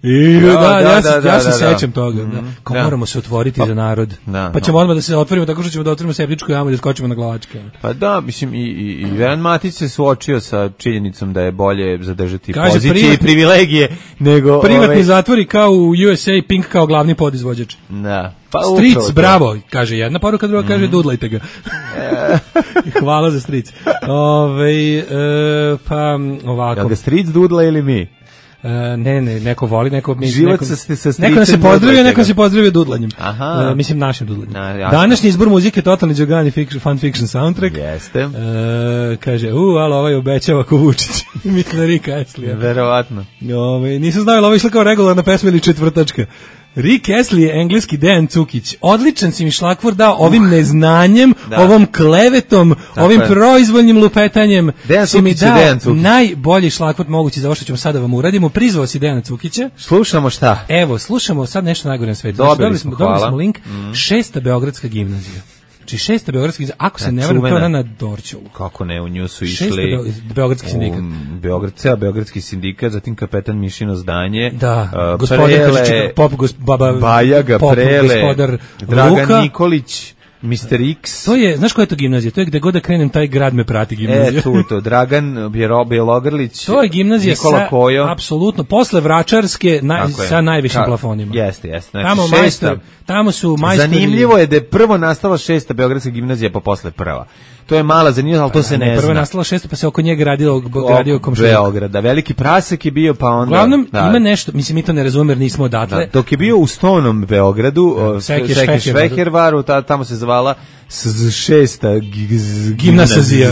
I da, da, ja, da, se, ja se da, sećam da. toga. Da. Kao da. moramo se otvoriti pa, za narod. Da, pa ćemo no. odmah da se otvorimo tako što ćemo da otvorimo septičku jamu i da skočimo na glavačke. Pa da, mislim, i, i, i Veran Matić se suočio sa činjenicom da je bolje zadržati kaže, pozicije privatni, i privilegije nego... Privatni ove... zatvori kao u U S A, Pink kao glavni podizvođač. Da. Pa Stric, bravo, kaže jedna poruka, druga mm. kaže dudlajte ga. Hvala za Stric. Ove, e, pa ovako. Jel ga Stric dudla ili mi? Uh, ne, ne, neko voli, neko mi život neko, sa, sa neko se pozdravio, neko se pozdravio dudlanjem. Aha. Uh, mislim našim dudlanjem. Na, današnji izbor muzike Totalni Đogani fiction, Fun Fiction soundtrack. Jeste. Uh, kaže, u, alo, ovaj obećava ko Vučić. Mislim na Rika Astleyja. Verovatno. Ove, nisam znao, ovo išla kao regularna pesma ili četvrtačka. Rick Astley je engleski Dejan Cukić. Odličan si mi šlagvor dao ovim uh, neznanjem, da. ovom klevetom, tako ovim je. proizvoljnim lupetanjem. Dejan si mi dao Dejan Cukić. najbolji šlagvor mogući za ovo što ćemo sada vam uradimo. Prizvao si Dejana Cukića. Slušamo šta? Evo, slušamo sad nešto najgore na svetu. Dobili, dobili smo, dobili smo link. Mm. Šesta Beogradska gimnazija. Znači šesta Beogradska gimnazija. Ako se ne varam, to je na Dorćolu. Kako ne, u nju su išli... Šesta Beogradski sindikat. Beograd, ceo Beogradski sindikat, zatim kapetan Mišino zdanje. Da, uh, gospodin Prele, pop, gos, baba, Bajaga, pop, Prele, gospodar Dragan Luka. Nikolić, mister X. To je, znaš koja je to gimnazija? To je gde god da krenem, taj grad me prati gimnazija. E, tu to, Dragan Bjelogrlić, to je gimnazija Nikola sa, Kojo. Apsolutno, posle Vračarske na, sa najvišim Ka, plafonima. Jeste, jeste. Znači, tamo, šesta, majstor, tamo su majstori... Zanimljivo je da je prvo nastala šesta Beogradska gimnazija, pa posle prva. To je mala zanimljivost, ali to se ne, ne zna. Prvo je nastala šesta, pa se oko njega gradio, gradio komšija. Beograda. Veliki prasak je bio, pa onda... Uglavnom, da. ima nešto, mislim, mi to ne razumemo jer nismo odatle. Da, dok je bio u Stonom Beogradu, da, Seke Švehervaru, ta, tamo se zvala s šesta gimnazija.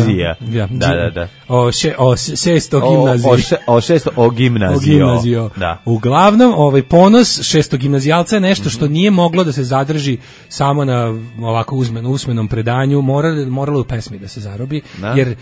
Ja, da, da, da. O, še, o šesto gimnazija. O, še, o šesto o gimnazio. Da. Uglavnom, ovaj ponos šesto gimnazijalca je nešto što nije moglo da se zadrži samo na ovako uzmen, usmenom predanju, moralo, moralo u pesmi da se zarobi, da. Jer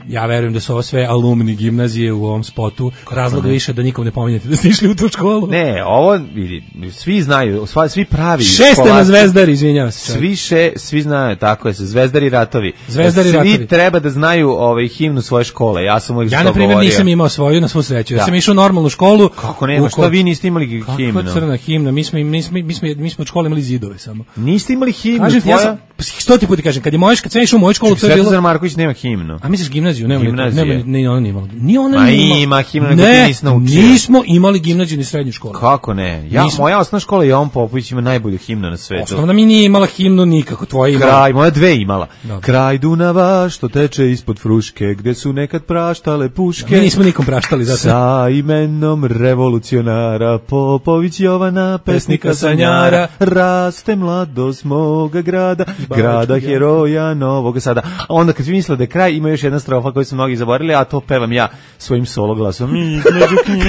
ja verujem da su ovo sve alumni gimnazije u ovom spotu. Razlog više da nikom ne pominjete da ste išli u tu školu. Ne, ovo vidi, svi znaju, svi, svi pravi. Šeste na Zvezdari, izvinjavam se. Svi še, svi znaju, tako je, Zvezdari ratovi. Zvezdari svi ratovi. treba da znaju ovaj himnu svoje škole. Ja sam uvijek ja na primjer nisam imao svoju na svu sreću. Ja da. sam išao u normalnu školu. Kako nema? Šta vi niste imali himnu? Kako crna himna? Mi smo mi smo mi smo mi smo od škole imali zidove samo. Niste imali himnu? Kažem, ja sam, Stoti put ti kažem, kad je moj, kad sam išao u moju školu, to je bilo... Svetozar Marković nema himnu. A misliš gimnaziju? Nema, Gimnazije. nema, ni ona nije imala. Ni ona Ma nije imala. ima himna, nego ne, ti nisi naučio. nismo imali gimnaziju ni srednju školu. Kako ne? Ja, Nismo. moja osnovna škola Jovan Popović ima najbolju himnu na svetu. Osnovna mi nije imala himnu nikako, tvoja imala. Kraj, moja dve imala. Dobro. Kraj Dunava što teče ispod Fruške, gde su nekad praštale puške. Mi nismo nikom praštali, zato. Sa imenom revolucionara Popović Jovana, pesnika sanjara, raste mladost moga grada, grada heroja Novog Sada. A onda kad vi mislite da je kraj, ima još jedna strofa koju su mnogi zaboravili, a to pevam ja svojim solo glasom. Između knjige.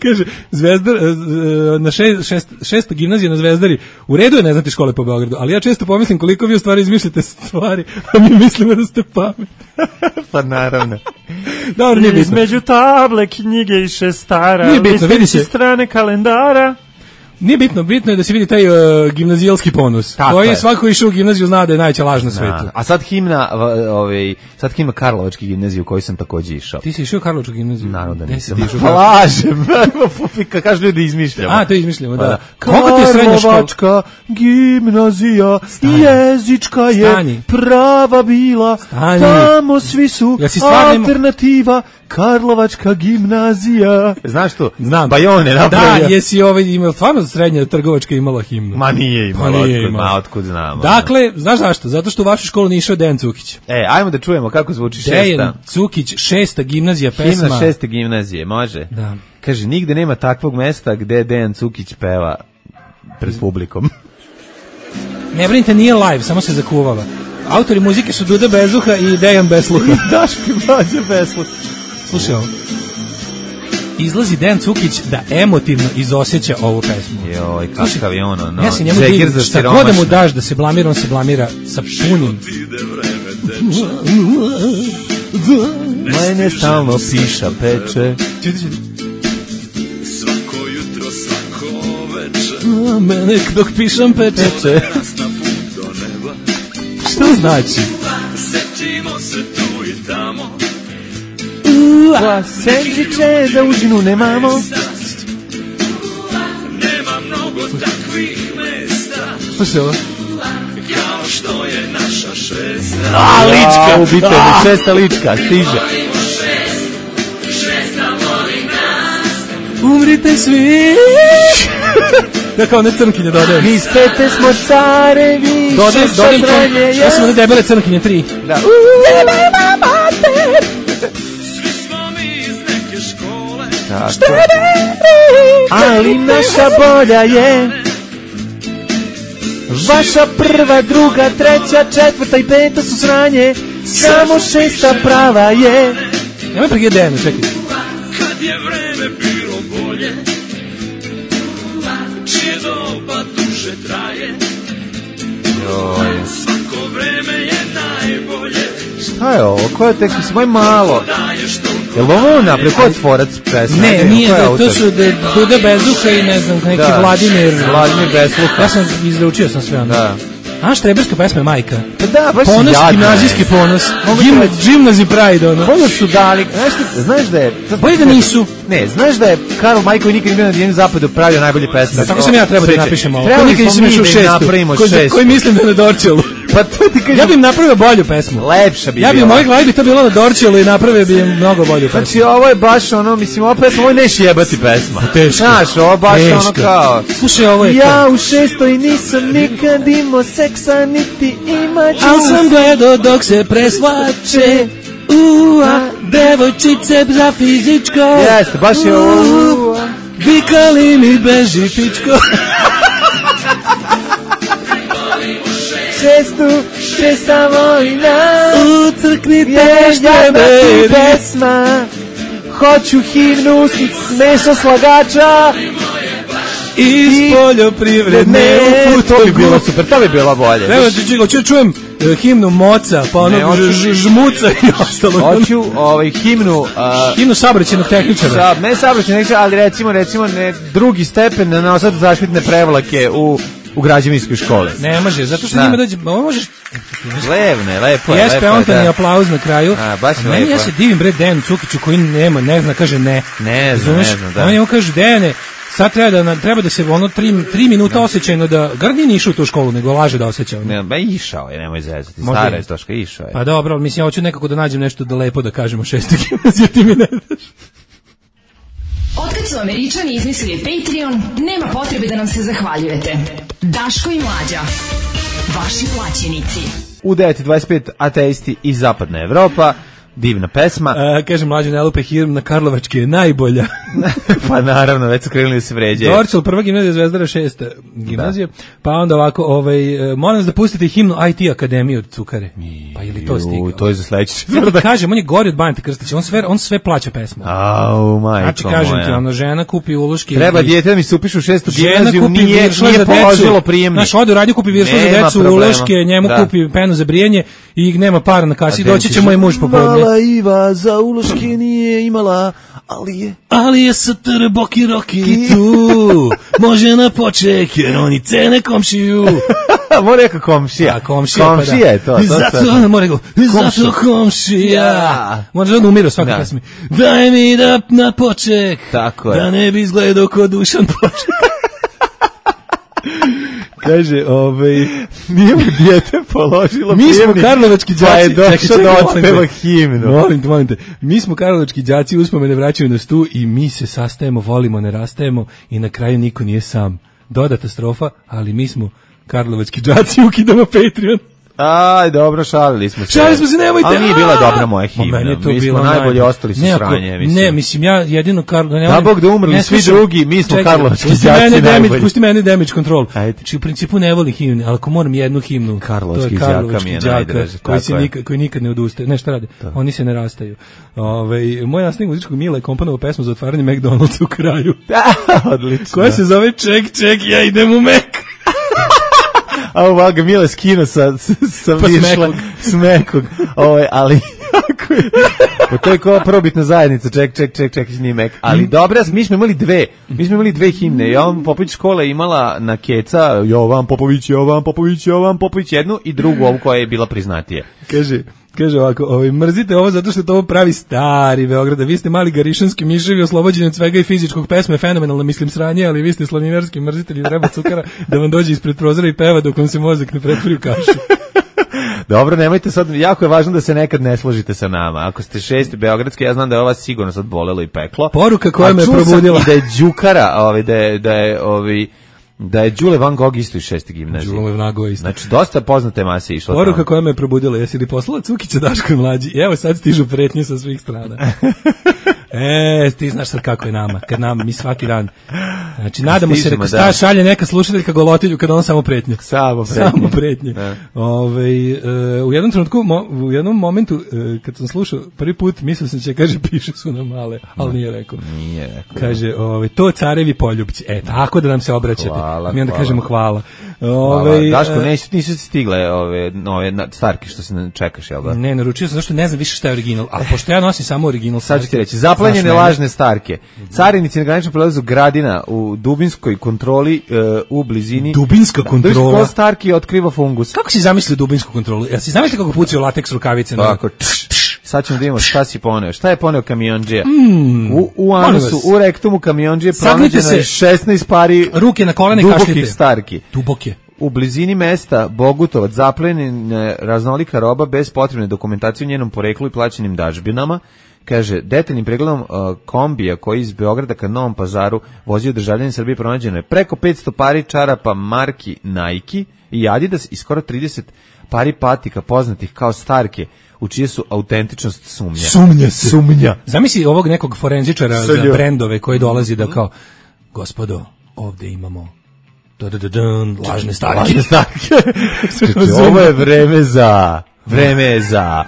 Kaže, Zvezdar, na šest, šest, šesta gimnazija na Zvezdari, u redu je ne znati škole po Beogradu, ali ja često pomislim koliko vi u stvari izmišljate stvari, a mi mislimo da ste pametni. Pa naravno. Dobro, nije bitno. Između table, knjige i šestara, nije bitno, vidi se. strane kalendara. Nije bitno, bitno je da se vidi taj uh, gimnazijalski ponos. Tako koji je je. svako išao u gimnaziju zna da je najveća laž na svetu. A sad himna, ovaj, sad himna Karlovački gimnaziju u kojoj sam takođe išao. Ti si išao u Karlovačku gimnaziju? Naravno da Gde nisam. si ti išao? Pa lažem. Kako kažu ljudi izmišljamo. A, to izmišljamo, da. Koliko ti je srednja škola? Karlovačka gimnazija, Stani. Jezička je Stani. prava bila. Stani. Tamo svi su ja si alternativa. Karlovačka gimnazija. Znaš to? Znam. Bajone napravio. Da, jesi ovaj imao stvarno srednja trgovačka imala himnu. Ma nije imala, pa nije otkud, imala. ma otkud znamo. Dakle, znaš zašto? Zato što u vašu školu nije išao Dejan Cukić. E, ajmo da čujemo kako zvuči šesta. Dejan Cukić, šesta gimnazija, pesma. Himna šeste gimnazije, može? Da. Kaže, nigde nema takvog mesta gde Dejan Cukić peva pred publikom. Ne brinite, nije live, samo se zakuvala. Autori muzike su Duda Bezuha i Dejan Besluha. Daški Mlađa Besluha. Slušaj ovo. Izlazi Dejan Cukić da emotivno izosjeća ovu pesmu. Joj, kakav je ono, no. Ja se njemu divim, šta god da mu daš da se blamira, on se blamira sa punim. Mene stalno piša peče. Čuti, čuti. Svako jutro, svako veče. Mene dok pišem peče. Šta znači? Sećimo se tu i tamo. Ua, sendviče za užinu nemamo. Nema mnogo takvih mesta. Slušaj ovo. Kao što je naša šesta. A, lička, ubite me, šesta lička, stiže. Šesta voli nas. Umrite svi. Ja kao ne crnkinje dodajem. Mi spete smo carevi. Dodajem, dodajem. Ja sam one debele crnkinje tri. Da. Nema mater. Svi smo mi iz neke škole. Tako. Ali naša bolja je vaša prva, druga, treća, četvrta i peta su sranje. Samo šesta prava je. Nemoj pregledati Dejanu, čekaj. Kad je vreme bilo bolje, čije doba duže traje. Joj. Svako vreme je najbolje. Šta je ovo? Ko je tekst? Mislim, moj malo. Je li ovo naprijed? Ko je tvorac pesme? Ne, nije, da, to su de, Duda Bezuha i ne znam, neki da, Vladimir. Vladimir Besluha. Ja sam izručio sam sve ono. Da. A štreberska pesma je majka. Pa da, baš ponos, jadno. Gimnazijski ponos. Gimna, gimnazi pride, ono. Bolje su dali. Znaš, znaš da je... Bolje da nisu. Ne, znaš da je Karl Majković nikad nije bio na Dijenom zapadu pravio najbolje pesme. Tako sam ja trebao da napišem ovo. Trebali nikad smo mi išao da šestu, napravimo ko, šestu. Koji mislim da je na Dorčelu. Pa to ti kažem. Ja bih im napravio bolju pesmu. Lepša bi Ja bih u bila. mojoj glavi bi to bilo na Dorčelu i napravio bi im mnogo bolju pesmu. Znači, ovo je baš ono, mislim, ovo pesma, ovo je neš jebati pesma. Teško. Znaš, ovo baš Teško. ono kao... Slušaj, ovo je Ja to. u šestoj nisam nikad imao seksa, niti imaću. Al sam gledao dok se presvače. Ua, devojčice za fizičko. Jeste, baš je ovo. Ua, vikali mi beži pičko. Šestu, šesta vojna. U crkni Je tešte jadna ti meni. pesma. Hoću himnu smešno slagača. Iz poljoprivredne Ne, u to bi bilo super, to bi bilo bolje. Evo ti čujem, čujem uh, himnu Moca, pa ono Ne, hoću- ž, ž, žmuca i ostalo. Hoću ovaj himnu... a, Himnu saobraćajnog tehničara. Sa, ne saobraćajnog tehničara, ali recimo, recimo ne, drugi stepen na nosat zaštitne prevlake u, u građevinskoj školi. Ne može, zato što Da. njima dođe, ovo možeš, Levne, lepo je, jes lepo je, peontani da. aplauz na kraju. A, baš je meni lepo. ja se divim bre Dejanu Cukiću koji nema, ne zna, kaže ne. Ne zna, Razumeš? ne zna, da. On njemu kaže, Dejane, sad treba da, treba da se ono tri, tri minuta osjećajno da, gar nije išao u tu školu, nego laže da osjeća. Ne, ba išao je, nemoj zezati, stara je Toška, išao je. Pa dobro, mislim, ja hoću nekako da nađem nešto da lepo da kažemo šestog gimnazije, ti mi ne daš. Otkad su Američani izmislili Patreon, nema potrebe da nam se zahvaljujete. Daško i Mlađa, vaši plaćenici. U devet dvadeset pet ateisti iz Zapadna Evropa, divna pesma. A, kaže Mlađe, ne lupe hirm na Karlovačke je najbolja. Pa naravno, već su krenuli da se vređaju. Dorčel, prva gimnazija, Zvezdara šesta gimnazija. Da. Pa onda ovako, ovaj, molim vas da pustite himnu I T Akademiju od Cukare. Pa ili to stigao? To je za sledeći. Ja da kažem, on je gori od Banete Krstića, on sve, on sve plaća pesmu. Au, majko znači, kažem moja. Ti, ono, žena kupi uloške. Treba dijete da mi se upišu u šestu gimnaziju, nije, nije položilo prijemnik. Znaš, ode u radnju, kupi viršle za decu, uloške, njemu da. Kupi penu za brijanje i nema para na kasi, doći će moj muž popodne. Za uloške nije imala, ali je... Ali je satr boki roki tu, može na poček, jer oni cene komšiju. Mora neka komšija. A, komšija, komšija pa da. je to. to zato, ona mora go, zato komšija. Ja. Može da on umira svaki da. Pesmi. Daj mi da na poček, tako je. Da ne bi izgledao kod Dušan poček. Kaže, ovaj, nije mu dijete položilo mi smo karlovački đaci, pa je došao da otpeva himnu. Molim te, molim te. Mi smo karlovački đaci, uspomene vraćaju nas tu i mi se sastajemo, volimo, ne rastajemo i na kraju niko nije sam. Dodata strofa, ali mi smo karlovački đaci, ukidamo Patreon. Aj, dobro, šalili smo se. Šalili smo se, nemojte. Ali nije bila dobra moja himna. Mi smo najbolje ostali su sranje, mislim. Ne, mislim, ja jedino Karlo... Da Bog da umrli svi drugi, mi smo karlovački đaci najbolji. Pusti mene Damage Control. Či u principu ne volim himne, ali ako moram jednu himnu, karlovački đaka mi je najdraži. Koji nikad ne odustaje. Ne, šta rade? Oni se ne rastaju. Moj nastavnik muzičkog Mila je komponovao pesmu za otvaranje McDonald'sa u kraju. Odlično. Koja se zove Ček, ček, ja idem u Mac. A ovoga Mile skino sa, sa pa višla smekog, ovaj, ali pa to je kao probitna zajednica, ček, ček, ček, ček, nije mek. Ali mm. dobra, mi smo imali dve, mi smo imali dve himne. Jovan Popović škola je imala na keca Jovan Popović, Jovan Popović, Jovan Popović jednu i drugu ovu koja je bila priznatije. Kaže, kaže ovako, ovaj, mrzite ovo zato što to ovo pravi stari Beograd, vi ste mali garišanski miševi oslobođeni od svega i fizičkog, pesma je fenomenalna, mislim sranje, ali vi ste slaninarski mrzitelji, treba Cukara da vam dođe ispred prozora i peva dok vam se mozak ne pretvori u kašu. Dobro, nemojte sad, jako je važno da se nekad ne složite sa nama. Ako ste šesti beogradski, ja znam da je ova sigurno sad bolelo i peklo. Poruka koja me probudila. I da je Đukara, ovaj, da je, da je, ovaj, da je Đule Van Gogh isto iz šeste gimnazije. Đule Van Gogh isto. Znači, dosta poznate mase išlo tamo. Poruka koja me probudila, jesi li poslala Cukića Daško i Mlađi? Evo sad stižu pretnje sa svih strana. E, ti znaš sad kako je nama, kad nama, mi svaki dan. Znači, nadamo se, reko, sta šalje neka slušateljka golotilju kada on samo pretnje. Samo pretnje. Samo pretnje. Ove, uh, u jednom trenutku, mo, u jednom momentu, uh, kad sam slušao prvi put, mislio sam će, kaže, piše su na male, ali nije rekao. Nije rekao. Kaže, ove, to carevi poljubci. E, tako da nam se obraćate. Hvala, mi onda hvala. kažemo hvala. Ove, hvala. Daško, nisu, nisu stigle ove, ove starke što se čekaš, jel da? Ne, naručio sam, zašto ne znam više šta je original, ali pošto ja nosim samo original. Sad ću ti reći, zaplanjene lažne starke. Carinici na graničnom prelazu Gradina u dubinskoj kontroli uh, u blizini. Dubinska kontrola. Dubinsko starki otkriva fungus. Kako si zamislio dubinsku kontrolu? Ja si zamislio kako pucaju lateks rukavice? Tako, tš, tš. Sad ćemo da vidimo šta si poneo. Šta je poneo kamionđija? Mm, u u anusu, u rektumu kamionđije pronađeno je šesnaest pari ruke na kolene dubokih starki. Duboke. U blizini mesta Bogutovac zaplenjena raznolika roba bez potrebne dokumentacije u njenom poreklu i plaćenim dažbinama. Kaže, detaljnim pregledom uh, kombija koji iz Beograda ka Novom Pazaru vozio državljanin Srbije pronađeno je preko petsto pari čarapa marki Nike i Adidas i skoro trideset pari patika poznatih kao starke u čije su autentičnost sumnja. Sumnja se. Sumnja. Zamisli ovog nekog forenzičara za brendove koji dolazi da kao, gospodo, ovde imamo da da da dan, lažne starke. Lažne starke. Ovo je vreme za, vreme je za...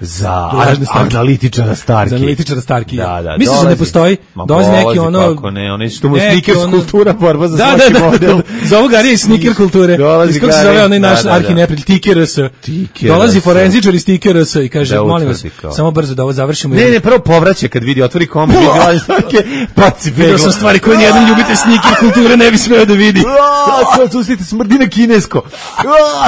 za analitičara starki. Za analitičara starki. Da, da. Misliš da ne postoji? Dolazi neki ono... Kako ne, ono što mu sneakers kultura borba za da, svaki da, da, model. Da, za ovog Arija iz sneaker kulture. Iz kako se zove onaj naš arhineprijatelj, T-K-R-S. Dolazi forenzičar iz T-K-R-S i kaže, da, molim vas, samo brzo da ovo završimo. Ne, ne, prvo povraća kad vidi, otvori kombi, vidi lažne starke, paci pegla. Vidio sam stvari koje nijedan ljubitelj sneaker kulture ne bi smeo da vidi. Čustite, smrdi na kinesko.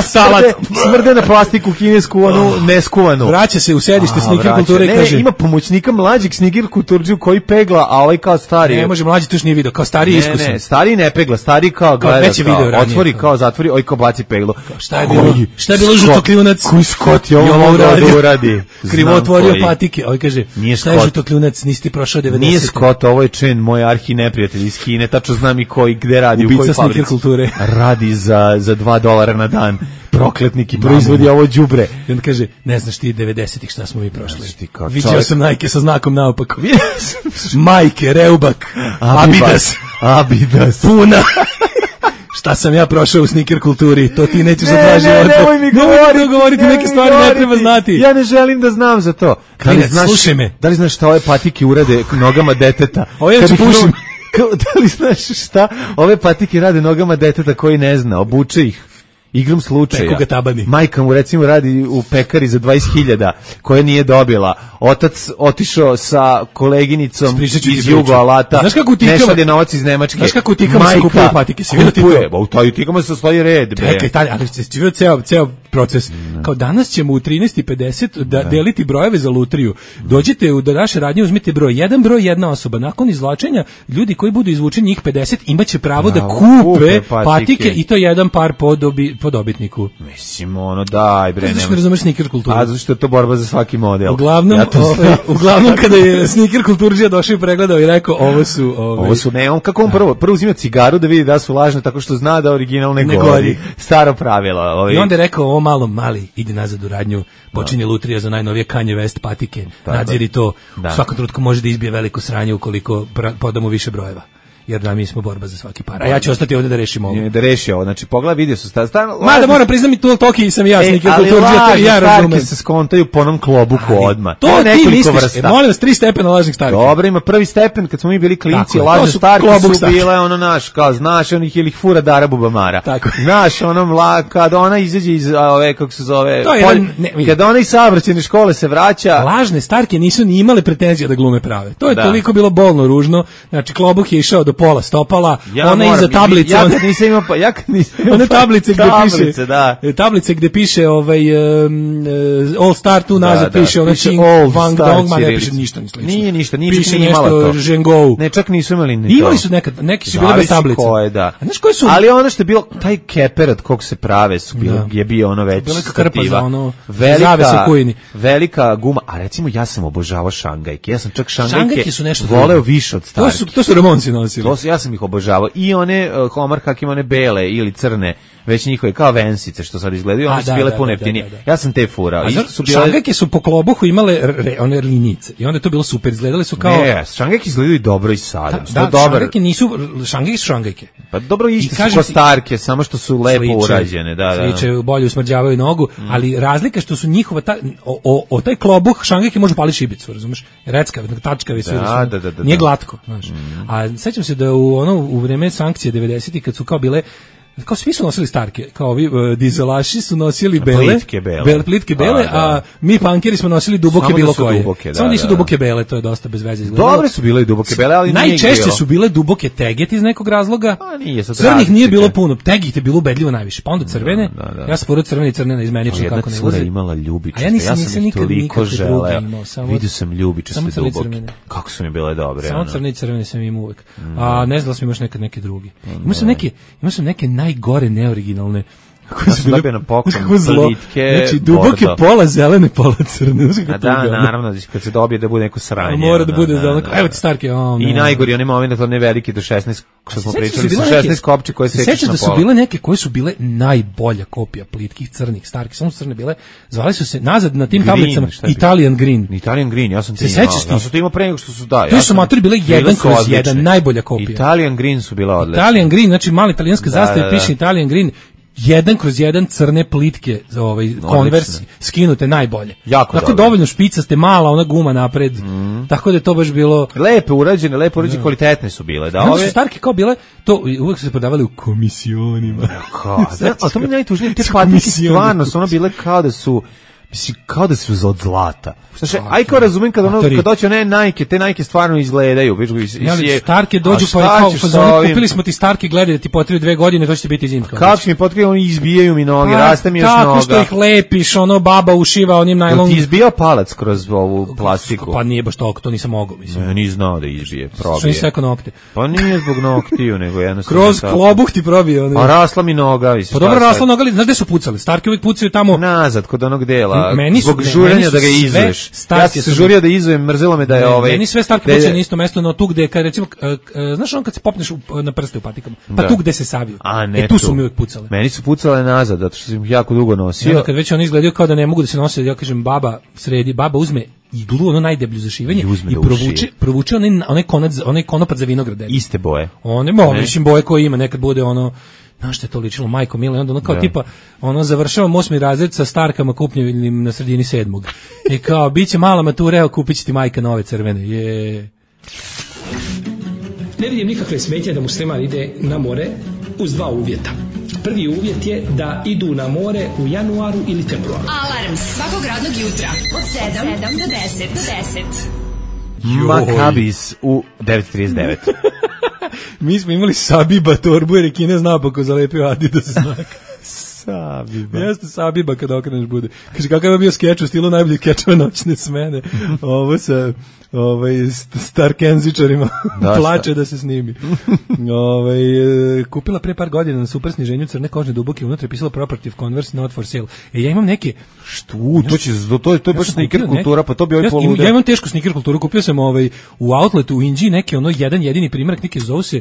Salat. Smrde na plastiku kinesku, onu neskuvanu. Vraća se u sedište A, sneaker vraća. kulture i Ne, kaže... ima pomoćnika mlađeg sneaker kulturđiju koji pegla, a ovaj kao stari. Ne, može, mlađi to još nije video, kao stariji iskusan. Ne, ne, stari ne pegla, stari kao gleda, već je video kao, ranije. otvori, kao zatvori, oj kao baci peglu. Šta je bilo? Šta je bilo žutokljunac? Koji Skot je ovo mogao da uradi? Krivo Znam otvorio koji. patike. Ovaj kaže, Nije šta je Scott. žutokljunac? Nisi ti prošao devedesete. Nije Scott, ovo je Chen, moj arhi neprijatelj iz Kine, tačno znam i koji, gde radi, Ubica u kojoj sneaker fabrici. kulture. Radi za, za dva dolara na dan. Prokletnik i proizvodi ovo đubre. I on kaže, ne znaš ti devedesetih šta smo mi prošli. Znaš ti kao Viđao čovjek. sam Nike sa znakom naopako. Majke, Reubak, Abidas, Abidas. Puna. Šta sam ja prošao u sneaker kulturi, to ti nećeš za dva Ne, ne, života. nemoj mi Nemoj govoriti, mi govoriti, nemoj neke mi stvari ne govoriti. treba znati. Ja ne želim da znam za to. Da li Klinac, znaš, slušaj me. Da li znaš šta ove patike urade nogama deteta? Ovo ja Kad ću ih pušim. no- Kao, da li znaš šta ove patike rade nogama deteta koji ne zna, obuče ih igrom slučaja. Peku ga tabani. Majka mu recimo radi u pekari za dvadeset hiljada koje nije dobila. Otac otišao sa koleginicom Ispričat ću ti iz priču. Jugo Alata. Znaš kako u ne Tikama- šalje novac iz Nemačke. Znaš kako u Tikama se Majka kupuju patike? Si vidio ti to? kupuje, ba, u toj Tikama se stoji red. Bre. Čekaj, taj, ali ste vidio ceo, ceo proces. Kao danas ćemo u trinaest i pedeset da deliti brojeve za lutriju. Dođite u da naše radnje, uzmite broj jedan, broj jedna osoba. Nakon izvlačenja, ljudi koji budu izvučeni njih pedeset imaće pravo da Bravo, kupe kupe patike. patike i to jedan par po, dobi, po dobitniku. Mislim, ono, daj, bre. Znaš što nemoj- ne razumeš sneaker kulturu? A, zato što je to borba za svaki model. Uglavnom, Ja to ovaj, znam. uglavnom kada je sneaker kulturđija došao i pregledao i rekao ovo su ovaj, Ovo su, ne, on kako on prvo, prvo uzima cigaru da vidi da su lažne tako što zna da original ne, Ne gori. gori. Staro pravilo. Ovaj. I onda je rekao, ovo malo, mali, idi nazad u radnju, počinje lutrija za najnovije Kanye West patike, nadziri to, Da. u svakom trenutku može da izbije veliko sranje ukoliko pra- podamo više brojeva. Jer da mi smo borba za svaki par. A ja ću ostati ovdje da rešim ovo. Je, da reši ovo, znači pogleda vidio su sta, stan, Mada moram priznam i tu Toki sam i ja, e, sneaker ali kulturđija, to i ja lažne razumem. starke se skontaju po onom klobuku odmah. To Ima ti nekoliko misliš, vrsta. e, molim vas, tri stepena lažnih starki. Dobro, ima prvi stepen, kad smo mi bili klinci, Tako je, to lažne su starke klobuk su starke. bile ono naš, kao znaš, onih ili ih fura Dara Bubamara. Tako je. Znaš, ono mla, kad ona izađe iz a, ove, kako se zove, To je polj- jedan- ne, vidi. kad ona iz saobraćajne škole se vraća, Lažne starke nisu ni imale pretenzije da glume prave. To je Da. toliko bilo bolno ružno. Znači, klobuk je išao do pola stopala, ja ona moram- iza tablice, ja ona- kad nisam imao, pa- ja kad nisam imao one tablice gde tablice, piše da. e, tablice gde piše ovaj um, uh, All Star tu nazad Da, da, piše ona piše Ching All Wang Star Dong, ma ne ćirilica. piše ništa ni slično. Nije ništa, nije piše čak ni imala nešto to. Zhengou. Ne, čak nisu imali ni to. Imali su nekad, neki su bile bez Zavisi tablice. koje, da. A znaš koji su? Ali ono što je bilo, taj keper od kog se prave su bile, Da. je bio ono već Bila je krpa stativa. za ono, velika, zavese u kujini. velika guma, a recimo ja sam obožavao šangajke, ja sam čak šangajke, Šangajke su nešto voleo drugo. više od To starki. su to su Ramonci nosili. To su, ja sam ih obožavao. I one, uh, Homar Hakim, one bele ili crne, već njihove, kao vensice što sad izgledaju, A, one su da, bile da, puno da, jeftinije. da, da. Ja sam te furao. A Isto zato su bile... šangajke su po klobuhu imale re, one linjice i onda je to bilo super, izgledali su kao Ne, šangajke izgledaju dobro i sada. da, Što da, dobar. šangajke nisu, šangajke su šangajke. Pa dobro, isto I su kažem ko ti- starke, samo što su lepo Sliče, urađene. Da, da. Sliče, bolje usmrđavaju nogu, ali razlika je što su njihova, ta, o, o, o taj klobuh šangajke može paliti šibicu, razumeš? Reckavi, tačkavi sve. Da, da, su- da, da, da, nije da. glatko, znaš. A sećam se da u ono u vreme sankcije devedesetih kad su kao bile kao svi su nosili starke, kao ovi uh, dizelaši su nosili bele, Plitke bele. bele plitke bele, A, da. a mi punkeri smo nosili duboke Samo da bilo su koje. duboke, da, Samo nisu da, duboke bele, to je dosta bez veze izgledalo. Dobre su bile i duboke bele, ali nije ih Najčešće bilo. su bile duboke teget iz nekog razloga. A nije, sad Crnih nije različite. bilo puno, tegih je bilo ubedljivo najviše. Pa onda crvene. Da, da, da. Ja sam porod crvene i crne na izmenično Jedna kako ne cura ulaze. imala ljubičaste, A ja nisam, ja sam nisam ih nikad toliko nikakve želeo. druge imao, samo- Vidio sam ljubičaste samo crne i duboke. crvene. Kako su mi bile dobre. Samo ono. crne i crvene sam imao uvek. A ne znam da sam imaš nekad neke drugi. Imao sam neke, imao sam neke najgore neoriginalne. Kako Ja sam dobio na poklon kako zlo. plitke Znači, duboke bordo. pola zelene, pola crne. Znaš kako A da, tuga, ono. naravno, kad se dobije da bude neko sranje. Mora da ono, bude zeleno. Evo ti starke, o, I ne. najgori, one moment, one velike do šesnaest, što smo Sećaš pričali, se sa bile neke- šesnaest kopče koje se sečeš sećaš na da su pola. bile neke koje su bile najbolja kopija plitkih crnih starki, samo su crne bile. Zvali su se nazad na tim Green, tablicama šta je bilo? Italian Green. Italian Green, ja sam Se ti sećaš imao. ti? Ja sam to imao pre nego što su da. To ja su sam- matori bile jedan su kroz odlične. jedan, najbolja kopija. Italian Green su bile odlične. Italian Green, znači mala italijanska Da, zastava da, da. piše Italian Green. Jedan kroz jedan crne plitke, ovaj Converse skinute najbolje. Jako Tako dobro. dovoljno špicaste, mala ona guma napred. Tako da je to baš bilo. Lepe urađene, lepe urađene, kvalitetne su bile. Da, Da, ove ove... su starke kao bile, to uvek su se prodavali u komisionima. Kao, da, a to mi je najtužnije, te Su patike komisioni. stvarno su ono bile kao da su Mislim, kao da su od zlata. Znači, aj kao razumem kad ono, kad doće one Nike, te Nike stvarno izgledaju. Ja, Starke dođu pa kao, pa kupili smo ti Starke, gledaj da ti potrebi dve godine, to će ti biti zimska. Kako će mi potrebi, oni izbijaju mi noge, raste mi još noga. Tako što ih lepiš, ono, baba ušiva onim najlon. Ti izbijao palac kroz ovu plastiku? Pa nije baš toliko, to nisam mogao, mislim. Ne, nisam znao da izbije, probije. Što nisi sekao nokte? Pa nije zbog noktiju, nego jednostavno. Kroz klobuh ti probije. A rasla mi noga. Pa dobro, rasla noga, ali znaš gde su pucali? Starke uvijek pucaju tamo. Nazad, kod onog dela. Zbog žurenja da ga izuješ. Ja sam se žurio da izujem, mrzelo me da je ovaj... Meni sve Starke pucaju na isto mesto, no tu gde, kad recimo, znaš on kad se popneš na prste u patikama, pa tu gde se saviju. E tu su mi uvijek pucale. Meni su pucale nazad, zato što sam ih jako dugo nosio. Kad već on izgledaju kao da ne mogu da se nose, ja kažem, baba sredi, baba uzme iglu, ono najdeblju za šivanje i, i provuče, provuče onaj, onaj, konac, onaj konopac za vinograd. Iste boje. One, mo, mislim, boje koje ima, nekad bude ono, znaš što je to ličilo, majko mila, i onda ono kao da. Tipa, ono, završavam osmi razred sa Starkama kupnjenim na sredini sedmog. I kao, bit će mala matura, evo, kupit će ti majka nove crvene. Je. Ne vidim nikakve smetnje da musliman ide na more uz dva uvjeta. Prvi uvjet je da idu na more u januaru ili februaru. Alarm svakog radnog jutra od sedam do deset. Do deset. Makabis u devet trideset devet. Mi smo imali Sabiba torbu jer je Kine znao pa ko zalepio Adidas znak. Sabiba. Jeste Sabiba kada okreneš bude. Kaže, kakav je bio skeč u stilu najbolji skečeva noćne smene. Ovo sa ovaj, Starkenzičarima plače da se snimi. Ovaj, kupila pre par godina na super sniženju crne kožne duboke, unutra je pisalo Property Converse not for sale. E, ja imam neke... Što? To, će, to, to je baš sneaker kultura, pa to bi ovaj polude. Ja imam tešku sneaker kulturu, kupio sam ovaj, u outletu u Inđiji neki ono jedan jedini primjerak, neki zovu se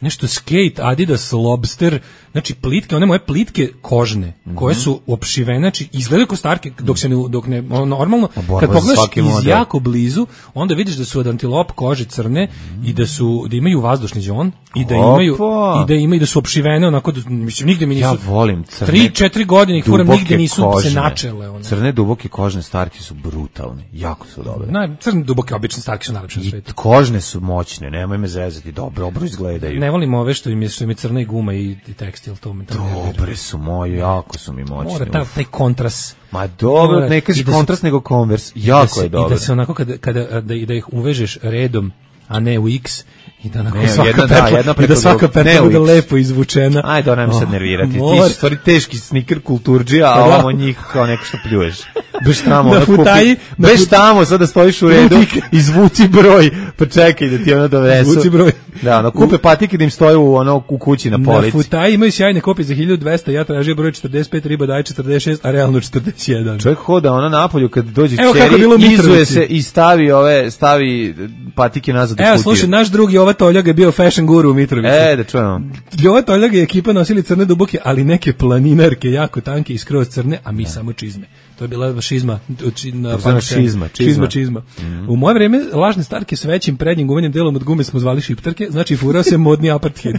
nešto skate, Adidas, Lobster, znači plitke, one moje plitke kožne, mm-hmm. koje su opšivene, znači izgledaju kao Starke, dok se ne, dok ne, normalno, kad pogledaš iz model. Jako blizu, onda vidiš da su od antilop kože crne mm-hmm. i da su, da imaju vazdušni đon i da imaju, i da imaju, da su opšivene onako, da, mislim, nigde mi nisu, ja volim crne, tri, četiri godine ih furam, nigde nisu kožne, se načele. One. Crne duboke kožne Starke su brutalne, jako su dobre. Na, crne duboke obične Starke su najlepše na svetu. Kožne su moćne, nemoj me zezati, dobro, dobro izgledaju. Ne volim ove što im je, što im je crna i guma i, i tekstil, to me tamo nervira. Dobre su moji, jako su mi moćni. Mora ta, taj kontrast. Ma dobro, ne kaži kontrast nego Converse, jako se, je dobro. I da se onako kada, kada da, da ih uvežeš redom, a ne u X, i da, ne, svaka jedna, perla, da, jedna i da svaka perla bude lepo izvučena. Ajde, ona mi sad nervirati. Ti si stvari teški sneaker kulturđija, a ovamo njih kao neko što pljuješ. Beš tamo, na futaji, beš tamo, sad da stojiš u redu, izvuci broj, pa čekaj da ti ono dovesu. Izvuci broj. Da, ono, kupe patike da im stoje u, ono, u kući na polici. Na futaji imaju sjajne kopije za hiljadu dvesta, ja tražio broj četrdeset pet, riba daje četrdeset šest, a realno četrdeset jedan. Čovjek hoda ono napolju kad dođe čeri, izuje se i stavi ove, stavi patike nazad u kutiju. Evo, slušaj, naš drugi Jova Toljag je bio fashion guru u Mitrovici. E, da čujemo. Jova Toljag je ekipa nosili crne duboke, ali neke planinarke jako tanke i skroz crne, a mi ne. Samo čizme. To je bila šizma, čizma, čizma, čizma, čizma. Mm-hmm. U moje vreme lažne Starke s većim prednjim gumenim delom od gume smo zvali šiptarke, znači furao se modni apartheid.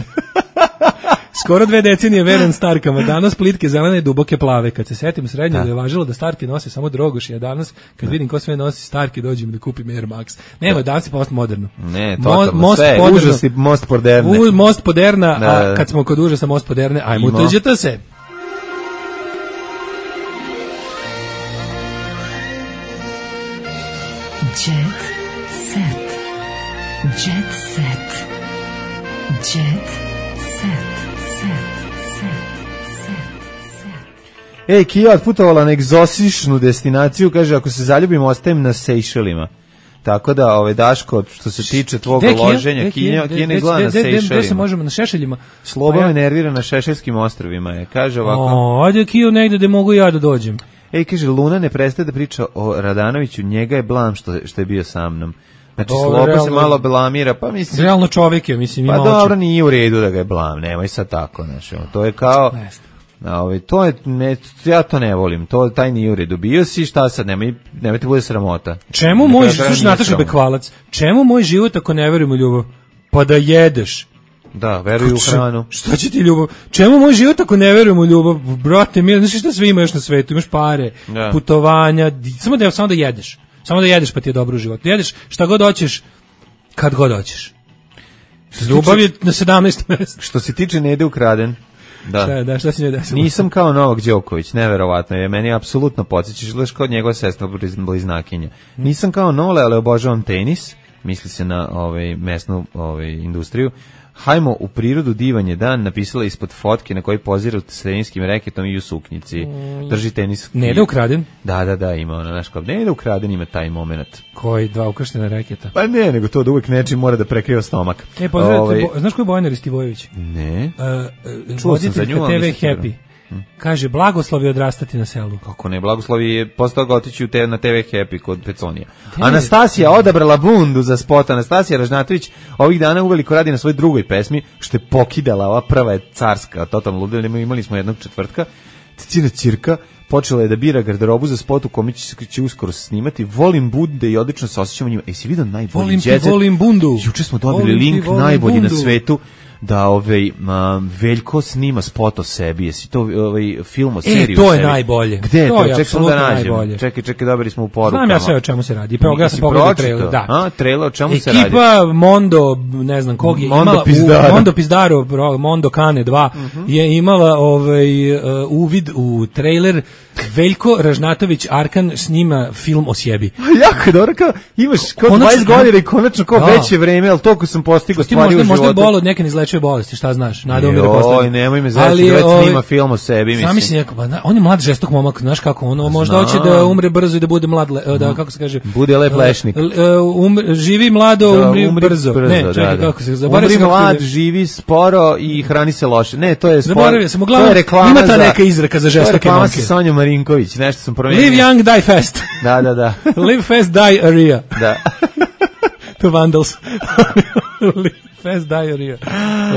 Skoro dve decenije veren Starkama, danas plitke zelene i duboke plave. Kad se setim srednje da je važilo da Starke nose samo drogoši, a danas kad da. Vidim ko sve nosi Starke, dođem da kupim Air Max. Nema, danas je post moderno. Ne, totalno, Mo, sve, užas i most moderne. U, most moderna, da. A kad smo kod užasa most moderne, ajmo utuđete se. Jet set. Jet set. Jet set. Ej, Kija otputovala na egzotičnu destinaciju, kaže, ako se zaljubim, ostajem na Sejšelima. Tako da, ove, Daško, što se tiče tvog loženja, Kija ne izgleda na Sejšelima. Gde se možemo, na Šešeljima? Slobo me nervira na Šešeljskim ostrvima, je. Kaže ovako. O, ajde, Kija, negde gde mogu ja da dođem. Ej, kaže, Luna ne prestaje da priča o Radanoviću, njega je blam što, što je bio sa mnom. Znači, Slobo se malo blamira, pa mislim... Realno čovjek je, mislim, ima oči. Pa dobro, nije u redu da ga je blam, nemoj sad tako, znači, to je kao... A, ovaj, to je, ne, ja to ne volim, to taj nije u redu. Bio si, šta sad, nemoj, nemoj ti bude sramota. Čemu moj, slušaj, Nataša Bekvalac, čemu moj život ako ne verujem u ljubav? Pa da jedeš. Da, veruju u hranu. Šta će ti ljubav? Čemu moj život ako ne verujem u ljubav? Brate, mi, znaš šta sve ima još na svetu? Imaš pare, da. Putovanja, samo da, samo da jedeš. Samo da jedeš pa ti je dobro u životu. Jedeš šta god hoćeš, kad god hoćeš. Ljubav je na sedamnaestom mjestu. Što se tiče Nede ukraden, Da. Šta, da, šta si njoj desilo? Nisam kao Novak Đoković, neverovatno je. Meni apsolutno podsjećaš gledaš kao njegova sestra bliznakinja. Nisam kao Nole, ali obožavam tenis. Misli se na ovaj mesnu ovaj industriju. Hajmo u prirodu, divan je dan, napisala ispod fotke na kojoj pozira s teninskim reketom i u suknjici. Drži tenis. Ne da ukraden? Da, da, da, ima ona, znaš kao, ne da ukraden, ima taj moment. Koji, dva ukrštena reketa? Pa ne, nego to da uvek nečim mora da prekriva stomak. E, pozdravite, ovaj, bo, znaš ko je Bojana Ristivojević? Ne. Uh, Čuo sam za nju, te ve Happy. Hmm. Kaže, blagoslovi odrastati na selu. Kako ne, blagoslovi je postao ga otići te, na te ve Happy kod Peconija. Anastasija odabrala bundu za spot. Anastasija Ražnatović ovih dana uveliko radi na svojoj drugoj pesmi, što je pokidala, ova prva je carska, totalno ludila, imali smo jednog četvrtka, Cicina Ćirka, počela je da bira garderobu za spot u kome će, će uskoro snimati. Volim bunde i odlično se osjećamo njima. E, si vidio najbolji volim džezet? Ti, volim bundu. Juče smo dobili volim link ti, najbolji bundu. na svetu da ovaj ma, Veljko snima spot o sebi. Jesi to ovaj film o seriji? E, to o je sebi? najbolje. Gde je to? To je čekaj da nađem. Najbolje. Čekaj, čekaj, dobili smo u porukama. Znam ja sve o čemu se radi. Prvo ja sam pogledao trailer, da. A, trailer o čemu se radi? Ekipa Mondo, ne znam kog je Mondo imala Pizdaro. u, Mondo Pizdaro, Mondo Kane dva uh-huh. je imala ovaj uh, uvid u trailer. Veljko Ražnatović Arkan snima film o sebi. Jako dobro, kao imaš kao dvadeset godina i konačno kao da. Veće vreme, al toliko sam postigao stvari možda, u životu. Možda je bol od neke neizlečive bolesti, šta znaš? Nada umire posle. Oj, nemoj me zezati, već snima film o sebi, mislim. Sam mislim neko, pa on je mlad žestok momak, znaš kako ono, možda hoće da umre brzo i da bude mlad, da kako se kaže, bude lep lešnik. Um, živi mlado, da, umri, umri brzo. brzo. Ne, čekaj, da, da. kako se zaboravio. Umri mlad, kako... živi sporo i hrani se loše. Ne, to je sporo. Zaboravio sam, uglavnom ima ta neka izreka za žestoke momke. To je Sonja Marinković, nešto sam promenio. Live young, die fast. Da, da, da. Live fast, die area. Da. To Vandals. Live fast, die area.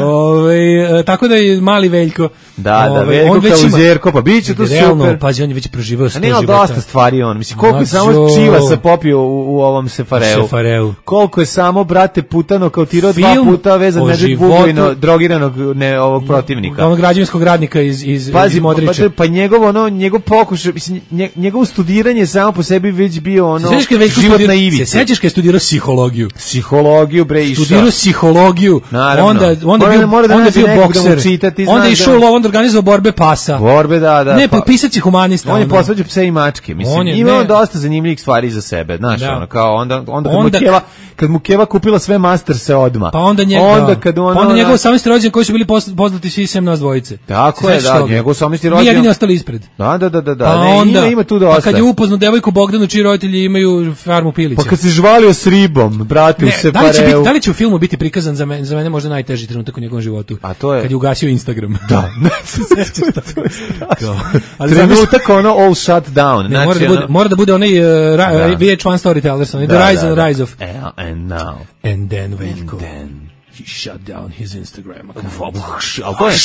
Ove, tako da je mali Veljko. Da, da, Veljko kao Zerko, pa bit će to realno, super. Pazi, on je već proživao sto života. A nema dosta stvari on. Mislim, koliko je samo čiva se popio u, u ovom Sefareu. Sefareu. Koliko je samo, brate, putano kao tirao dva puta vezan Nedžet Bugojno, drogiranog ne, ovog protivnika. Onog građevinskog radnika iz, iz, Pazi, iz Modrića. Pa, pa njegov, ono, njegov pokušaj, mislim, njegovo studiranje samo po sebi već bio ono, život na ivici. Se sećaš kad je studirao psihologiju? Psihologiju, bre, išao. Studirao psihologiju. Naravno. Onda, onda bio, da onda bio da bokser. Čitati, onda je išao da... onda organizovao borbe pasa. Borbe, da, da. Ne, pa pisac i humanista. On je posvađao pse i mačke. Mislim, on je, ima on dosta zanimljivih stvari za sebe. Znaš, da. ono, kao onda, onda, kad, onda mu Keva, kad mu Keva kupila sve masterse odma. Pa onda njega, onda kad ono, pa onda njegov osamnaesti rođendan koji su bili poznati svi sem nas dvojice. Tako je, da, njegov osamnaesti rođendan. Mi jedini ostali ispred. Da, da, da, da, da. Pa ne, onda, ima, ima tu dosta. Pa kad je upoznao devojku Bogdanu, čiji roditelji imaju farmu pilića. Pa kad se žvalio s ribom, brate, u Sefareu. Da li će u filmu biti prikazan za mene, za mene možda najteži trenutak u njegovom životu? A to je kad je ugasio Instagram. Da. To je strašno. Trenutak ono all shut down. Ne, znači, mora, da bude, mora da bude onaj uh, ra, da. V H one Storytellers, onaj da, The Rise da, and the Rise of. And now. And then Veljko. And then. He shut down his Instagram. Ali to je...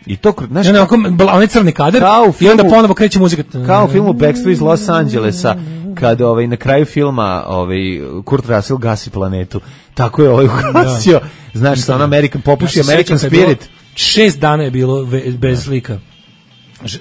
I to, znaš, ne, onaj crni kadar i onda ponovo kreće muzika. Kao u filmu Backstreet iz Los Angelesa, kad ovaj, na kraju filma ovaj, Kurt Russell gasi planetu. Tako je ovaj ugasio. Da. Znaš, sa on American, popuši American Spirit. Šest dana je bilo bez slika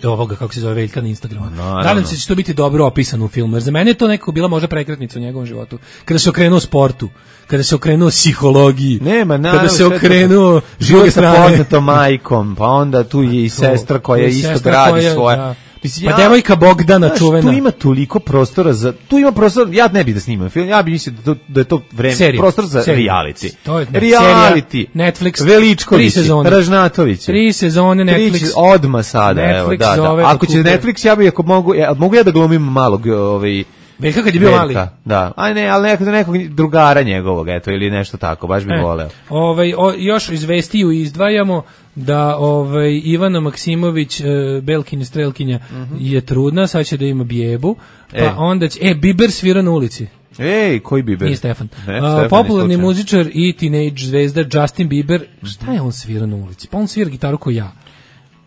ovoga, kako se zove, Veljka na Instagramu. No, nadam se da će to biti dobro opisano u filmu, jer za mene je to nekako bila možda prekretnica u njegovom životu. Kada se okrenuo sportu, kada se okrenuo psihologiji, nema, naravno, kada se okrenuo život sa poznatom majkom, pa onda tu je i sestra koja isto gradi svoje. Da. Mislim, pa ja, devojka Bogdana znaš, čuvena. Tu ima toliko prostora za, tu ima prostor, ja ne bih da snimam film, ja bih mislio da, da je to vreme, serija, prostor za serija. reality. To je, ne, reality. Serija, Netflix, Veličković, Ražnatović. Tri sezone Netflix. Tri, odma sada, Netflix evo, da, da. Ako će Netflix, ja bih, ako mogu, ja, mogu ja da glumim malog, ovaj, Veljka kad je bio mali. Da, aj ne, ali nekog, nekog drugara njegovog, eto, ili nešto tako, baš bi e, voleo. Ovaj, o, još iz vestiju izdvajamo da ovaj, Ivana Maksimović, e, Belkin strelkinja, uh-huh. je trudna, sad će da ima bijebu, pa e. onda će, e, Biber svira na ulici. Ej, koji Biber? Nije Stefan. Ne, uh, Stefan popularni muzičar i teenage zvezda Justin Bieber, šta je on svira na ulici? Pa on svira gitaru ko ja.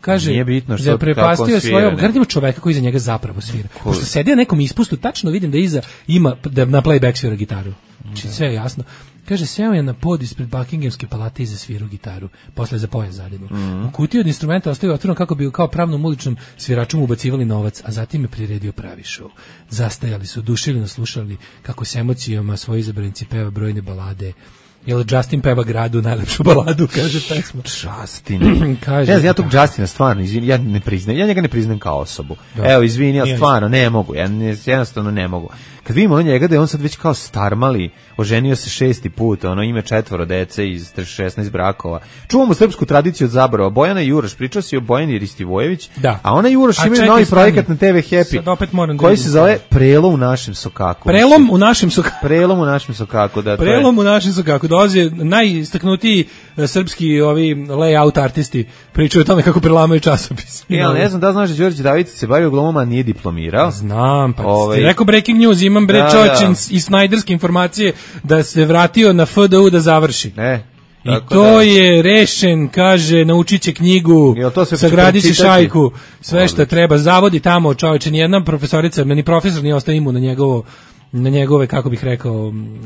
Kaže, nije bitno što da prepastio svoje, gledamo čoveka koji iza njega zapravo svira. Cool. Pošto sedi na nekom ispustu, tačno vidim da iza ima da na playback svira gitaru. Znači sve je jasno. Kaže, seo je na pod ispred Buckinghamske palate i zasvirao gitaru, posle za pojas zadinu. Mm. U kutiji od instrumenta ostavio otvoren kako bi kao pravnom uličnom sviračom ubacivali novac, a zatim je priredio pravi show. Zastajali su, oduševljeno slušali kako s emocijama svoji izabranici peva brojne balade Jel Justin peva gradu najlepšu baladu, kaže pesma. Justin. kaže. Ne znam, ja tog Justina stvarno, izvini, ja ne priznajem, ja njega ne priznajem kao osobu. Da. Evo, izvini, ja stvarno ne mogu, ja ne, jednostavno ne mogu. Kad vidimo ono njega da je on sad već kao starmali, oženio se šesti put, ono ima četvoro dece iz šesnaest brakova. Čuvamo srpsku tradiciju od zaborava. Bojana i Juroš, pričao si o Bojani Ristivojević, da. A ona i Juroš imaju novi projekat na te ve Happy, koji se zove Prelom u našem sokaku. Prelom u našem sokaku. Prelom u našem sokaku, da. Prelom u našem sokaku. Dolaze najistaknutiji srpski ovi layout artisti, pričaju o tome kako prelamaju časopis. Ja ne znam da znaš da Đorđe Davidić se bavio glumom, a nije diplomirao. Znam, pa Ove... ti rekao breaking news, imam bre da, čočin da. I snajderske informacije da se vratio na F D U da završi. Ne. I to da. Je rešen, kaže, naučit će knjigu, sagradit će šajku, sve što treba, zavodi tamo, čovječe, nijedna profesorica, ni profesor nije ostao imu na njegovo, na njegove, kako bih rekao,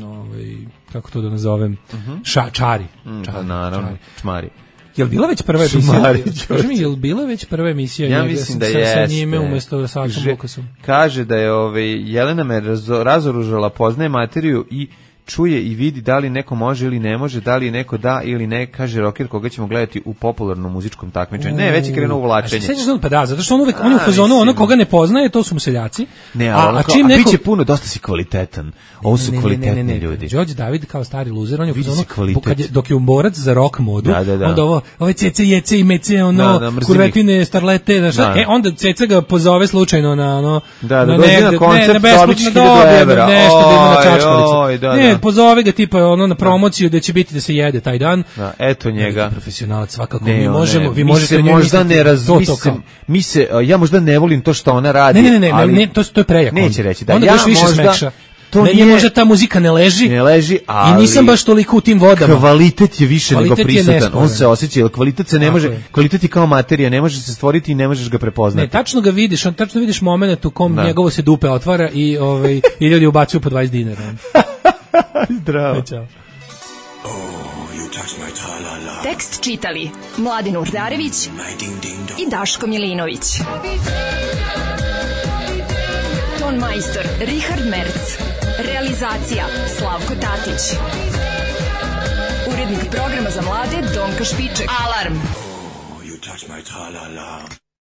ovaj, kako to da nazovem, uh-huh. ša, čari. Mm, čari, naravno, čari. Čmari. Jel bila već prva emisija? Kaži mi, jel bila već prva emisija? Ja mislim da sa, jeste. Sa njime umjesto sa Sačom Lukasom. Kaže da je ovaj, Jelena me razo, razoružala, poznaje materiju i čuje i vidi da li neko može ili ne može, da li neko da ili ne, kaže rocker koga ćemo gledati u popularnom muzičkom takmičenju. Ne, već je krenuo uvlačenje. A sećaš da pa da, zato što on uvek on je u fazonu, ono koga ne poznaje, to su mu seljaci. Ne, a, a, a čim neko biće puno, dosta si kvalitetan. Ovo su ne, kvalitetni ne, ne, ne, ljudi. Đorđe David kao stari luzer, on je u fazonu kad je dok je borac za rock modu, da, da, da. Onda ovo, ove cece jece i mece, ono da, da, kurvetine starlete, da šta? Da. E onda ceca ga pozove slučajno na ono da, da, dođe na koncert, dobiće hiljadu evra. Nešto da ima na čačkalicu. Ne, pozove ga tipa ono na promociju da će biti da se jede taj dan. Da, eto njega. Profesionalac svakako. Ne, mi možemo, ne, vi mi možete se možda ne razmislim. Mi se ja možda ne volim to što ona radi. Ne, ne, ne, ali ne, to to je prejako. Neće reći da onda ja više možda smekša. To ne, nije, možda ta muzika ne leži. Ne leži, ali i nisam baš toliko u tim vodama. Kvalitet je više kvalitet nego prisutan. On se osjeća, jer kvalitet se ne tako može, je. Kvalitet je kao materija, ne može se stvoriti i ne možeš ga prepoznati. Ne, tačno ga vidiš, on tačno vidiš momenat u kom da. Njegovo se dupe otvara i ovaj i ljudi ubacuju po dvadeset dinara. Zdravo. Ćao. Tekst čitali Mladin Urdarević i Daško Milinović. Ton majstor Richard Merc. Realizacija Slavko Tatić. Urednik programa za mlade Donka Špiček. Alarm! Oh, you touch my tra-la-la.